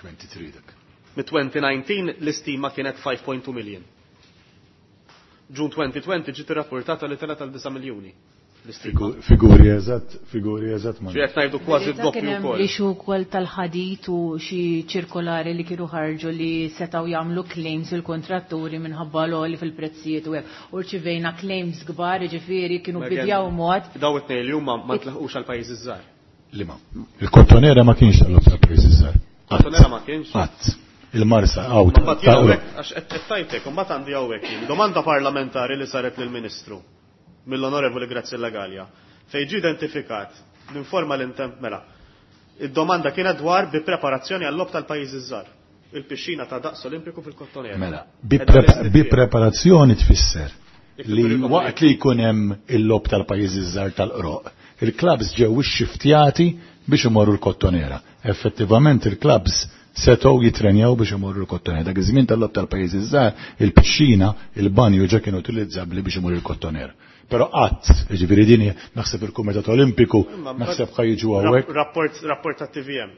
23 dak. Mit-2019 l-istima kienet 5.2 million. June 2020 ġiet irrapportata li telgħet għal 9 miljuni. L-istima. Figuri eżatt, figuri eżatt ma. Ġi qed ngħidu kważi Verità d-doppju kien hemm wkoll. Li xi wkoll tal-ħadit u xi ċirkolari li kienu ħarġu li setgħu jagħmlu claims il-kontratturi minħabba l-għoli fil-prezzijiet u hekk. U rċivejna claims kbar, jiġifieri kienu Ma again, bidjaw mod. Daw it-tnejn li huma ma ntlaħqux għal pajjiżi żgħar. Lima. Il-Kottonera ma kienx tal-logħob tal-pajjiżi żgħar. Kottonera ma kienx? Qatt. Il-Marsa għaw. Mbagħad jien hawnhekk għax qed tajtek, imbagħad għandi hawnhekk jien domanda parlamentari li saret lill-Ministru mill-Onorevoli Graziella Gallia fejn ġie identifikat l-informa l-intemp mela. Id-domanda kienet dwar bi preparazzjoni għall-logħob tal-pajjiżi żgħar. Il-pixxina ta' daqs Olimpiku fil-Kottonera. Mela, bi preparazzjoni tfisser li waqt li jkun hemm il-logħob tal-pajjiżi żgħar tal-qroq, il-klabs ġew ixxiftjati biex imorru l-Kottonera. Effettivament il-klabs setgħu jitrenjaw biex imorru l-Kottonera. Dak iż-żmien tal-logħob tal-pajjiżi żgħar, il-pixxina, il-banju ġa kienu utilizzabbli biex imorru l-Kottonera. Però qatt, jiġifieri din naħseb il-Kumitat Olimpiku, naħseb ħa jiġu hawnhekk. Rapport tat-TVM.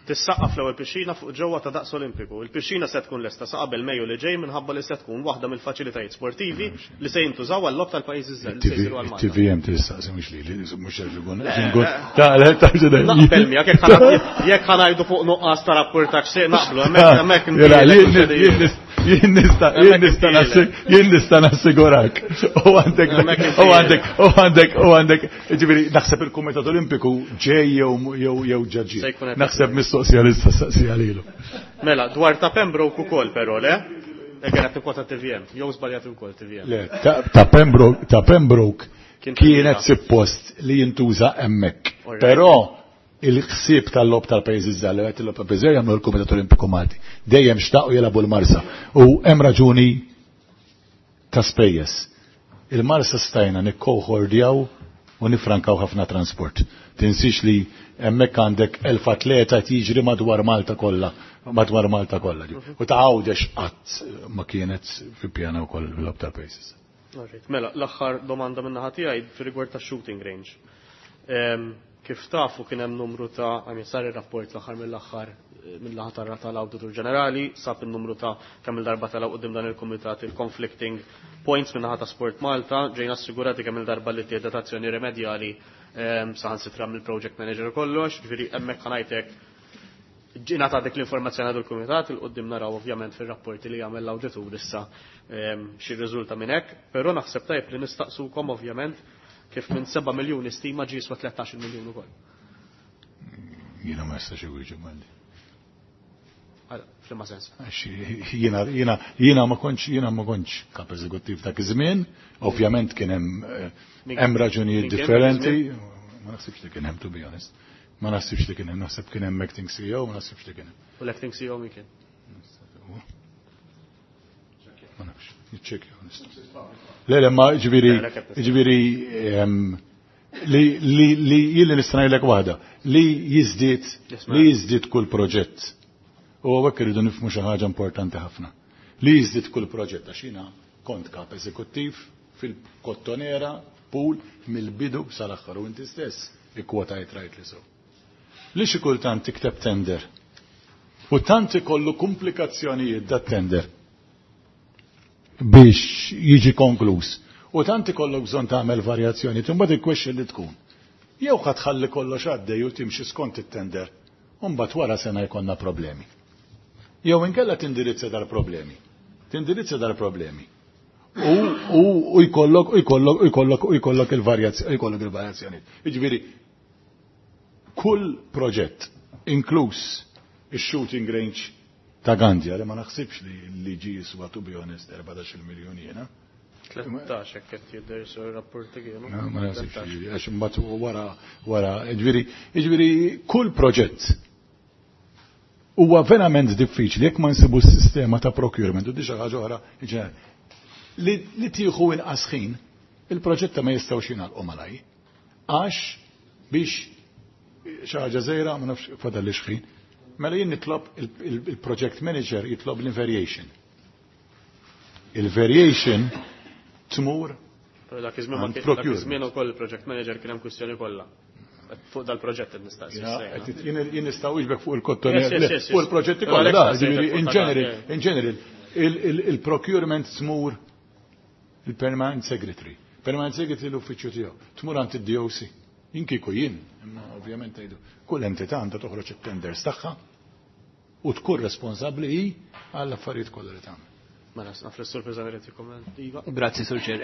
Tissaqqaf l-ewwel pixxina fuq ġewwa ta' daqs Olimpiku. Il-pixxina se tkun lesta sa qabel Mejju li ġej minħabba li se tkun waħda mill-faċilitajiet sportivi li se jintużaw għal-logħob tal-pajjiżi ż-żgħar li se jsiru għal Malta. TVM tistaqsi mhux lili, mhux ikun. Naqbel miegħek jekk ħa ngħidu fuq nuqqas ta' rapportaġġ se naqblu hemmhekk hemmhekk Jien nista' jien nista' nassigurak. U għandek u għandek u għandek u għandek ġifieri naħseb il-Kumitat Olimpiku ġej jew jew ġaġi. Naħseb mistoqsija li staqsija lilu. Mela, dwar ta' Pembroke ukoll però, le? Ekken qed tikkwota TVM, jew żbaljat ukoll TVM. Le, ta' Pembroke ta' Pembroke kienet suppost li jintuża hemmhekk. Però il-ħsieb tal-logħob tal-pajjiżi żgħar li qed il-logħob tal-pajjiżi żgħar jagħmlu l-Kumitat Olimpiku Malti. Dejjem xtaqu jilagħbu l-Marsa. U hemm raġuni ta' spejjeż. Il-Marsa stajna nikkoħordjaw u nifrankaw ħafna transport. Tinsix li hemmhekk għandek 1000 atleta qed jiġri madwar Malta kollha, madwar Malta kollha. U ta' Għawdex qatt ma kienet fi pjana wkoll bil-logħob tal-pajjiżi. Mela, l-aħħar domanda minn naħa tiegħi fir-rigward tax-shooting range. Kif tafu kien hemm numru ta' għamil sar ir-rapport l-aħħar mill-aħħar mill-aħħar tal-Awditur Ġenerali, sab in-numru ta' kemm il-darba telgħu quddiem dan il-kumitat il-conflicting points minn naħa ta' Sport Malta, ġejna assigurati kemm il-darba li tieħdet azzjoni remedjali saħansitra mill-project manager u kollox, ġifieri hemmhekk ħa ngħidlek ġiena ta' dik l-informazzjoni għadu l-kumitat, il-qoddim naraw ovvjament fil-rapporti li jagħmel l-awditur issa xi riżulta minn hekk, però naħseb tajjeb li nistaqsukom ovvjament kif minn 7 miljuni stima ġie jiswa 13 miljun ukoll. Jiena ma nistax iwieġeb malli. F'liema sens? Għax jiena ma kontx, jiena ma kontx kap eżekuttiv dak iż-żmien, ovvjament kien hemm hemm raġunijiet differenti, ma naħsibx li kien hemm to be honest. Ma naħsibx li kien hemm, naħseb kien hemm acting CEO, ma naħsibx li kien hemm. U l-acting CEO min kien? Ma nafx, niċċekkja honest. Le, le, ma ġifieri, ġifieri li li li jien nista' ngħidlek waħda, li jiżdied li jiżdied kull proġett. U hawnhekk irridu nifhmu xi ħaġa importanti ħafna. Li jiżdied kull proġett għax jiena kont kap eżekuttiv fil-Kottonera pool mill-bidu sal-aħħar u inti stess ikkwotajt rajt li sew. Li xi kultant tikteb tender u tant ikollu komplikazzjonijiet dat tender biex jiġi konkluż. U tant ikollok bżonn tagħmel varjazzjoni, imbagħad il-question li tkun. Jew ħa tħalli kollox għaddej u timxi skont it-tender, u mbagħad wara sena jkollna problemi. Jew inkella tindirizza dal-problemi. Tindirizza dal-problemi. U jkollok, u jkollok, u jkollok, u jkollok il-varjazzjoni, jkollok il-varjazzjoni. Jiġifieri, kull proġett, inkluż ix-shooting range ta' Gandja, li ma naħsibx li ġi jiswa, to be honest, 14 miljun jiena. 13 hekk qed jidher sur rapporti kienu. Ma naħsibx li, għax imbagħad wara, wara, jiġifieri kull proġett huwa verament diffiċli jekk ma nsibu s-sistema ta' procurement u di xi ħaġa oħra li tieħu inqas ħin, il-proġetta ma jistgħux jingħalqu malaj. Għax biex xi ħaġa żgħira ma nafx fadal li xħin. Mela jien nitlob il-project manager jitlob l-variation. Il-variation tmur Però dak iż-żmien ma għand kien dak procurement. iż-żmien ukoll il-project manager kien hemm kwistjoni kollha. Fuq dal-proġett qed nistaqsi issa, Jien nistgħu iġbek fuq il-kottonera, Yes, yes, yes, yes. fuq il-proġetti Però kollha, għalhekk da, staqsejtek ġifieri, fuq in ta' general, dak, in general, il-procurement tmur il-permanent secretary. Permanent secretary l-uffiċċju tiegħu. Tmur għand id-DOC. Jien kieku jien, imma ovvjament ngħidu, kull entità għandha toħroġ it-tenders tagħha u tkun responsabbli hi għall-affarijiet kollha li tagħmel. Mela, naf li s-sur Pisani irid jikkommenta. Iva. Grazzi, Sur Chair.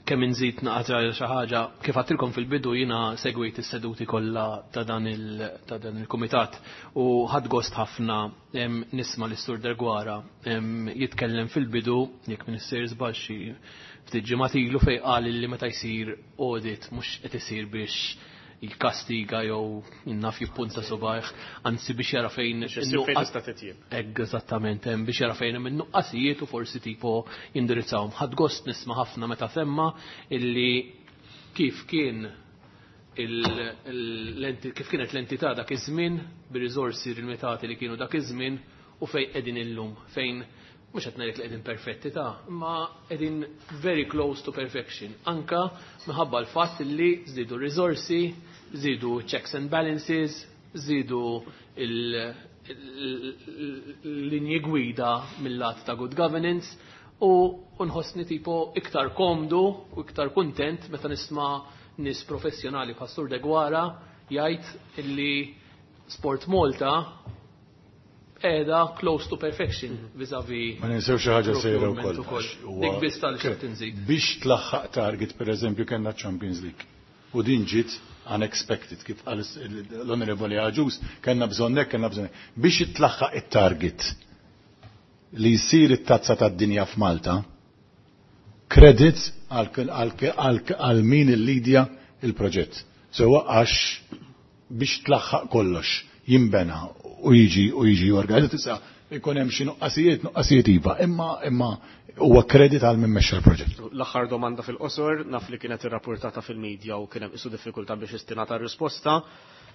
Kemm inżid naqra xi ħaġa, kif għadtilkom fil-bidu jiena segwejt is-seduti kollha ta' dan il-kumitat u ħadt gost ħafna nisma' lis-Sur Deguara jitkellem fil-bidu, jekk m'iniex sejjer żball xi ftit ġimgħat ilu fejn qal li meta jsir audit mhux qed isir biex jikkastiga jew naf jippunta subajh, anzi biex jara fejn Biex issib fejn tista' titjieb. Hekk eżattament, hemm biex jara fejn hemm in-nuqqasijiet u forsi tipo jindirizzahom. Ħadt gost nisma' ħafna meta semma illi kif kien kif kienet l-entità dak iż-żmien bir-riżorsi limitati li kienu dak iż-żmien u fejn qegħdin illum, fejn mhux qed ngħidlek li qegħdin perfetti ta' imma qegħdin very close to perfection. Anka minħabba l-fatt li żdiedu r-riżorsi, żdiedu checks and balances, żdiedu il-linji gwida mill-lat ta' good governance u nħossni tipo iktar komdu u iktar kuntent meta nisma' nies professjonali bħal Sur Deguara jgħid illi Sport Malta qiegħda close to perfection vis-a-vis Ma ninsew xi ħaġa sejra procurement wkoll. ukoll. Għax huwa Dik biss tal-xi tinżid. Biex tlaħħaq target, per eżempju, kellna Champions League. U din ġiet unexpected, kif qal l-Onorevoli Agius, kellna bżonn hekk, kellna bżonn hekk. Biex tlaħħaq it-target li jsir it-tazza tad-dinja f'Malta, credits għal min il-lidja il-proġett. Sewa għax biex tlaħħaq kollox jimbena u jiġi organizzat, issa ikun hemm xi nuqqasijiet, nuqqasijiet iva, imma huwa kredit għal min mexxa l-proġett. L-aħħar domanda fil-qosor, naf li kienet irrapportata fil-medja u kien hemm isu diffikultà biex istinata r-risposta.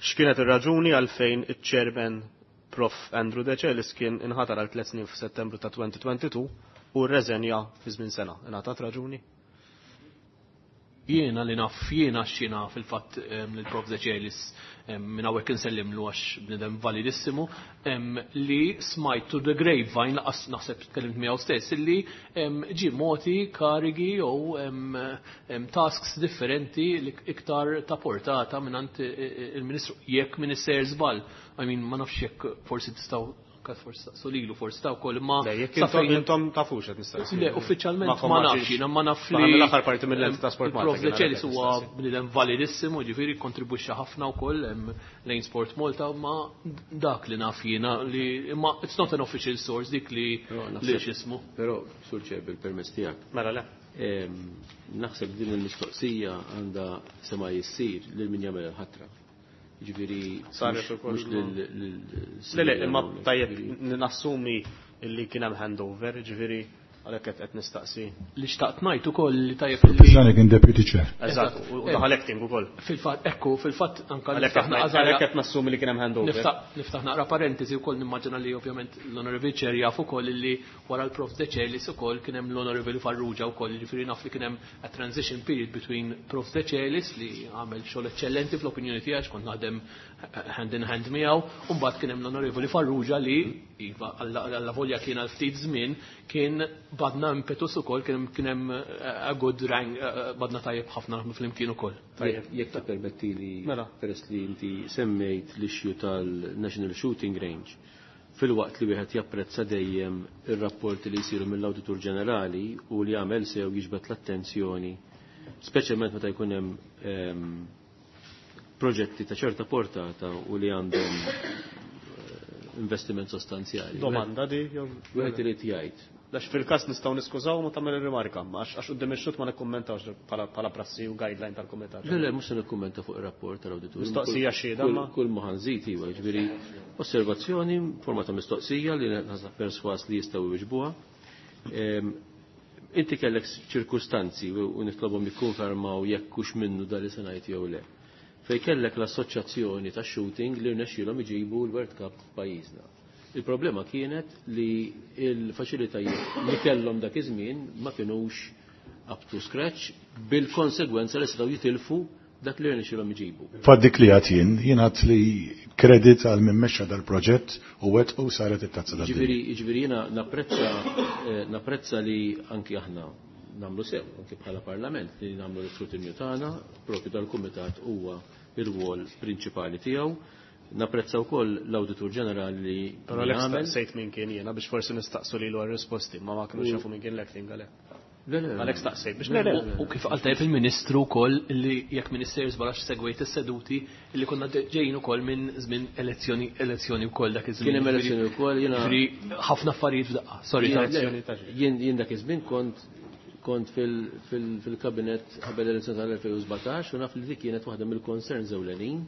X'kienet ir-raġuni għalfejn iċ-chairman Prof Andrew Decelis kien inħatar għal 3 snin f'Settembru ta' 2022 u rreżenja fi żmien sena? Ingħatat raġuni? Jiena li naf jiena x'jiena fil-fatt lill-Prof Decelis minn hawnhekk insellimlu għax bniedem validissimu, li smajt to the grapevine, laqas naħseb tkellimt miegħu stess, li ġie moti karigi jew tasks differenti li iktar ta' portata mingħand il-Ministru, jekk min isser żball. I mean, ma nafx jekk forsi tistgħu kat forsi staqsu lilu, forsi ta' wkoll, imma Le, jekk sa fejn intom tafux qed nistaqsi. Le, uffiċjalment Ma ma ma nafx, nafx. jiena ma naf Ma li mill-aħħar parti mill-ent ta' Sport Malta Il-Prof kien Decelis għalhekk huwa nistaqsi. bniedem validissimu, ġifieri kontribwixxa ħafna wkoll lejn Sport Malta, ma dak li naf jiena li imma it's not an official source dik li Però li naħseb x'ismu. Però, Sur Chair, bil-permess tiegħek. Mela le. Naħseb din il-mistoqsija għandha sema jissir lil min jagħmel il-ħatra. Ġifieri Saret ukoll mhux lil Le, le, imma Silvia tajjeb ġifieri. nassumi illi kien hemm handover, ġifieri għalhekk qed nistaqsi. Li xtaqt ngħid ukoll li tajjeb li Pisani kien deputy chair. Eżatt, u daħal acting ukoll. Fil-fatt, ekku, fil-fatt anka Għalhekk niftaħ naqra għalhekk qed nassumi li kien hemm handover. Niftaħ naqra parentesi wkoll nimmaġina li ovvjament l-Honorable Chair jaf ukoll li wara l-Prof Decelis ukoll kien hemm l-Honorable Farrugia wkoll, jiġifieri naf li kien hemm a transition period between Prof Decelis li għamel xogħol eċċellenti fl-opinjoni tiegħi għax kont naħdem hand in hand miegħu, u mbagħad kien hemm l-Onorevoli Farrugia li iva alla volja kien għal ftit żmien kien badna impetus ukoll, kien hemm a good rank, badna tajjeb ħafna naħdmu flimkien ukoll. Tajjeb, jekk tippermetti li Mela. peress li inti semmejt l-issue tal-National Shooting Range, fil-waqt li wieħed japprezza dejjem ir-rapporti li jsiru mill-Awditur Ġenerali u li jagħmel sew jiġbed l-attenzjoni, speċjalment meta jkun hemm proġetti ta' ċerta portata u li għandhom investiment sostanzjali. Domanda di, jew Wieħed irid jgħid. Għax fil-każ nistgħu niskużaw ma tagħmel ir-rimarka, għax quddiem ix-xut ma nikkummentawx bħala prassi u guideline tal-kumitat. Le, le, mhux se nikkummenta fuq ir-rapport tal-awditur. Mistoqsija xhieda, ma? Kull ma ħanżid iva, jiġifieri osservazzjoni forma ta' mistoqsija li naħseb perswas li jistgħu jwiġbuha. Inti kellek ċirkustanzi u nitlobhom jikkonfermaw jekk hux minnu dan li se ngħid jew le. Fej kellek l-assoċjazzjoni ta' shooting li rnexxielhom iġibu l-World Cup f'pajjiżna. Il-problema kienet li il-faċilitajiet li kellhom dak iż-żmien ma kinux up to scratch bil-konsegwenza li setgħu jitilfu dak li rnexxielhom iġibu. Faddik li għad jien, jien għad li kredit għal min mexxa dal-proġett u wet u saret it-tazza tad-dinja. Ġifieri jiena napprezza li anki aħna nagħmlu sew, anki bħala parlament li nagħmlu l-iskrutinju tagħna, propju dal-kumitat huwa ir-rwol prinċipali tiegħu. Napprezza wkoll l-Awditur Ġenerali li Però l għamel. sejt min kien jiena biex forsi nistaqsu lilu għar-risposti, ma ma kinux jafu min kien l-acting għalhekk. Għalhekk staqsej biex le. U kif qal tajjeb il-Ministru wkoll li jekk Minister żbarax segwejt is-seduti li konna ġejjin ukoll minn żmien elezzjoni elezzjoni wkoll dak iż-żmien. Kien hemm elezzjoni wkoll jiena ħafna affarijiet f'daqqa. Sorry, jien dak iż-żmien kont kont fil-kabinet qabel l-elezzjoni tal-2017 u naf li dik kienet waħda mill-concerns ewlenin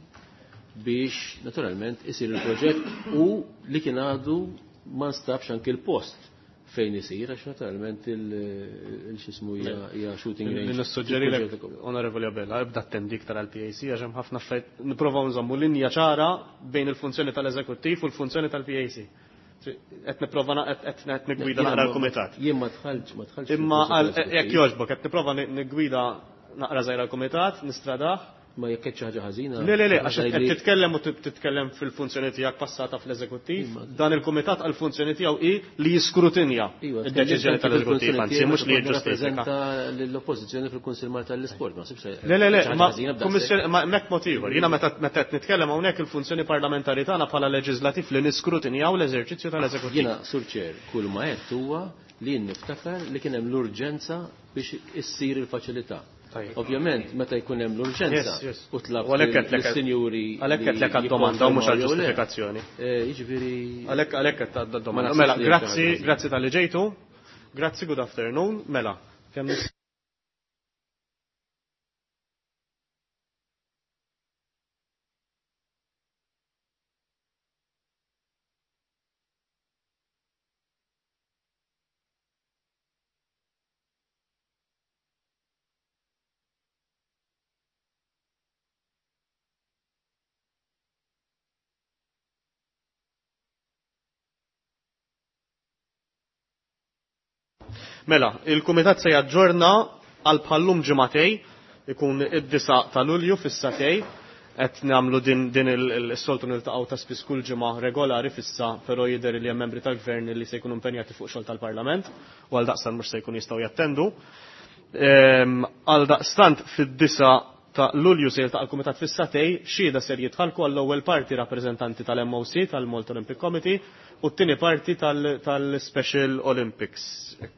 biex naturalment isir il-proġett u li kien għadu ma nstabx anki l-post fejn isir, għax naturalment il-xismu hija shooting range. Nissuġġerilek, Onorevoli Abela, ibda attendi iktar għal-PAC, għax hemm ħafna affarijiet nipprovaw nżommu linja ċara bejn il-funzjoni tal-eżekuttiv u l-funzjoni tal-PAC. Qed nipprova qed nigwida naqra l-kumitat. Jien ma dħaltx, ma dħaltx. Imma jekk jogħġbok qed nipprova nigwida naqra żgħira l-kumitat, nistradah. Ma jekk xi ħaġa ħażina. Le, le, le, għax qed titkellem u titkellem fil-funzjoni tiegħek passata fl-eżekuttiv, dan il-kumitat għall-funzjoni tiegħu hi li jiskrutinja id-deċiżjoni tal-eżekuttiv, anzi mhux li jiġġustifika. Rappreżenta l-oppożizzjoni fil-Kunsill Malta tal-Isport, ma sibx. Le, le, le, ma kummissjoni ma hemmhekk mod ieħor. Jiena meta qed nitkellem hawnhekk il-funzjoni parlamentari tagħna bħala leġislattiv li niskrutinjaw l-eżerċizzju tal-eżekuttiv. Jiena Sur Chair, kull ma għedt huwa li jien niftakar li kien hemm l-urġenza biex issir il-faċilità. Ovvjament, meta jkun hemm l-urġenza u tlab lis-sinjuri. Għalhekk qed lek għad-domanda u mhux għall-ġustifikazzjoni. Jiġifieri. Għalhekk għalhekk qed għad-domanda. Mela, grazzi, grazzi talli ġejtu. Grazzi, good afternoon. Mela, kemm Mela, il-Kumitat se jaġġorna għal bħallum ġimagħtej, ikun id-9 ta' Lulju fis-satej, qed nagħmlu din din is-soltu niltaqgħu ta' spiss kull ġimgħa regolari fissa, però jidher li hemm membri tal-Gvern li se jkunu impenjati fuq xogħol tal-Parlament u għal daqstant mhux se jkunu jistgħu jattendu. Għal daqstant fid-9 ta' Lulju se jiltaqa' l-Kumitat fis-satej, xhieda ser jitħallku għall-ewwel parti rappreżentanti tal-MOC tal-Malta Olympic Committee u t-tieni parti tal-Special Olympics.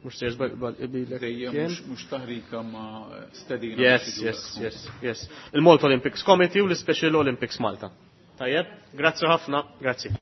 Mhux se jiżbal ibilek. Dejjem mhux taħrika ma' stedina. Yes, yes, yes, yes. Il-Malta Olympics Committee u l-Special Olympics Malta. Tajjeb, grazzi ħafna, grazzi.